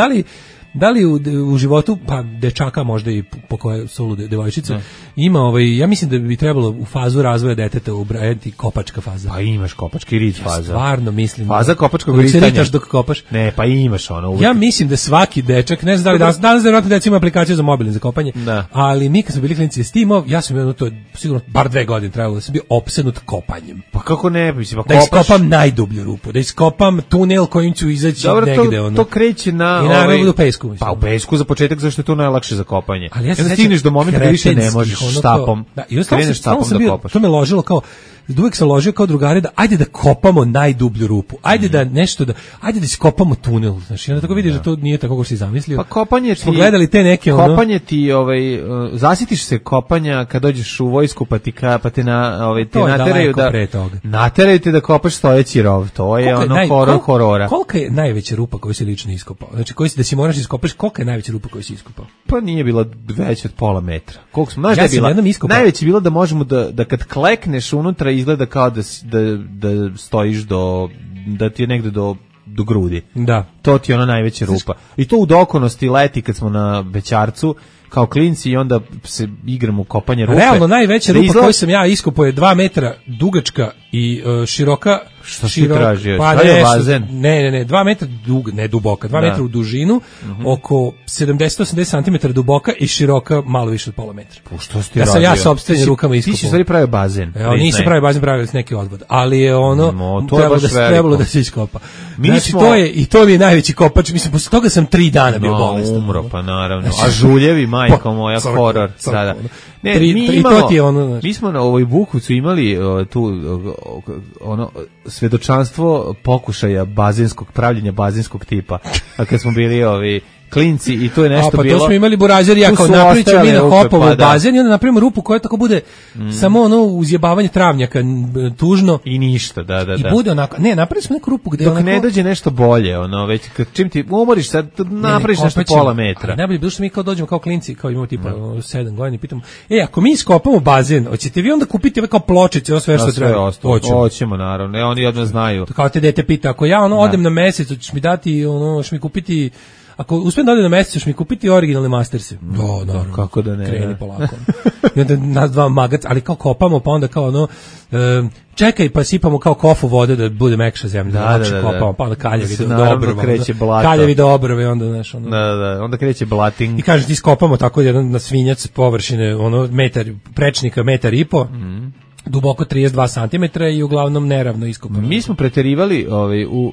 Da li u životu, pa dečaka možda i po koje su devojčice, ima ja mislim da bi trebalo u fazu razvoja deteta ubrajati kopačka faza. Pa imaš kopački rit faza. Stvarno mislim. Faza kopačkog ritanja. Se ritaš dok kopaš. Ne, pa imaš ono. Ja mislim da svaki dečak, ne znam da li danas vjerojatno deca ima aplikaciju za mobilni za kopanje, ali mi kad smo bili klinici s tim, ja sam to sigurno bar 2 godine trebalo da sam bio opsednut kopanjem. Pa kako ne, mislim, da iskopam najdublju rupu, da iskopam tunel kojim ću izaći negde. Dobro, to kreće na... I naravno u pesku. Pa u pesku za početak, zašto je to najlakše za kopanje. Ali ja se stigneš do momenta da više ne možeš štapom. Kreneš štapom da kopaš. To me ložilo kao, uvijek sam ložio kao drugari da ajde da kopamo najdublju rupu, ajde da nešto ajde da iskopamo tunel, znači onda tako vidiš da to nije tako kako si zamislio. Pa kopanje ti... Smo gledali te neke... Kopanje ti, zasitiš se kopanja kad dođeš u vojsku pa te nateraju da... Nateraju te da kopaš stojeći rov, to je horora. Kolika je najveća rupa koju si lično iskopao? Znači da si moraš iskopaš, kolika je najveća rupa koju si iskopao? Pa nije bila veća od pola metra. Koliko smo, znaš da je bila? Najveća je bila da možemo da kad klekneš unutra izgleda kao da stojiš da ti je negde do grudi. Da. To ti je ona najveća rupa. I to u dokonosti leti kad smo na Bećarcu kao klinci i onda se igramo u kopanje rupe. Realno najveća rupa koju sam ja iskopao je 2 metra dugačka i široka Što si tražio? Pa je bazen? Ne, 2 metra ne duboka, 2 metra u dužinu, oko 70-80 cm duboka i široka malo više od pola metra. Što si ti radio? Ja sopstvenim rukama iskopao. Ti si stvari pravio bazen. Evo, nisam pravio bazen, pravio sam neki odvod, ali je ono trebalo da se iskopa. Znači, to mi je najveći kopač, mislim, posle toga sam 3 dana bio bolestan. Umro, pa naravno. A žuljevi, majko moja, horor sada. Ne, mi smo na ovoj Bukovcu imali tu ono svedočanstvo pokušaja pravljenja bazenskog tipa. A kad smo bili klinci i to je nešto bilo. Pa to smo imali burazeri, ja kao napričam mi na hopovo bazen i onda napravimo rupu koja tako bude samo ono uzjebavanje travnjaka, tužno. I ništa, da. I bude onako, ne, napravili smo neku rupu gde dok ne dođe nešto bolje, već čim ti umoriš sad, napraviš nešto pola metra. Najbolje bilo što mi kao dođemo kao klinci, kao imamo tipa 7 godina i pitamo, ako mi iskopamo bazen, hoćete vi onda kupiti kao pločice, sve što treba? Hoćemo, naravno, oni odmah znaju. Kao te dete pita, ako ja odem na mesec, hoćeš mi dati, hoćeš mi kupiti. Ako uspijem da odem na mesec, ćeš mi kupiti originalne Masterse. Naravno. Kako da ne? Kreni polako. I onda nas dva magac, ali kao kopamo, pa onda kao čekaj, pa sipamo kao kofu vode da bude mekša zemlja. Da. Kopamo, pa onda kaljevi do obrva. Kaljevi do obrve, onda znaš. Onda kreće blating. I kažeš ti skopamo tako jedan na svinjac površine, prečnika 1,5 m. Duboko 32 cm i uglavnom neravno iskopano. Mi smo preterivali u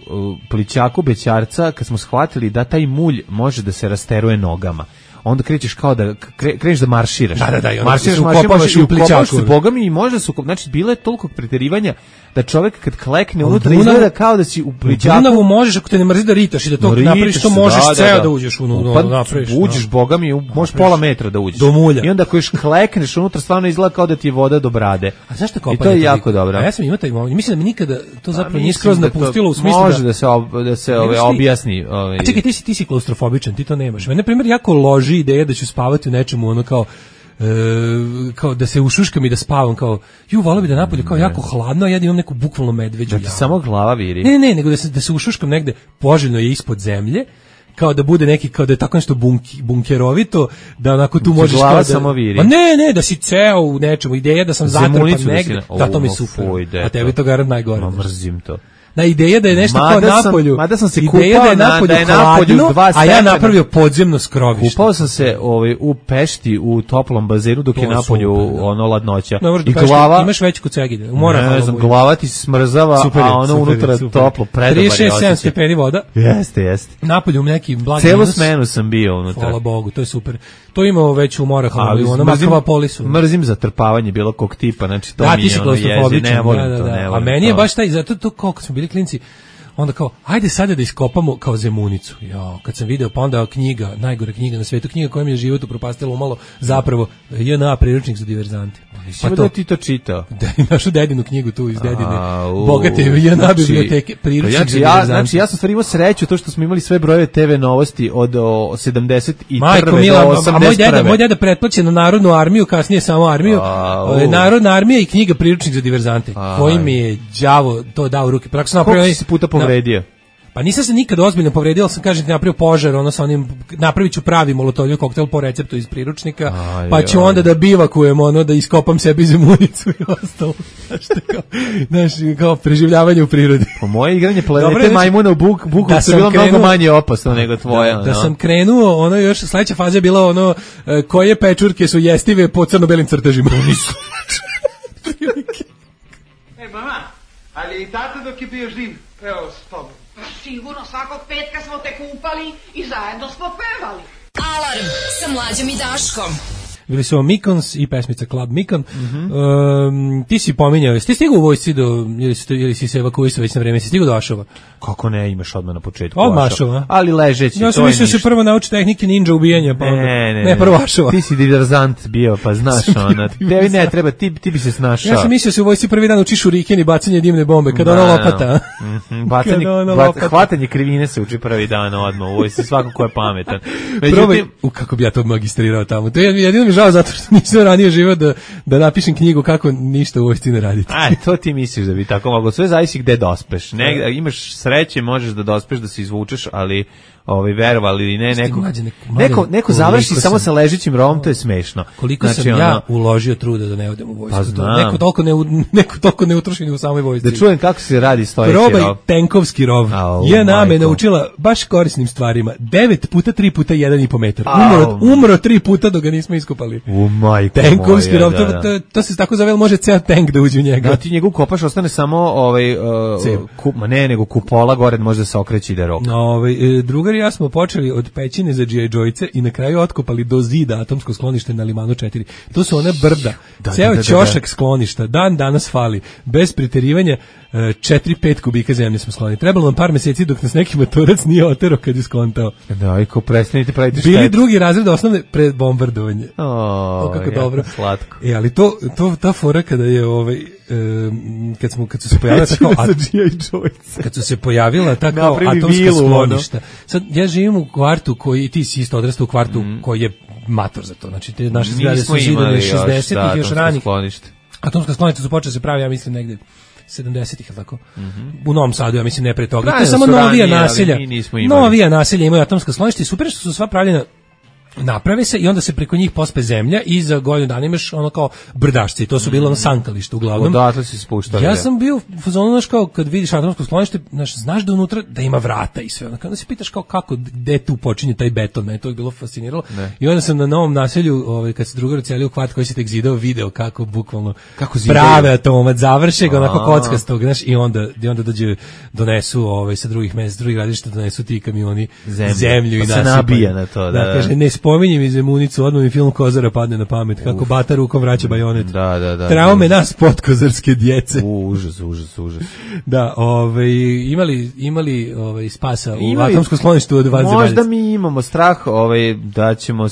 plićaku bećarca kad smo shvatili da taj mulj može da se rasteruje nogama. Onda krećeš kao da kreneš da marširaš. Da, marširaš i ukopaš se bogami i može se znači bilo je toliko preterivanja da čovjek kad klekne unutra izgleda kao da si u plićaku. U Dunavu možeš ako te ne mrzi da ritaš i da to napraviš, to možeš ceo da uđeš napraviš. Uđeš bogami, možeš pola metra da uđeš. Do mulja. I onda ako još klekneš unutra stvarno izgleda kao da ti je voda do brade. A zašto kopanje? I to je jako dobro. A ja sam imao taj moment. Mislim da mi nikada to zapravo nije skroz napustilo u smislu može da se objasni. A čekaj, ti si klaustrofobičan, ti to nemaš. Mene na primjer jako loži ideja da ću spavati u nečemu kao da se ušuškam i da spavam kao voleo bi da napolje kao jako hladno, a ja da imam neku bukvalno medveđu jamu. Da ti samo glava viri? Ne, nego da se ušuškam negde, poželjno je ispod zemlje, kao da bude neki, kao da je tako nešto bunkerovito, da onako tu možeš glava samo viri. Ma ne, da si ceo u nečemu, ideja da sam zatrpan negde, da to mi super, a tebi to garant najgore. Ma mrzim to. Na ideja da je nešto kao napolju. Mada sam se kupao da je napolju 2 stepena. A ja napravio podzemno skrovište. Kupao sam se u Pešti u toplom bazenu dok je napolju ladnoća. I glava imaš već kod Segedina. Ne znam, glava ti smrzava, a ono unutra toplo, predobar je. 36-7 stepeni voda. Jeste. Napolju neki blagi celu smenu sam bio unutra. Hvala Bogu, to je super. To imamo već u Morahalu, u onom Akvapolisu. Mrzim zatrpavanje bilo kog tipa, znači to mi je ono ježi, ne volim to. A meni je baš taj, zato to koliko smo bili klinci, onda kao, ajde sada da iskopamo kao Zemunicu. Kad sam video, pa onda knjiga, najgore knjiga na svetu, knjiga koja mi je život upropastila umalo, zapravo JNA priručnik za diverzante. Pa da ti to čitao. Da, našu dedinu knjigu tu iz dedine, bogate JNA biblioteke, priručnik za diverzante. Znači, ja sam stvar imao sreću to što smo imali sve brojeve TV novosti od 71. Majko do Mila, 81. A moj deda pretplaćen na Narodnu armiju, kasnije samo armiju, Narodna armija i knjiga priručnik za diverzante, koji mi je đavo to dao u ruke. Koliko si puta povredio? Pa nisam se nikad ozbiljno povredio, ali sam kažem napravio požar, sa onim, napravit ću pravi molotovljev koktel po receptu iz priručnika, pa ću onda da bivakujem, da iskopam sebi Zemunicu i ostalo. Znaš, kao preživljavanje u prirodi. Po moje igranje planete majmuna u Bukovcu je bilo mnogo manje opasno nego tvoja. Da sam krenuo, još sledeća faza je bila koje pečurke su jestive po crno-belim crtežima. Mama, ali i tata dok je bio živ, evo s tobom. Sigurno, svakog petka smo te kupali i zajedno smo pevali. Alarm sa Mlađom i Daškom. Bili su Mikons i pesmica Club Mikon. Ti si pominjao, ti stigao u vojsci ili si se evakuisao već na vreme, si stigao do Ašova? Kako ne, imaš odmah na početku Ašova. Ali ležeći, ja sam mislio se prvo nauči tehnike ninja ubijanja, pa ne, prvo Ašova. Ti si diverzant bio, pa znaš tebi ne treba, ti bi se snašao. Ja sam mislio se u vojsci prvi dan učiš šuriken i bacanje dimne bombe, kada ona lopata. Hvatanje krivine se uči prvi dan odmah u vojsci, svako ko je pametan. Međutim, kako bi ja to magistrirao tamo. To je jedino mi žao zato što nisam ranije živeo da napišem knjigu kako ništa u vojsci ne raditi. To ti misliš da bi tako moglo. Sve zavisi gde dospeš. Imaš sreće, možeš da dospeš, da se izvučeš, ali verovali ili ne, neko završi samo sa ležećim rovom, to je smešno. Koliko sam ja uložio truda da ne odem u vojsku. Neko toliko ne utroši u samoj vojsci. Da čujem kako se radi stojeći rov. Probaj tenkovski rov. JNA me naučila baš korisnim stvarima. 9 puta 3 puta 1,5 metar. Umro 3 puta dok ga nismo iskopali. Tenkovski rov, to se tako zove, može ceo tank da uđe u njega. Da ti njegov kopaš, ostane samo nego kupola gore, može da se okreći da rok. Drugar i ja smo počeli od pećine za G.I. Joyce i na kraju otkopali do zida atomsko sklonište na Limanu 4. To su one brda. Ceo ćošak skloništa. Dan danas fali. Bez preterivanja 4-5 kubika zemlje smo sklonili. Trebalo nam par meseci dok nas neki motorac nije otero kad je skontao. Da, i ko prestanite praviti štetu. Bili drugi razred osnovne pred bombardovanje. Kako dobro. Slatko. Ali ta fora kada je kad su se pojavila tako kad su se pojavila tako atomska skloništa. Sad ja živim u kvartu koji ti si isto odrastao u kvartu koji je mator za to. Znači te naše zgrade su zidane 60-ih još ranih. Atomska skloništa su počele se pravi, ja mislim negde 70-ih, tako. U Novom Sadu, ja mislim, ne pre toga. To je samo novija naselja. Novija naselja imaju atomska skloništa i super što su sva pravljena, naprave se i onda se preko njih pospe zemlja i za godinu dana imaš ono kao brdašci. To su bilo sankalište uglavnom. Odatle si spuštali. Ja sam bio u fazonu, znaš, kao kad vidiš atomsko sklonište, znaš da unutra da ima vrata i sve. Onda se pitaš kao kako, gde tu počinje taj beton, mene to je bilo fasciniralo. I onda sam na novom naselju, kad se drugar ucelio u kvart koji se tek zidao, video kako bukvalno prave atomat, završe ga onako kockastog, znaš, i onda donesu sa drugih mesta, drugih gradišta donesu ti kamioni zemlju i se nabija na to, da kaže, ne spominjem iz Emunicu, odmah mi film Kozara padne na pamet, kako Bata rukom vraća bajonet. Da. Traume nas podkozarske djece. Užas. Da, imali spasa u atomskom skloništu od vanzemaljaca. Možda mi imamo strah da ćemo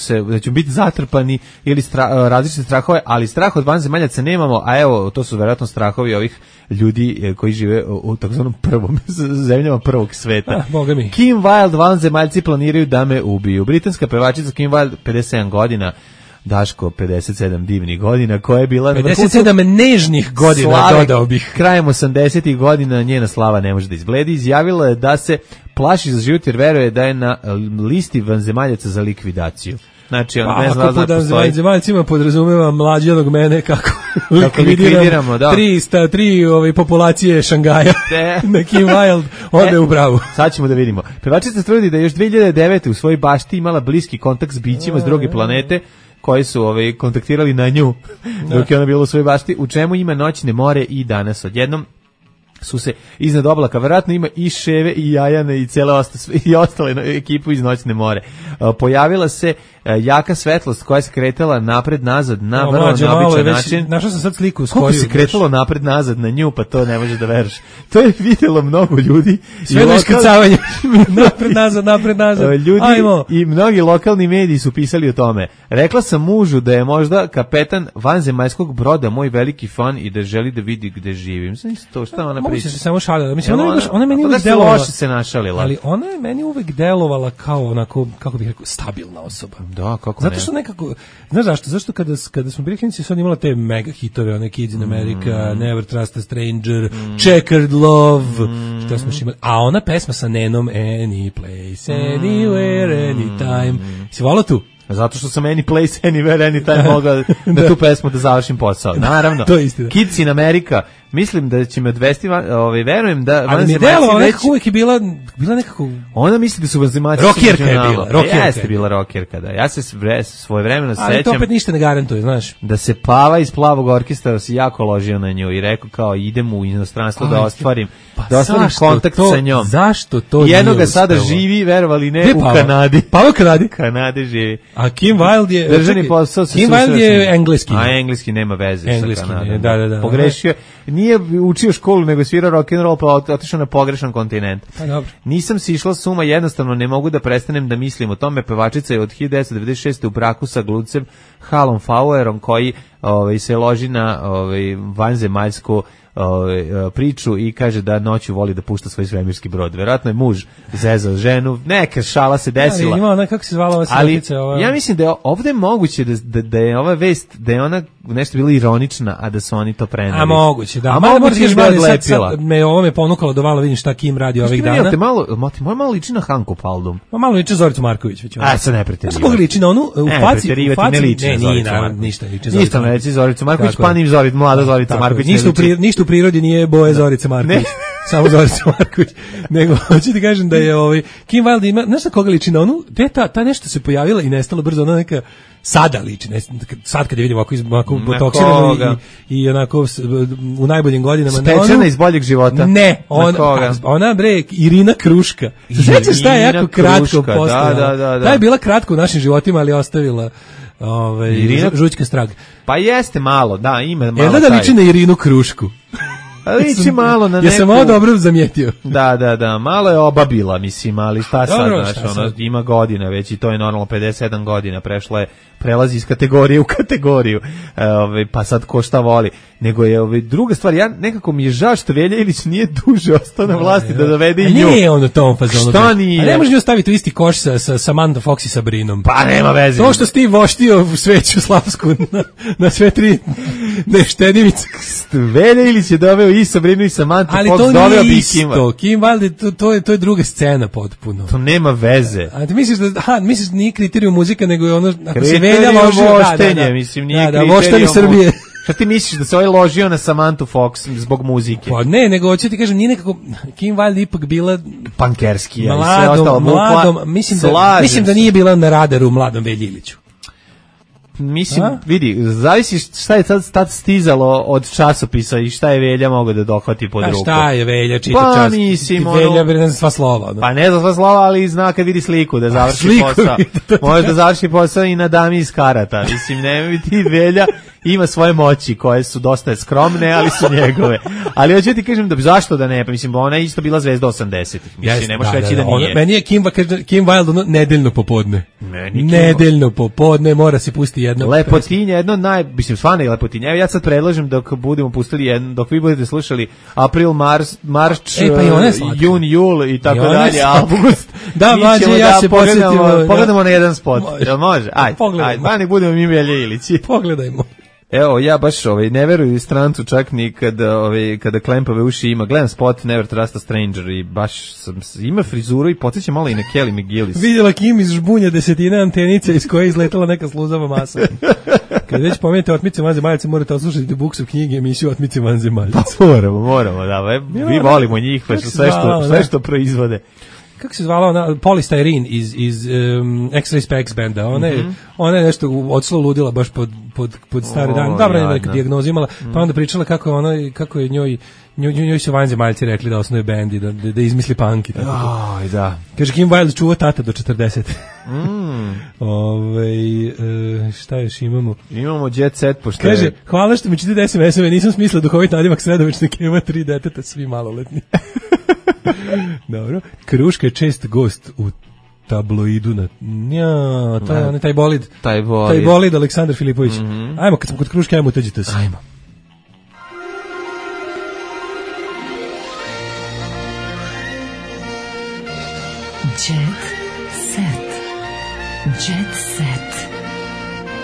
biti zatrpani ili različite strahove, ali strah od vanzemaljaca nemamo, a evo, to su verovatno strahovi ovih ljudi koji žive u takozvanom prvom zemljama prvog sveta. Boga mi. Kim Wilde, vanzemaljci planiraju da me ubiju. Britanska pevačica Kim Wilde, 57 godina, Daško 57 divnih godina, koja je bila 57 nežnih godina, dodao bih. Krajem 80-ih godina njena slava ne može da izbledi. Izjavila je da se plaši za život jer veruje da je na listi vanzemaljaca za likvidaciju. Znači, on ne zna da postoji. Vanzemaljcima podrazumeva mlađenog mene kako likvidiramo, da. Tri populacije Šangaja na Kim Wilde ode u bravu. Sad ćemo da vidimo. Pevačica tvrdi da još 2009. u svojoj bašti imala bliski kontakt s bićima s druge planete koji su kontaktirali na nju dok je ona bila u svojoj bašti, u čemu ima noćne more i danas odjednom su se iznad oblaka, verovatno ima i Ševe i Jajane i ostale ekipu iz noćne more. Pojavila se jaka svetlost koja se kretala napred-nazad na vrlo neobičan način. Našao sam sad sliku. Koliko se kretalo napred-nazad na nju, pa to ne možeš da veruješ. To je vidjelo mnogo ljudi. Sve do iskrcavanja. napred-nazad. Ljudi i mnogi lokalni mediji su pisali o tome. Rekla sam mužu da je možda kapetan vanzemaljskog broda moj veliki fan i da želi da vidi gde živim. Znači to šta ona priča. Se samo šalila. Mislim, ona meni uvek delovala. Loše se našalila. Ali ona je meni uvek delovala kao onako, kako bih rekao, stabilna osoba. Da, kako zato što nekako, znaš zašto? Zašto kada smo bili klinici, sad imala te mega hitove, one Kids in America, Never Trust a Stranger, Checkered Love, što smo imali. A ona pesma sa Nenom, Any Place, Anywhere, Anytime. Si volao tu? Zato što sam Any Place, Anywhere, Anytime mogao na tu pesmu da završim posao. Naravno. To je istina. Kids in America. Mislim da će me odvesti, verujem da vanzemaljci već... uvijek je bila nekako... Ona misli da su vanzemaljci... Rokjerka je bila. Jeste bila rokjerka, da. Ja se svoje vremeno sećam... Ali to opet ništa ne garantuje, znaš. Da se Pava iz Plavog orkestra si jako ložio na nju i rekao kao idem u inostranstvo da ostvarim kontakt sa njom. Zašto to nije jednoga sada živi, verovali ne, u Kanadi. Pava u Kanadi? Kanadi živi. A Kim Wilde je... Držani posao se... Kim Wilde je engleski. A engleski nema veze sa Kanadom. Da. Pogrešio. Nije učio školu, nego svirao rock'n'roll, pa otišao na pogrešan kontinent. Pa dobro. Nisam si išla s uma, jednostavno ne mogu da prestanem da mislim o tome. Pevačica je od 1996. u braku sa glucem Halom Fauerom, koji se loži na vanzemaljsko priču i kaže da noću voli da pušta svoj svemirski brod. Verovatno je muž zezao ženu, neka šala se desila. Ali ima ona, kako se zvala ova sredica? Ja mislim da je ovde moguće da je ova vest, da je ona nešto bila ironična, a da su oni to preneli. A moguće, da. A moguće da je odlepila. Ovo me ponukalo da malo vidim šta Kim radi ovih dana. Ti malo liči na Hanku Paldum. Malo liči na Zoricu Marković. A, sad ne preterivati. Kako liči na onu u faci? Ne liči na Zoricu Marković. Ništa liči na Zoricu Marković. Ništa Zoricu Marković, pa ni mlada Zorica Marković. Ništa u prirodi nije boje Zorice Marković. Samo Zorica Marković. Nego, hoću ti kažem da je Kim Wilde ima, znaš na koga liči na onu? Gde ta nešto se pojavila i nestala brzo, ona neka sada liči, sad kad je vidimo ovako botoksirano i onako u najboljim godinama. Stečena iz boljeg života. Ne, ona bre, Irina Kruška. Sećaš šta je jako kratko postala? Da. Ta je bila kratko u našim životima, ali ostavila žućka strag. Pa jeste malo, da, ima malo. Jedna da liči na Irinu Krušku. Liči malo na neku... Ja sam ovo dobro zamijetio. Da, malo je obabila, mislim, ali šta sad, ona ima godine već i to je normalno 57 godina, prelazi iz kategorije u kategoriju, pa sad ko šta voli. Nego je druga stvar, ja nekako mi je žao što Velja Ilić nije duže ostao na vlasti da dovede i nju. Nije on u tom fazonu. Šta nije? A ne može nju staviti u isti koš sa Samantha Fox i Sabrinom. Pa nema veze. To što si ti voštio sveću slavsku na sve tri neštedimice. Velja Ilić je doveo i Sabrinu i Samantha Fox, doveo bi isto. Kim Wilde, to je druga scena potpuno. To nema veze. A ti misliš da nije kriterijum muzika, nego je ono, ako se Velja ložio, mislim, nije kriterijum. Voštanje Srbije. Šta ti misliš da se ovaj ložio na Samantha Fox zbog muzike? Pa ne, nego hoću ti kažem, nije nekako, Kim Wilde ipak bila pankerski, mladom, mislim da nije bila na radaru mladom Velji Iliću. Mislim, vidi, zavisi šta je tad stizalo od časopisa i šta je Velja mogao da dohvati pod ruku. Šta je Velja čita čas? Mislim, Velja ne zna sva slova. Pa ne zna sva slova, ali zna kad vidi sliku da završi posao. Može da završi posao i na dami iz karata. Mislim, ne vidi Velja ima svoje moći koje su dosta skromne, ali su njegove. Ali hoću ti kažem da zašto da ne, pa mislim ona je isto bila zvezda 80-ih. Mislim ne možeš reći da nije. Meni je Kim Wilde nedeljno popodne. Nedeljno popodne mora se pustiti jedno. Lepotinja, mislim stvarno je Lepotinja. Evo ja sad predlažem dok budemo pustili dok vi budete slušali April, March, Jun, Jul i tako dalje, August. Da, mlađe, ja se pogledamo na jedan spot. Jel može? Ajde, nek budemo mi Velje Ilići. Pogledajmo. Evo, ja baš ne veruju strancu čak ni kada klempave uši ima. Gledam spot Never Trust a Stranger i baš ima frizuru i podsjeća malo i na Kelly McGillis. Vidjela Kim iz žbunja desetine antenice iz koje je izletala neka sluzava masa. Kad već pomenete Otmice vanzemaljce, morate oslušati The Books of knjige, emisiju Otmice vanzemaljce. Pa moramo, da. Mi volimo njih, sve što proizvode. Kako se zvala ona, Polly Styrene iz X-Ray Specs benda, ona je nešto odslo ludila baš pod stare dane, dobro je neka dijagnoza imala, pa onda pričala kako je njoj su vanzemaljci rekli da osnuje bend i da izmisli punk i tako to. Da. Kaže Kim Wilde čuva tata do 40. Šta još imamo? Imamo Jet Set, pošto kaže, hvala što mi čitite SMS-ove, nisam smislila duhovit nadimak sredovečne Kema, 3 deteta, svi maloletni. Dobro. Kruška je čest gost u tabloidu taj bolid. Taj bolid Aleksandar Filipović. Ajmo, kad smo kod Kruške, ajmo uteđite se. Ajmo. Jet set. Jet set.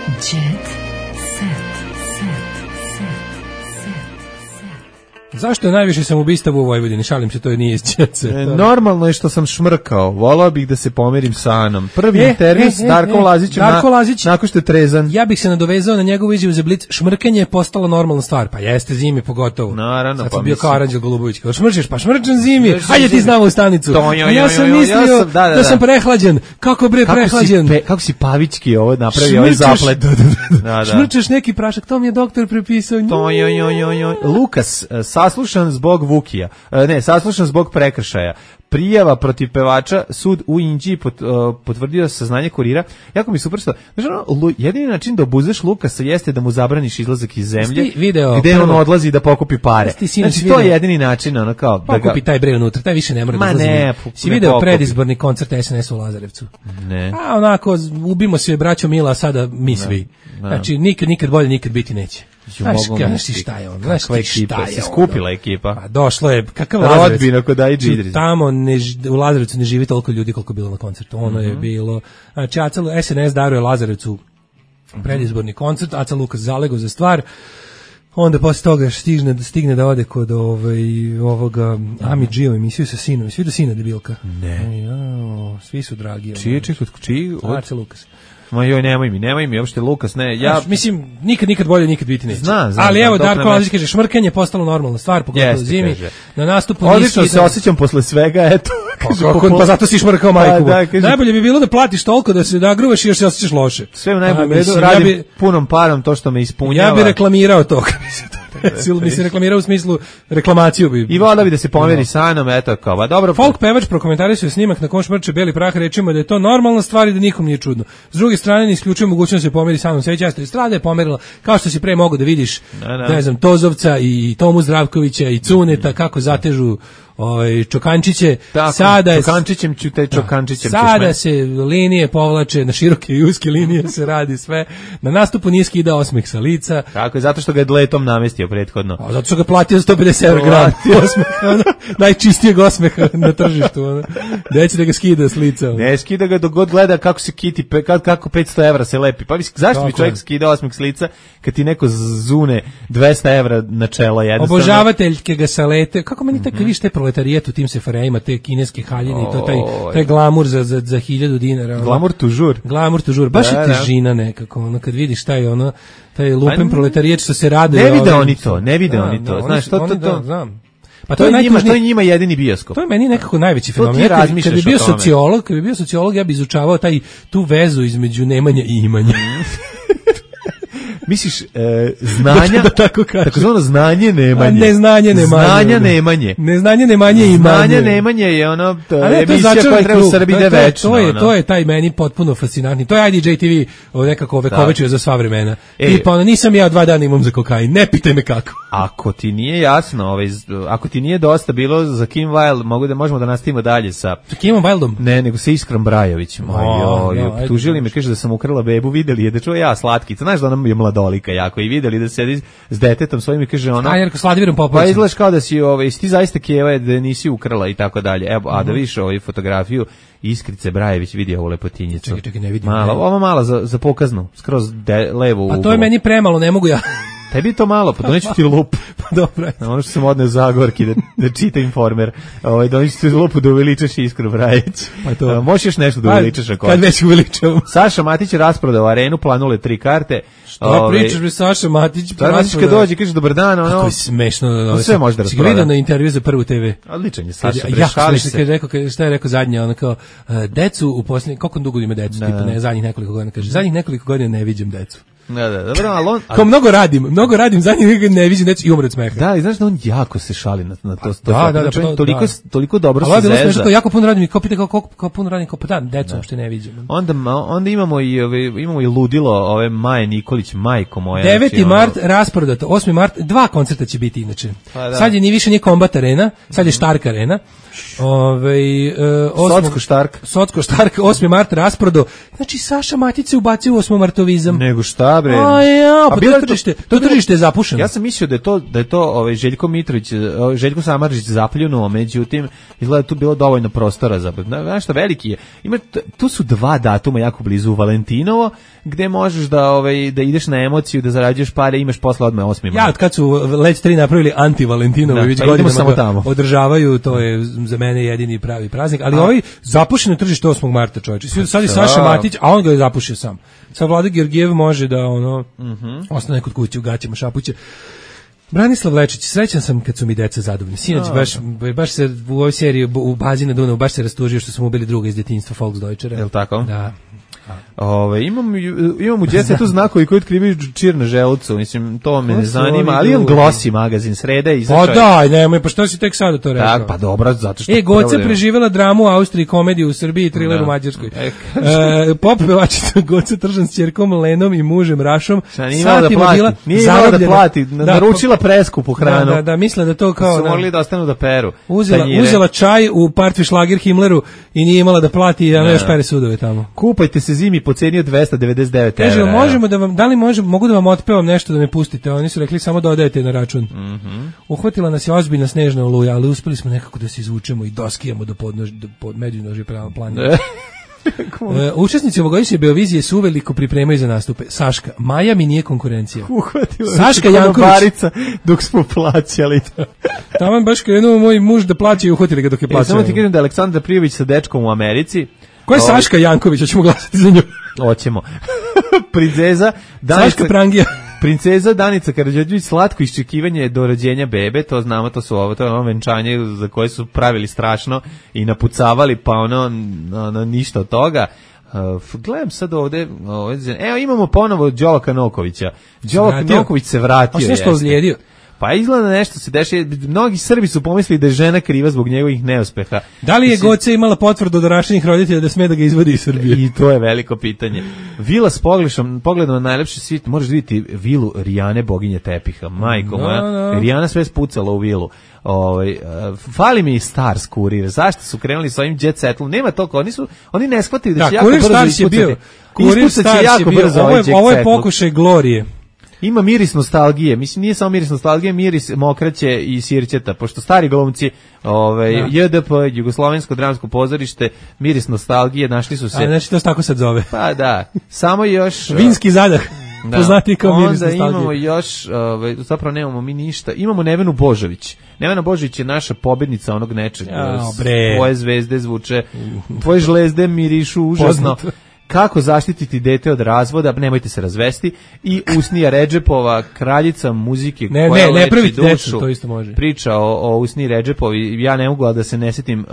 Jet set. Zašto je najviše samoubistava u Vojvodini? Šalim se, to nije iz Čece. Normalno je što sam šmrkao. Volao bih da se pomirim sa Anom. Prvi intervju s Darkom Lazićem nakon što je trezan. Ja bih se nadovezao na njegovu izjavu za Blic. Šmrkanje je postala normalna stvar. Pa jeste zimi pogotovo. Naravno. Sad sam bio kao Aranđel Golubović. Kao šmrčeš, pa šmrčem zimi. Hajde ti znamo u stanicu. Ja sam mislio da sam prehlađen. Kako bre prehlađen? Kako si pavički ovo napravio, ovaj zaplet. Šmrčeš neki prašak, to mi je doktor prepisao. Lukas, saslušan zbog Vukija. Saslušan zbog prekršaja. Prijava protiv pevača, sud u Inđiji potvrdio saznanje Kurira. Jako mi super što, jedini način da obuzeš Lukasa jeste da mu zabraniš izlazak iz zemlje, gde on odlazi da pokupi pare. Znači, to je jedini način, ono kao... Pokupi taj bre unutra, taj više ne mora da izlazi. Si video predizborni koncert SNS u Lazarevcu? Ne. A onako, ubimo se braćo Mila, sada mi svi. Znači, nikad bolje, nikad biti neće. Znaš ti šta je on? Znaš ti šta je se skupila ekipa. Pa došlo je, kakav Lazarevac. Rodbina kod Aidži Idris. Tamo u Lazarevcu ne živi toliko ljudi koliko je bilo na koncertu. Ono je bilo, znači SNS daruje Lazarevcu predizborni koncert, Aca Lukas zalego za stvar. Onda posle toga stigne da ode kod ovoga Ami Gio emisiju sa sinom. Svi do sina debilka. Ne. Svi su dragi. Čiji? Aca Lukas. Ma joj, nemoj mi, uopšte Lukas, ne. Ja mislim, nikad bolje, nikad biti neće. Znam. Ali evo, Darko Lazić kaže, šmrkanje je postalo normalna stvar, pogotovo zimi. Na nastupu odlično se osjećam posle svega, eto. Pa zato si šmrkao majku. Najbolje bi bilo da platiš toliko da se nagruvaš i još se osjećaš loše. Sve u najboljem redu, radim punom parom to što me ispunjava. Ja bih reklamirao to, kad bi se to mislim reklamirao u smislu reklamaciju bi. I voda bi da se pomeri sa mnom, eto kao, ba dobro. Folk pevač prokomentarisao snimak na kom šmrče beli prah, rečima da je to normalna stvar i da nikom nije čudno. S druge strane ne isključuje mogućnost da se pomeri sa mnom. Sve često estrada je pomerila, kao što si pre mogao da vidiš, ne znam, Tozovca i Tomu Zdravkovića i Cuneta kako zatežu Čokančiće. Tako, sada Čokančićem ću te Čokančićem. Sada se linije povlače, na široke i uske linije se radi sve. Na nastupu nije skidao osmeh sa lica. Tako je, zato što ga je dletom namestio prethodno. Zato što ga platio za 150 € gram osmeha, najčistijeg osmeha na tržištu. Neće da ga skida s lica. Ne, skida ga dok god gleda kako se kiti, kako 500 € se lepi. Pa zašto bi čovjek skidao osmeh s lica kad ti neko zune 200 € na čelo jednostavno? Obožavateljke ga salete. Kako meni tako viš te proletarijet u tim sefarejima, te kineske haljine i to taj glamur za 1000 dinara. Glamur tužur. Baš je težina nekako, ono kad vidiš taj taj lupen proletarijet što se radi. Ne vide oni to. Znaš, to. Pa to je njima jedini bioskop. To je meni nekako najveći fenomen. Kad bi bio sociolog, ja bi izučavao tu vezu između nemanja i imanja. Misliš, znanja, takozvano znanje nemanje. Neznanje nemanje. Znanja nemanje. Neznanje nemanje i imanje. Znanje nemanje je ono, emisija koja treba u Srbiji da večno. To je taj meni potpuno fascinantni. To je IDJ TV nekako vekovečuje za sva vremena. Tipa, nisam ja 2 dana imam za kokain, ne pitaj me kako. Ako ti nije jasno, ako ti nije dosta bilo za Kim Wilde, možemo da nastavimo dalje sa Kimom Wildom? Ne, nego sa Iskrom Brajovićem. Tužili me, kaže da sam ukrala bebu, videli je da čuo ja slatkica. Znaš da ona je mladolika jako i videli da sedi s detetom svojim i kaže ona. Jerko s Vladivirom Popovicom. Pa izgledaš kao da si ti zaista Kijeva da nisi ukrala i tako dalje. Evo, a da vidiš fotografiju Iskrice Brajević, vidi ovu lepotinjicu. Čekaj, ne vidim. Ovo malo za pokaznu, skroz levo uglo. Pa to je meni premalo, ne mogu ja. Tebi je to malo, pa doneću ti lup. Pa dobro. Ono što sam odneo Zagorki da čita Informer. Doneću ti lupu da uveličaš Iskru Brajić. Pa to. Možeš još nešto da uveličaš ako. Kad već uveličavam. Saša Matić je rasprodao arenu, planule 3 karte. Što pričaš bi Saša Matić? Matić kad dođe, kaže dobar dan, ono. Kako je smešno. Sve može da rasproda. Si ga vidio na intervju za Prvu TV? Odličan je Saša, prešali se. Šta je rekao zadnje, ono kao, decu u posljednje, koliko dugo ima decu, tipa ne, zadnjih nekoliko godina, kaže, zadnjih nekoliko godina ne viđem decu. Da, dobro, ali on... Kao mnogo radim, za njih ne vidim neći i umre od smeha. Da, i znaš da on jako se šali na to. Toliko dobro se zeza. Ali zeza. jako puno radim i kao pita kao puno radim, kao pa da, decu uopšte ne vidim. Onda imamo i ludilo ove Maje Nikolić, majko moja. 9. mart rasprodato, 8. mart, 2 koncerta će biti inače. Sad je više nije Kombat Arena, sad je Štark Arena. Socko Štark 8. mart rasprodo. Znači Saša Matić se ubacio u 8. martovizam. Nego šta bre? To tržište je zapušeno. Ja sam mislio da je to Željko Mitrović, Željko Samardžić zapljunuo, međutim izgleda tu bilo dovoljno prostora za. Znaš šta, veliki je. Tu su 2 datuma jako blizu, Valentinovo, gde možeš da ideš na emociju, da zarađuješ pare, imaš posle odmah 8. mart. Ja, od kad su Let 3 napravili anti-Valentinovo, već godinama ga održavaju, to je za mene jedini pravi praznik, ali zapušeno tržište 8. marta, čovječe. Sad je Saša Matić, a on ga je zapušio sam. Sad Vlada Georgijev može da ostane kod kuće u gaćama, šapuće. Branislav Lečić, srećan sam kad su mi deca zadovoljni. Sinoć baš se u ovoj seriji u bazi na Dunavu baš se rastužio što smo ubili druga iz djetinjstva Volksdeutschera. Je li tako? Da. Imam u djetetu znakovi koji otkrivaju čir na želucu, mislim, to me ne zanima, ali imam Glossy magazin, sreda izašao. Pa daj, nemoj, pa što si tek sada to rekao? Tak, pa dobro, zato što... Goca preživjela dramu u Austriji, komediju u Srbiji i thriller u Mađarskoj. Pop pevačica Goca Tržan s ćerkom Lenom i mužem Rašom. Nije imala da plati, naručila preskupu hranu. Da, misle da to kao... Su mogli da ostanu da peru. Uzela čaj u partvi šlager Himmleru i nije imala da plati, a još pere sudove tamo. Kupajte se zimi po ceni od 299 €. Kaže, možemo da vam, mogu da vam otpevam nešto da me pustite? Oni su rekli samo dodajete na račun. Uhvatila nas je ozbiljna snežna oluja, ali uspeli smo nekako da se izvučemo i doskijamo do međunožje planine. Učesnici ovogodišnje Beovizije su uveliko pripremaju za nastupe. Saška, Maja mi nije konkurencija. Saška Janković dok smo plaćali. Tamo baš krenuo moj muž da plaća i uhvatili ga dok je plaćao. Samo ti kažem da je Aleksandra Prijović sa dečkom u Americi. Ko je Saška Janković? Hoćemo glasati za nju. Hoćemo. Princeza Saška Prangija. Princeza Danica Karađorđević, slatko iščekivanje do rođenja bebe, to znamo, to je ono venčanje za koje su pravili strašno i napucavali, pa ono ništa od toga. Gledam sad ovde, evo imamo ponovo Đolaka Nokovića. Đolak Noković se vratio. On se nešto ozlijedio. Pa izgleda nešto se dešava. Mnogi Srbi su pomislili da je žena kriva zbog njegovih neuspeha. Da li je Goce imala potvrdu od orašenih roditelja da sme da ga izvodi iz Srbije? I to je veliko pitanje. Vila s pogledom na najlepši svijet, možeš vidjeti vilu Rijane, boginje tepiha. Majko moja, Rijana sve spucala u vilu. Fali mi Stars kurir. Zašto su krenuli s ovim jet setlom? Nema toliko, oni ne shvataju da će jako brzo ispucati. Kurir Stars je bio. Ovo je pokušaj Glorije. Ima miris nostalgije, mislim nije samo miris nostalgije, miris mokraće i sirćeta, pošto stari glumci, JDP, Jugoslovensko dramsko pozorište, miris nostalgije, našli su se. A znači to se tako sad zove. Pa da, samo još vinski zadah. Da. Poznati kao miris nostalgije. Onda imamo još, zapravo nemamo mi ništa, imamo Nevenu Božović. Nevena Božović je naša pobednica onog nečeg. Tvoje zvezde zvuče, tvoje žlezde mirišu užasno. Kako zaštititi dete od razvoda, nemojte se razvesti, i Usnija Redžepova, kraljica muzike koja leči dušu, to isto može. Priča o Usniji Redžepovi, ja ne mogu da se ne setim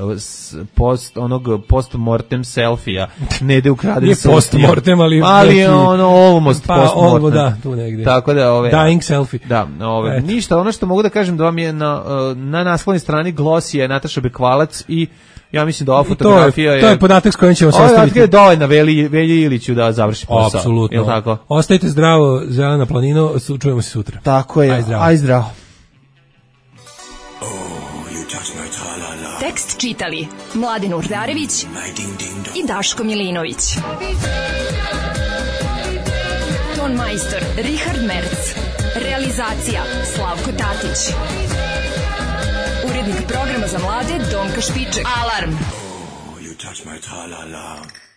post-mortem selfija, Nede ukraden nije post-mortem, ali almost post-mortem. Da, tu negdje. Tako da, dying selfie. Da, ništa, ono što mogu da kažem da vam je na naslovnoj strani Glossy je Nataša Bekvalac i ja mislim da ova fotografija je... To je podatak s kojim ćemo se ostaviti. Ovo je dovoljno Velji Iliću da završi posao. Apsolutno. Tako? Ostajte zdravo, Zelena planino, čujemo se sutra. Tako je, aj zdravo. Tekst čitali Mladen Urdarević i Daško Milinović. Ton majstor Richard Merc. Realizacija Slavko Tatić. Urednik programa za mlade Donka Špiček. Alarm! Oh, you touch my tra-la-la.